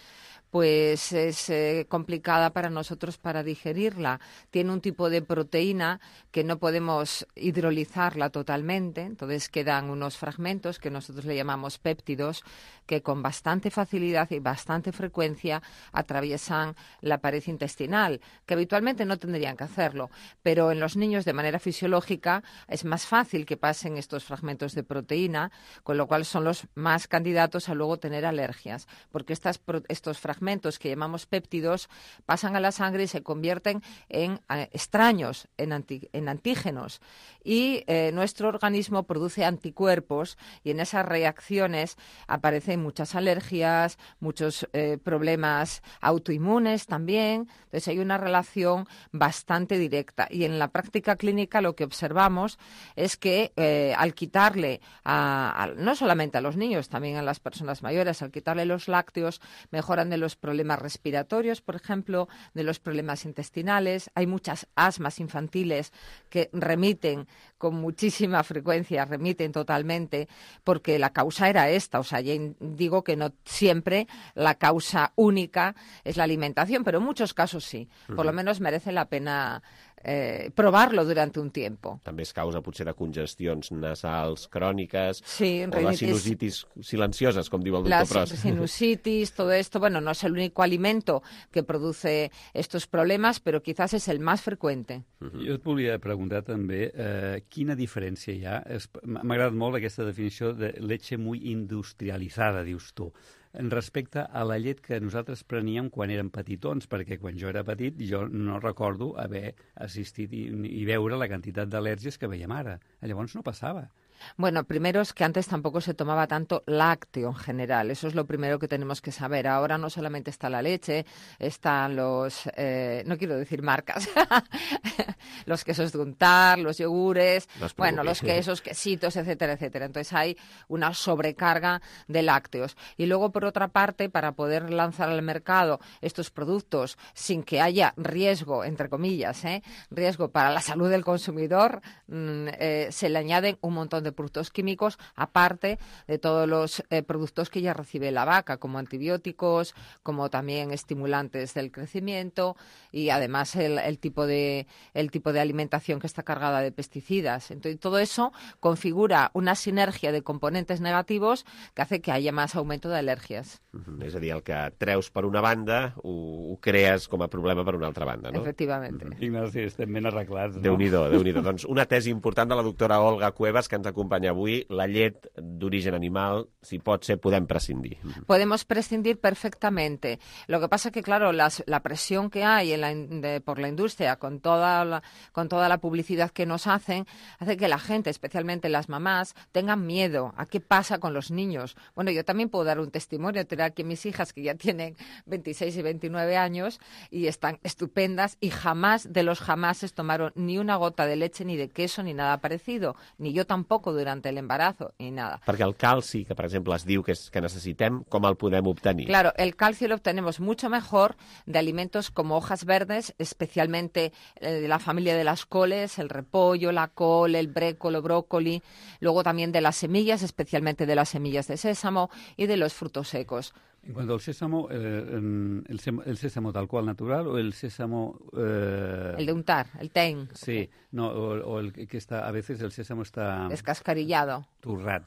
pues es eh, complicada para nosotros para digerirla. Tiene un tipo de proteína que no podemos hidrolizarla totalmente, entonces quedan unos fragmentos que nosotros le llamamos péptidos, que con bastante facilidad y bastante frecuencia atraviesan la pared intestinal, que habitualmente no tendrían que hacerlo, pero en los niños de manera fisiológica es más fácil que pasen estos fragmentos de proteína, con lo cual son los más candidatos a luego tener alergias, porque estas, estos fragmentos que llamamos péptidos pasan a la sangre y se convierten en eh, extraños, en, anti, en antígenos, y eh, nuestro organismo produce anticuerpos y en esas reacciones aparecen muchas alergias, muchos eh, problemas autoinmunes también. Entonces hay una relación bastante directa y en la práctica clínica lo que observamos es que eh, al quitarle, a, a, no solamente a los niños, también a las personas mayores, al quitarle los lácteos, mejoran de los problemas respiratorios, por ejemplo, de los problemas intestinales. Hay muchas asmas infantiles que remiten con muchísima frecuencia, remiten totalmente, porque la causa era esta. O sea, ya digo que no siempre la causa única es la alimentación, pero en muchos casos sí. Por lo menos merece la pena eh, provarlo durante un tiempo. També es causa potser de congestions nasals cròniques, sí, o les sinusitis silencioses, com diu el doctor Pros. Las sinusitis, todo esto, bueno, no es el único alimento que produce estos problemas, pero quizás es el más frecuente. Uh-huh. Jo et volia preguntar també eh, quina diferència hi ha. M'ha agradat molt aquesta definició de leche muy industrializada, dius tu, en respecte a la llet que nosaltres preníem quan érem petitons, perquè quan jo era petit jo no recordo haver assistit i, i veure la quantitat d'al·lèrgies que veiem ara. Llavors no passava. Bueno, primero es que antes tampoco se tomaba tanto lácteo en general, eso es lo primero que tenemos que saber. Ahora no solamente está la leche, están los, eh, no quiero decir marcas, los quesos de untar, los yogures, bueno, los quesos, quesitos, etcétera, etcétera. Entonces hay una sobrecarga de lácteos. Y luego, por otra parte, para poder lanzar al mercado estos productos sin que haya riesgo, entre comillas, ¿eh? riesgo para la salud del consumidor, mm, eh, se le añaden un montón de de productos químicos, aparte de todos los eh, productos que ya recibe la vaca, como antibióticos, como también estimulantes del crecimiento y además el, el, tipo de, el tipo de alimentación que está cargada de pesticidas. Entonces, todo eso configura una sinergia de componentes negativos que hace que haya más aumento de alergias. Mm-hmm. És a dir, el que treus per una banda ho, ho crees com a problema per una altra banda, no? Efectivamente. Mm-hmm. Ignasi, estem ben arreglats, no? Déu-n'hi-do, Déu-n'hi-do. Doncs una tesi important de la doctora Olga Cuevas, que ens acompanya avui. La llet d'origen animal, si pot ser, podem prescindir. Podemos prescindir perfectamente. Lo que pasa que, claro, las, la presión que hay en la, de, por la industria con toda la, con toda la publicidad que nos hacen, hace que la gente, especialmente las mamás, tengan miedo a qué pasa con los niños. Bueno, yo también puedo dar un testimonio. Tengo aquí mis hijas que ya tienen veintiséis y veintinueve años y están estupendas y jamás de los jamases tomaron ni una gota de leche, ni de queso, ni nada parecido. Ni yo tampoco durante el embarazo, ni nada. Perquè el calci, que per exemple es diu que, és, que necessitem, com el podem obtenir? Claro, el calcio lo obtenemos mucho mejor de alimentos como hojas verdes, especialmente de la familia de las coles, el repollo, la col, el brécolo, brócoli, luego también de las semillas, especialmente de las semillas de sésamo y de los frutos secos. En cuanto al sésamo, eh, el, el sésamo tal cual natural o el sésamo... Eh... El de untar, el ten. Sí, no, o, o el que está, a veces el sésamo está... Descascarillado. Turrat.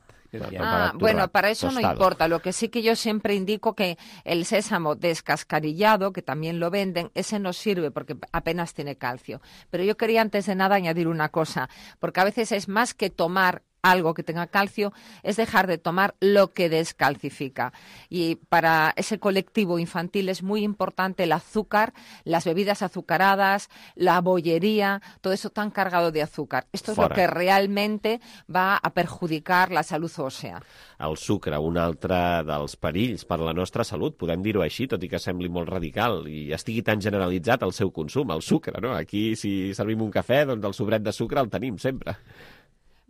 Ah, bueno, para eso no importa. Lo que sí que yo siempre indico que el sésamo descascarillado, que también lo venden, ese no sirve porque apenas tiene calcio. Pero yo quería antes de nada añadir una cosa, porque a veces es más que tomar algo que tenga calcio, es dejar de tomar lo que descalcifica. Y para ese colectivo infantil es muy importante el azúcar, las bebidas azucaradas, la bollería, todo eso tan cargado de azúcar. Esto Fora. Es lo que realmente va a perjudicar la salud òssea. El sucre, un altre dels perills per la nostra salut, podem dir-ho així, tot i que sembli molt radical i estigui tan generalitzat el seu consum, el sucre, no? Aquí, si servim un cafè, doncs el sobret de sucre el tenim sempre.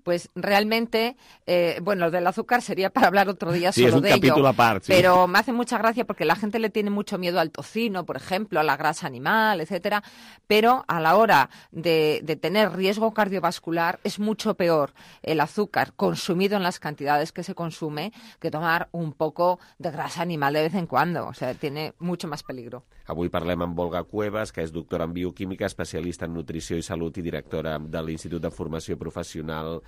Pues realmente, eh, bueno, del azúcar sería para hablar otro día sí, solo de ello. Sí, es un capítulo aparte. Sí. Pero me hace mucha gracia porque la gente le tiene mucho miedo al tocino, por ejemplo, a la grasa animal, etcétera. Pero a la hora de, de tener riesgo cardiovascular es mucho peor el azúcar consumido en las cantidades que se consume que tomar un poco de grasa animal de vez en cuando. O sea, tiene mucho más peligro. Avui parlem amb Olga Cuevas, que és doctora en bioquímica, especialista en nutrició i salut i directora de l'Institut de Formació Professional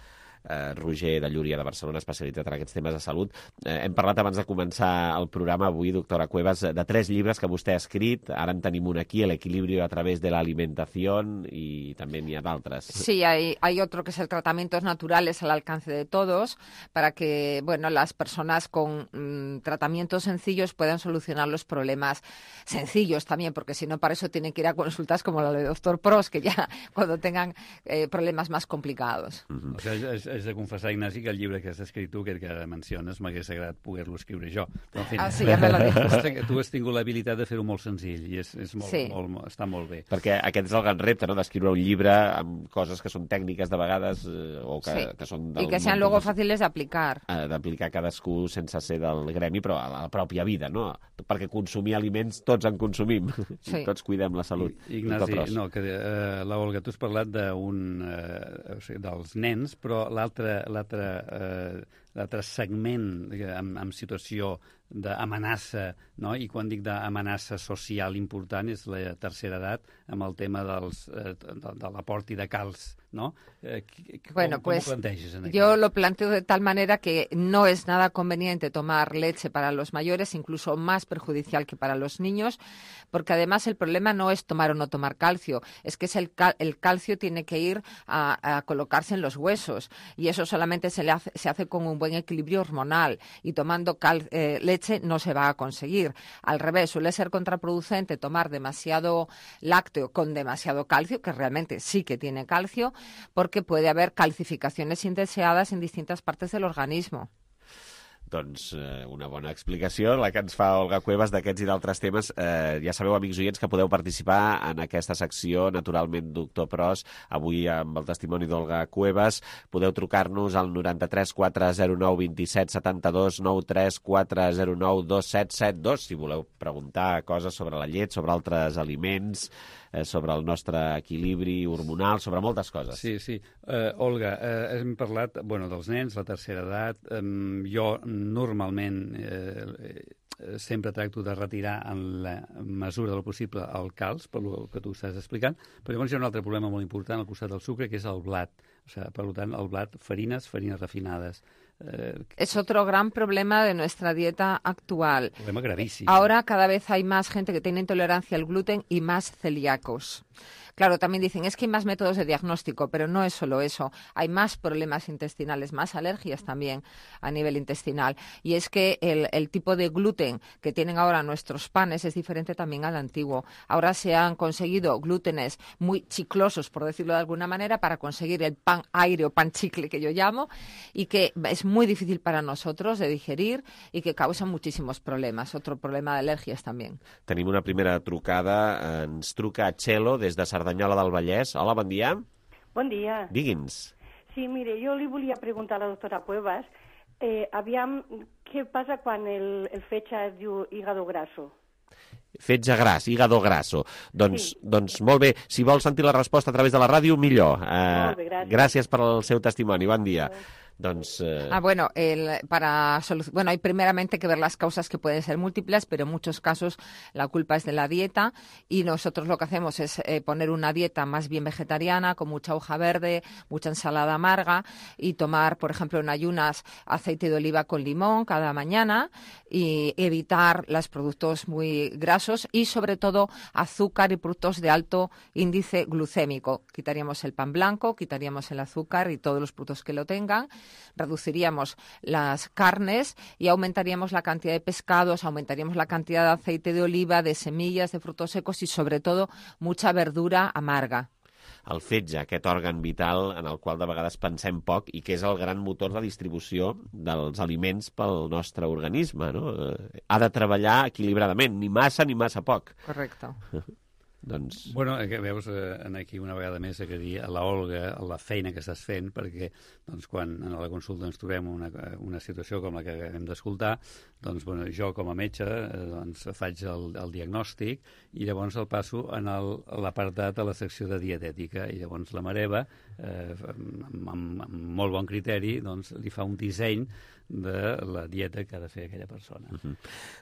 eh, Roger de Llúria de Barcelona, especialitzat en aquests temes de salut. Eh, hem parlat abans de començar el programa avui, doctora Cuevas, de tres llibres que vostè ha escrit. Ara en tenim un aquí, El equilibrio a través de la alimentación, y també n'hi ha d'altres. Sí, hay, hay otro que es el Tratamientos Naturales al alcance de todos, para que, bueno, las personas con mmm, tratamientos sencillos puedan solucionar los problemas sencillos también, porque si no, para eso tienen que ir a consultas como la de doctor Pros, que ya cuando tengan eh, problemas más complicados. Mm-hmm. O sigui, és, és de confessar, Ignasi, que el llibre que has escrit tu, que, que menciones, m'hagués agradat poder-lo escriure jo. Però, en fi, ah, sí, ja me l'ha dit. Tu has tingut l'habilitat de fer-ho molt senzill i és, és molt, sí. molt, està molt bé. Perquè aquest és el gran repte, no?, d'escriure un llibre amb coses que són tècniques de vegades eh, o que, sí. que són... I que sean luego fàcils d'aplicar. Eh, d'aplicar cadascú sense ser del gremi, però a la pròpia vida, no? Perquè consumir aliments tots en consumim. Sí. Tots cuidem la salut. I, Ignasi, no, que uh, la Olga, tu has parlat d'un, uh, o sigui, dels nens, però l'altre l'altre uh, l'altre segment amb, amb situació d'amenaça, no? I quan dic d'amenaça social important és la tercera edat, amb el tema dels, eh, de, de l'aport i de calç, ¿no? Eh, bueno, ¿cómo, pues ¿cómo planteas en yo lo planteo de tal manera que no es nada conveniente tomar leche para los mayores, incluso más perjudicial que para los niños, porque además el problema no es tomar o no tomar calcio, es que es el, cal el calcio tiene que ir a, a colocarse en los huesos y eso solamente se, le hace, se hace con un buen equilibrio hormonal y tomando cal eh, leche no se va a conseguir. Al revés, suele ser contraproducente tomar demasiado lácteo con demasiado calcio, que realmente sí que tiene calcio, porque puede haber calcificaciones indeseadas en distintas partes del organismo. Doncs eh, una bona explicació, la que ens fa Olga Cuevas d'aquests i d'altres temes. Eh, ja sabeu, amics oients, que podeu participar en aquesta secció, naturalment, Doctor Pros, avui amb el testimoni d'Olga Cuevas. Podeu trucar-nos al noranta-tres quatre zero nou vint set setanta-dos, noranta-tres quatre zero nou dos set set dos, si voleu preguntar coses sobre la llet, sobre altres aliments, eh, sobre el nostre equilibri hormonal, sobre moltes coses. Sí, sí. Uh, Olga, uh, hem parlat bueno, dels nens, la tercera edat. Um, jo normalment eh, sempre tracto de retirar en la mesura del possible el calç, per el que tu estàs explicant, però llavors hi ha un altre problema molt important al costat del sucre, que és el blat. O sea, per tant, el blat, farines, farines refinades. Eh, es otro gran problema de nuestra dieta actual. Problema gravísimo. Ahora cada vez hay más gente que tiene intolerancia al gluten y más celíacos. Claro, también dicen, es que hay más métodos de diagnóstico, pero no es solo eso. Hay más problemas intestinales, más alergias también a nivel intestinal. Y es que el, el tipo de gluten que tienen ahora nuestros panes es diferente también al antiguo. Ahora se han conseguido glútenes muy chiclosos, por decirlo de alguna manera, para conseguir el pan aire o pan chicle que yo llamo, y que es muy difícil para nosotros de digerir y que causa muchísimos problemas. Otro problema de alergias también. Tenim una primera trucada. Ens truca Txelo des de Cerdanyola del Vallès. Hola, bon dia. Bon dia. Digui'ns. Sí, mire, jo li volia preguntar a la doctora Cuevas, eh, aviam, què passa quan el, el fetge es diu hígado graso? Fetge gras, hígado graso. Doncs, Sí. doncs molt bé, si vol sentir la resposta a través de la ràdio, millor. Eh, Molt bé, gràcies. gràcies per el seu testimoni, bon dia. Doncs, eh, Ah, bueno, el, para solu- bueno, hay primeramente que ver las causas, que pueden ser múltiples, pero en muchos casos la culpa es de la dieta, y nosotros lo que hacemos es eh, poner una dieta más bien vegetariana, con mucha hoja verde, mucha ensalada amarga, y tomar, por ejemplo, en ayunas aceite de oliva con limón cada mañana, y evitar los productos muy grasos y sobre todo azúcar y productos de alto índice glucémico. Quitaríamos el pan blanco, quitaríamos el azúcar y todos los productos que lo tengan. Reduciríamos las carnes y aumentaríamos la cantidad de pescados, aumentaríamos la cantidad de aceite de oliva, de semillas, de frutos secos y, sobre todo, mucha verdura amarga. el fetge, aquest òrgan vital en el qual de vegades pensem poc i que és el gran motor de distribució dels aliments pel nostre organisme, no? Eh, Ha de treballar equilibradament, ni massa ni massa poc. Correcte. Doncs... Bueno, que veus, eh, aquí una vegada més he de dir a la Olga la feina que estàs fent, perquè doncs, quan a la consulta ens trobem una, una situació com la que hem d'escoltar, doncs, bueno, jo com a metge eh, doncs, faig el, el diagnòstic i llavors el passo en el, a l'apartat de la secció de dietètica, i llavors la Mareva, eh, amb, amb, amb molt bon criteri, doncs, li fa un disseny de la dieta que ha de fer aquella persona. Uh -huh.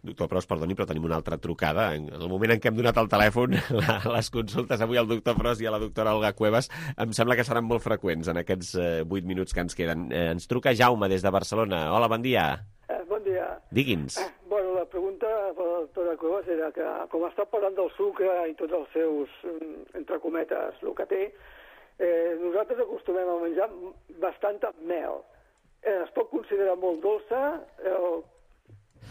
Doctor Pros, perdoni, però tenim una altra trucada. En el moment en què hem donat el telèfon, la, les consultes avui al doctor Pros i a la doctora Olga Cuevas em sembla que seran molt freqüents en aquests eh, vuit minuts que ens queden. Eh, ens truca Jaume des de Barcelona. Hola, bon dia. Eh, bon dia. Digui'ns. Eh, bueno, la pregunta per la doctora Cuevas era que, com està parlant del sucre i tots els seus, entre cometes, el que té, eh, nosaltres acostumem a menjar bastanta mel. Eh, es pot considerar molt dolça eh, o,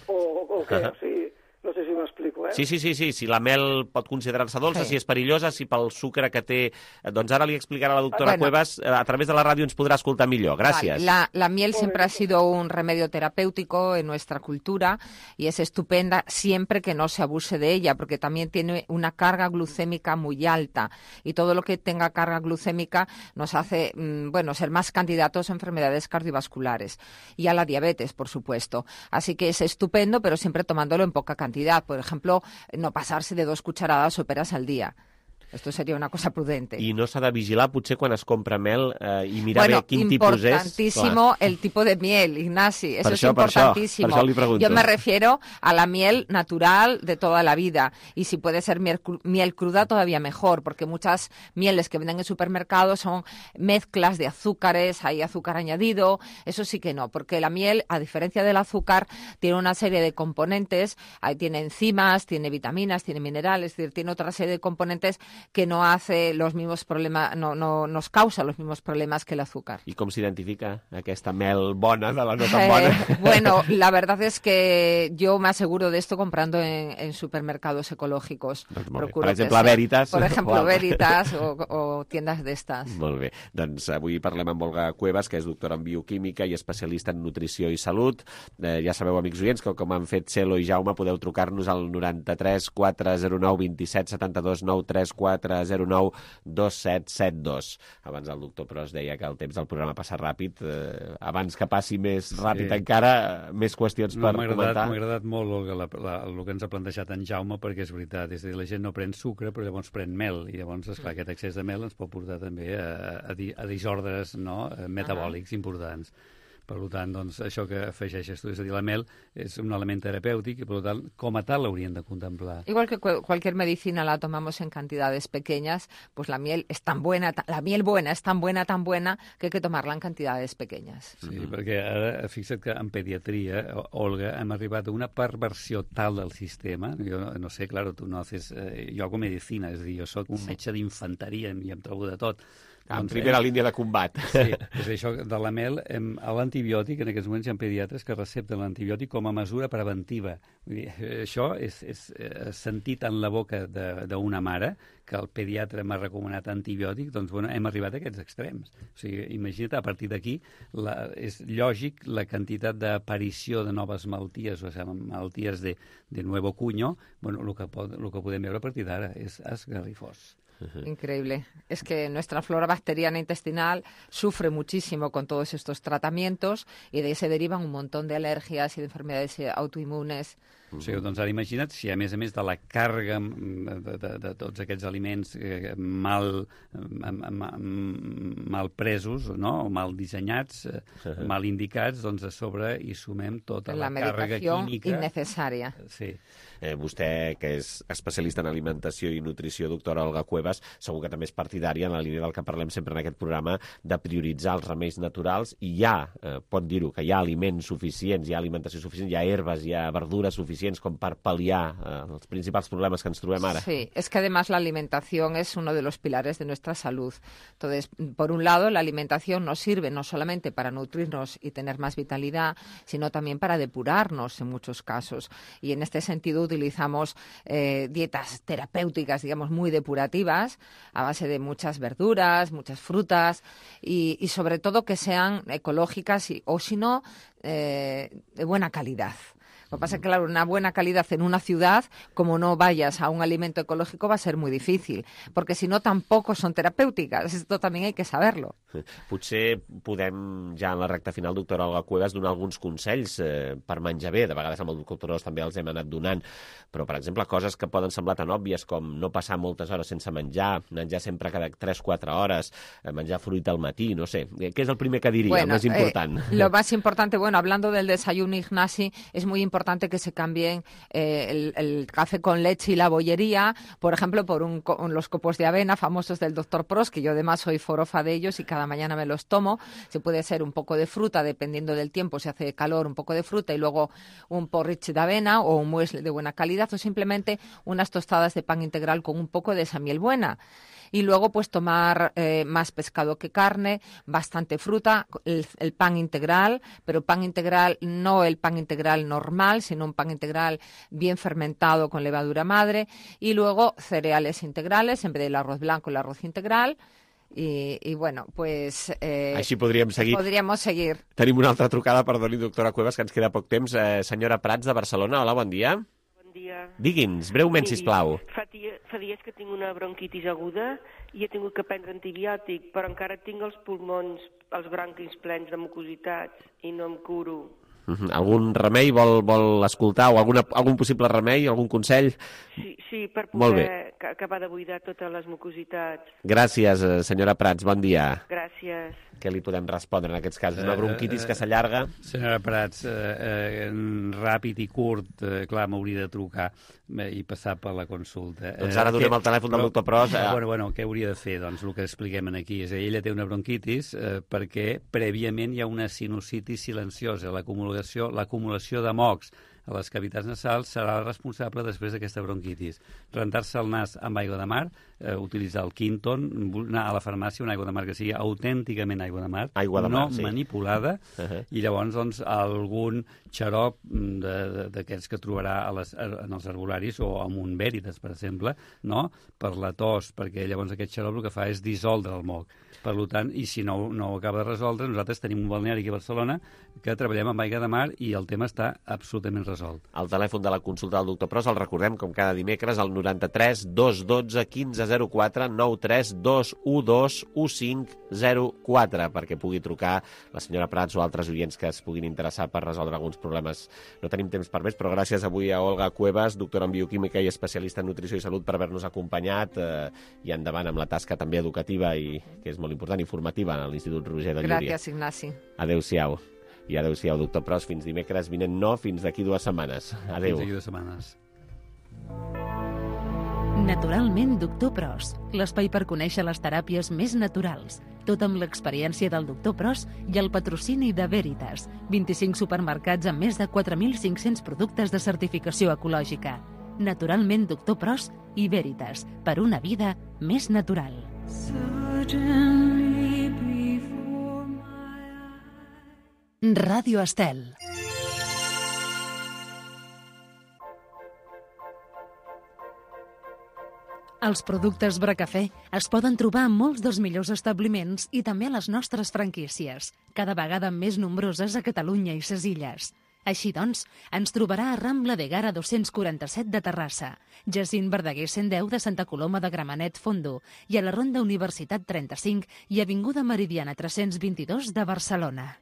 o, o què? O sigui, no sé si m'explico, eh? Sí, sí, sí, sí, si la mel pot considerar-se dolça, sí. Si és perillosa, si pel sucre que té... Doncs ara li explicarà la doctora Bueno. Cuevas, a través de la ràdio ens podrà escoltar millor. Gràcies. Vale. La, la miel siempre ha sido un remedio terapéutico en nuestra cultura y es estupenda siempre que no se abuse de ella, porque también tiene una carga glucémica muy alta, y todo lo que tenga carga glucémica nos hace mmm, bueno, ser más candidatos a enfermedades cardiovasculares y a la diabetes, por supuesto. Así que es estupendo, pero siempre tomándolo en poca cantidad. Por ejemplo, no pasarse de dos cucharadas soperas al día. Esto sería una cosa prudente. I no s'ha de vigilar, potser, quan es compra mel eh, i mirar bueno, bé quin tipus és. Importantísimo el tipo de miel, Ignasi. Eso Per es això, per això, importantísimo. per això li pregunto. Yo me refiero a la miel natural de toda la vida. Y si puede ser miel, cru- miel cruda, todavía mejor, porque muchas mieles que venden en supermercados son mezclas de azúcares, hay azúcar añadido. Eso sí que no, porque la miel, a diferencia del azúcar, tiene una serie de componentes. Ahí tiene enzimas, tiene vitaminas, tiene minerales, es decir, tiene otra serie de componentes que no hace los mismos problemas, no, no nos causa los mismos problemas que el azúcar. I com s'identifica aquesta mel bona de la no tan bona? Eh, bueno, la verdad es que yo me aseguro de esto comprando en, en supermercados ecológicos. Doncs molt bé. Per exemple, a Veritas. Por ejemplo, Veritas o, o tiendas d'estas. Molt bé. Doncs avui parlem amb Olga Cuevas, que és doctora en bioquímica i especialista en nutrició i salut. Eh, ja sabeu, amics oients, que com han fet Celo i Jaume, podeu trucar-nos al noranta-tres quatre zero nou vint set setanta-dos nou tres quatre zero nou dos set set dos. Abans el doctor Pros deia que el temps del programa passa ràpid. Eh, abans que passi més ràpid sí. encara, més qüestions no, per comentar. M'ha agradat molt, Olga, la, la, el que ens ha plantejat en Jaume, perquè és veritat, és a dir, la gent no pren sucre, però llavors pren mel, i llavors, esclar, aquest excés de mel ens pot portar també a, a, a disordres no? metabòlics importants. Per tant, doncs, això que afegeixes tu, és a dir, la mel és un element terapèutic i, per tant, com a tal l'hauríem de contemplar. Igual que cu cualquier medicina la tomamos en cantidades pequeñas, pues la miel es tan buena, la miel buena es tan buena, tan buena, que hay que tomarla en cantidades pequeñas. Sí, mm-hmm. perquè ara, fixa't que en pediatria, Olga, hem arribat a una perversió tal del sistema, jo no, no sé, claro, tu no haces... Eh, jo hago medicina, és a dir, jo soc un metge d'infanteria i em trobo de tot. En doncs, primera eh, línia de combat. Sí, és això de la mel, em, l'antibiòtic, en aquests moments hi ha pediatres que recepten l'antibiòtic com a mesura preventiva. Vull dir, això és, és, és sentit en la boca d'una mare, que el pediatre m'ha recomanat antibiòtic, doncs bueno, hem arribat a aquests extrems. O sigui, imagina't, a partir d'aquí, és lògic la quantitat d'aparició de noves malalties, o sigui, malalties de, de nuevo cuño, bueno, el que, pot, el que podem veure a partir d'ara és esgarrifós. Increíble. Es que nuestra flora bacteriana intestinal sufre muchísimo con todos estos tratamientos y de ahí se derivan un montón de alergias y de enfermedades autoinmunes. O sigui, doncs ara imagina't si a més a més de la càrrega de, de, de tots aquests aliments eh, mal, mal, mal presos, no? O mal dissenyats, eh, mal indicats, doncs a sobre hi sumem tota la, la càrrega química. Innecessària. Sí. Eh, vostè, que és especialista en alimentació i nutrició, doctora Olga Cuevas, segur que també és partidària en la línia del que parlem sempre en aquest programa, de prioritzar els remeis naturals, i hi ha, eh, pot dir-ho, que hi ha aliments suficients, hi ha alimentació suficient, hi ha herbes, hi ha verdures suficients com per pal·liar eh, els principals problemes que ens trobem ara. Sí, es que además la alimentación es uno de los pilares de nuestra salud. Entonces, por un lado, la alimentación nos sirve no solamente para nutrirnos y tener más vitalidad, sino también para depurarnos en muchos casos. Y en este sentido utilizamos eh, dietas terapéuticas, digamos, muy depurativas, a base de muchas verduras, muchas frutas y, y sobre todo que sean ecológicas y, o si no, eh, de buena calidad. Lo que pasa es que, claro, una buena calidad en una ciudad, como no vayas a un alimento ecológico, va a ser muy difícil, porque si no tampoco son terapèutiques. Esto también hay que saberlo. Potser podem, ja en la recta final, doctora Olga Cuevas, donar alguns consells eh, per menjar bé. De vegades amb el doctor Pros també els hem anat donant, però, per exemple, coses que poden semblar tan òbvies com no passar moltes hores sense menjar, menjar sempre cada tres o quatre hores, eh, menjar fruita al matí, no sé. Què és el primer que diria, bueno, el més important? Eh, lo más importante, bueno, hablando del desayuno Ignasi, es muy importante que se cambien eh, el, el café con leche y la bollería, por ejemplo, por un, un, los copos de avena famosos del doctor Pros, que yo además soy forofa de ellos y cada mañana me los tomo. Se puede ser un poco de fruta, dependiendo del tiempo, si hace calor, un poco de fruta y luego un porridge de avena o un muesli de buena calidad o simplemente unas tostadas de pan integral con un poco de esa miel buena. Y luego, pues, tomar eh, más pescado que carne, bastante fruta, el, el pan integral, pero pan integral, no el pan integral normal, sino un pan integral bien fermentado con levadura madre, y luego cereales integrales, en vez del arroz blanco, el arroz integral. I, i bueno, pues... Eh, Així podríem seguir. Podríem seguir. Tenim una altra trucada, perdoni, doctora Cuevas, que ens queda poc temps. Eh, senyora Prats, de Barcelona, hola, bon dia. Dia. Digui'ns, breument, sisplau. Fa, dia, fa dies que tinc una bronquitis aguda i he tingut que prendre antibiòtic, però encara tinc els pulmons, els bronquis plens de mucositats i no em curo. Uh-huh. Algun remei vol, vol escoltar o alguna, algun possible remei, algun consell? Sí, sí, per poder acabar de buidar totes les mucositats. Gràcies, senyora Prats, bon dia. Gràcies. Què li podem respondre en aquests casos? Una bronquitis que s'allarga? Senyora Prats, eh, eh, ràpid i curt, eh, clar, m'hauria de trucar eh, i passar per la consulta. Doncs ara donem el telèfon del doctor Pros. Eh... Bueno, bueno, què hauria de fer? Doncs el que expliquem aquí és que ella té una bronquitis eh, perquè prèviament hi ha una sinusitis silenciosa, l'acumulació l'acumulació de mocs a les cavitats nasals serà responsable després d'aquesta bronquitis. Rentar-se el nas amb aigua de mar, eh, utilitzar el Quinton, anar a la farmàcia una aigua de mar que sigui autènticament aigua de mar, aigua de no mar, sí. manipulada, uh -huh. i llavors doncs, algun xarop d'aquests que trobarà a les, en els herbolaris o amb un Veritas, per exemple, no? Per la tos, perquè llavors aquest xarop el que fa és dissoldre el moc. Per tant, i si no, no ho acaba de resoldre, nosaltres tenim un balneari aquí a Barcelona que treballem amb aigua de mar i el tema està absolutament resolt. El telèfon de la consulta del doctor Pros el recordem, com cada dimecres, al noranta-tres dos cents i dotze quinze zero quatre, nou tres dos u dos u cinc zero quatre, perquè pugui trucar la senyora Prats o altres oients que es puguin interessar per resoldre alguns problemes. No tenim temps per més, però gràcies avui a Olga Cuevas, doctora en bioquímica i especialista en nutrició i salut, per haver-nos acompanyat, eh, i endavant amb la tasca també educativa i que és molt important, informativa, a l'Institut Roger de Llúria. Gràcies, Ignasi. Adéu-siau. I adéu-siau, doctor Pros. Fins dimecres vinent, no, fins d'aquí dues setmanes. Adéu. Fins d'aquí dues setmanes. Naturalment, doctor Pros, l'espai per conèixer les teràpies més naturals. Tot amb l'experiència del doctor Pros i el patrocini de Veritas. vint-i-cinc supermercats amb més de quatre mil cinc-cents productes de certificació ecològica. Naturalment, doctor Pros i Veritas, per una vida més natural. Ràdio Estel. Els productes Bracafè es poden trobar en molts dels millors establiments i també a les nostres franquícies, cada vegada més nombroses a Catalunya i ses Illes. Així doncs, ens trobarà a Rambla de Gara dos-cents quaranta-set de Terrassa, Jacint Verdaguer cent deu de Santa Coloma de Gramenet Fondo i a la Ronda Universitat trenta-cinc i Avinguda Meridiana tres-cents vint-i-dos de Barcelona.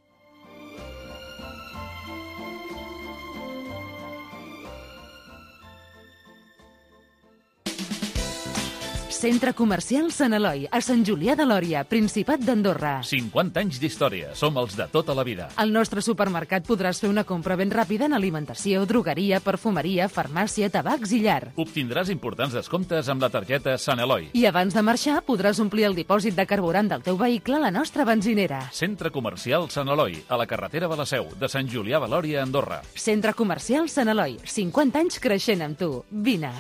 Centre Comercial Sant Eloi, a Sant Julià de Lòria, Principat d'Andorra. cinquanta anys d'història. Som els de tota la vida. Al nostre supermercat podràs fer una compra ben ràpida en alimentació, drogueria, perfumeria, farmàcia, tabacs i llar. Obtindràs importants descomptes amb la targeta Sant Eloi. I abans de marxar podràs omplir el dipòsit de carburant del teu vehicle a la nostra benzinera. Centre Comercial Sant Eloi, a la carretera de la Seu, de Sant Julià de Lòria, Andorra. Centre Comercial Sant Eloi, cinquanta anys creixent amb tu. Vine.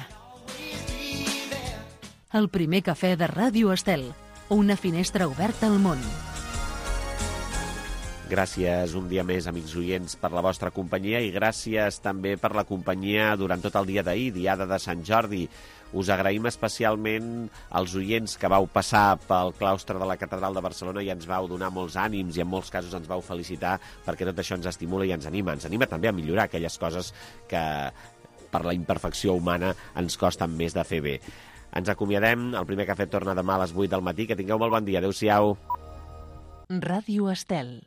El primer cafè de Ràdio Estel, una finestra oberta al món. Gràcies un dia més, amics oients, per la vostra companyia i gràcies també per la companyia durant tot el dia d'ahir, diada de Sant Jordi. Us agraïm especialment als oients que vau passar pel claustre de la Catedral de Barcelona i ens vau donar molts ànims i en molts casos ens vau felicitar, perquè tot això ens estimula i ens anima. Ens anima també a millorar aquelles coses que per la imperfecció humana ens costen més de fer bé. Ens acomiadem, el primer cafè torna demà a les vuit del matí. Que tingueu molt bon dia. Adéu-siau. Ràdio Estel.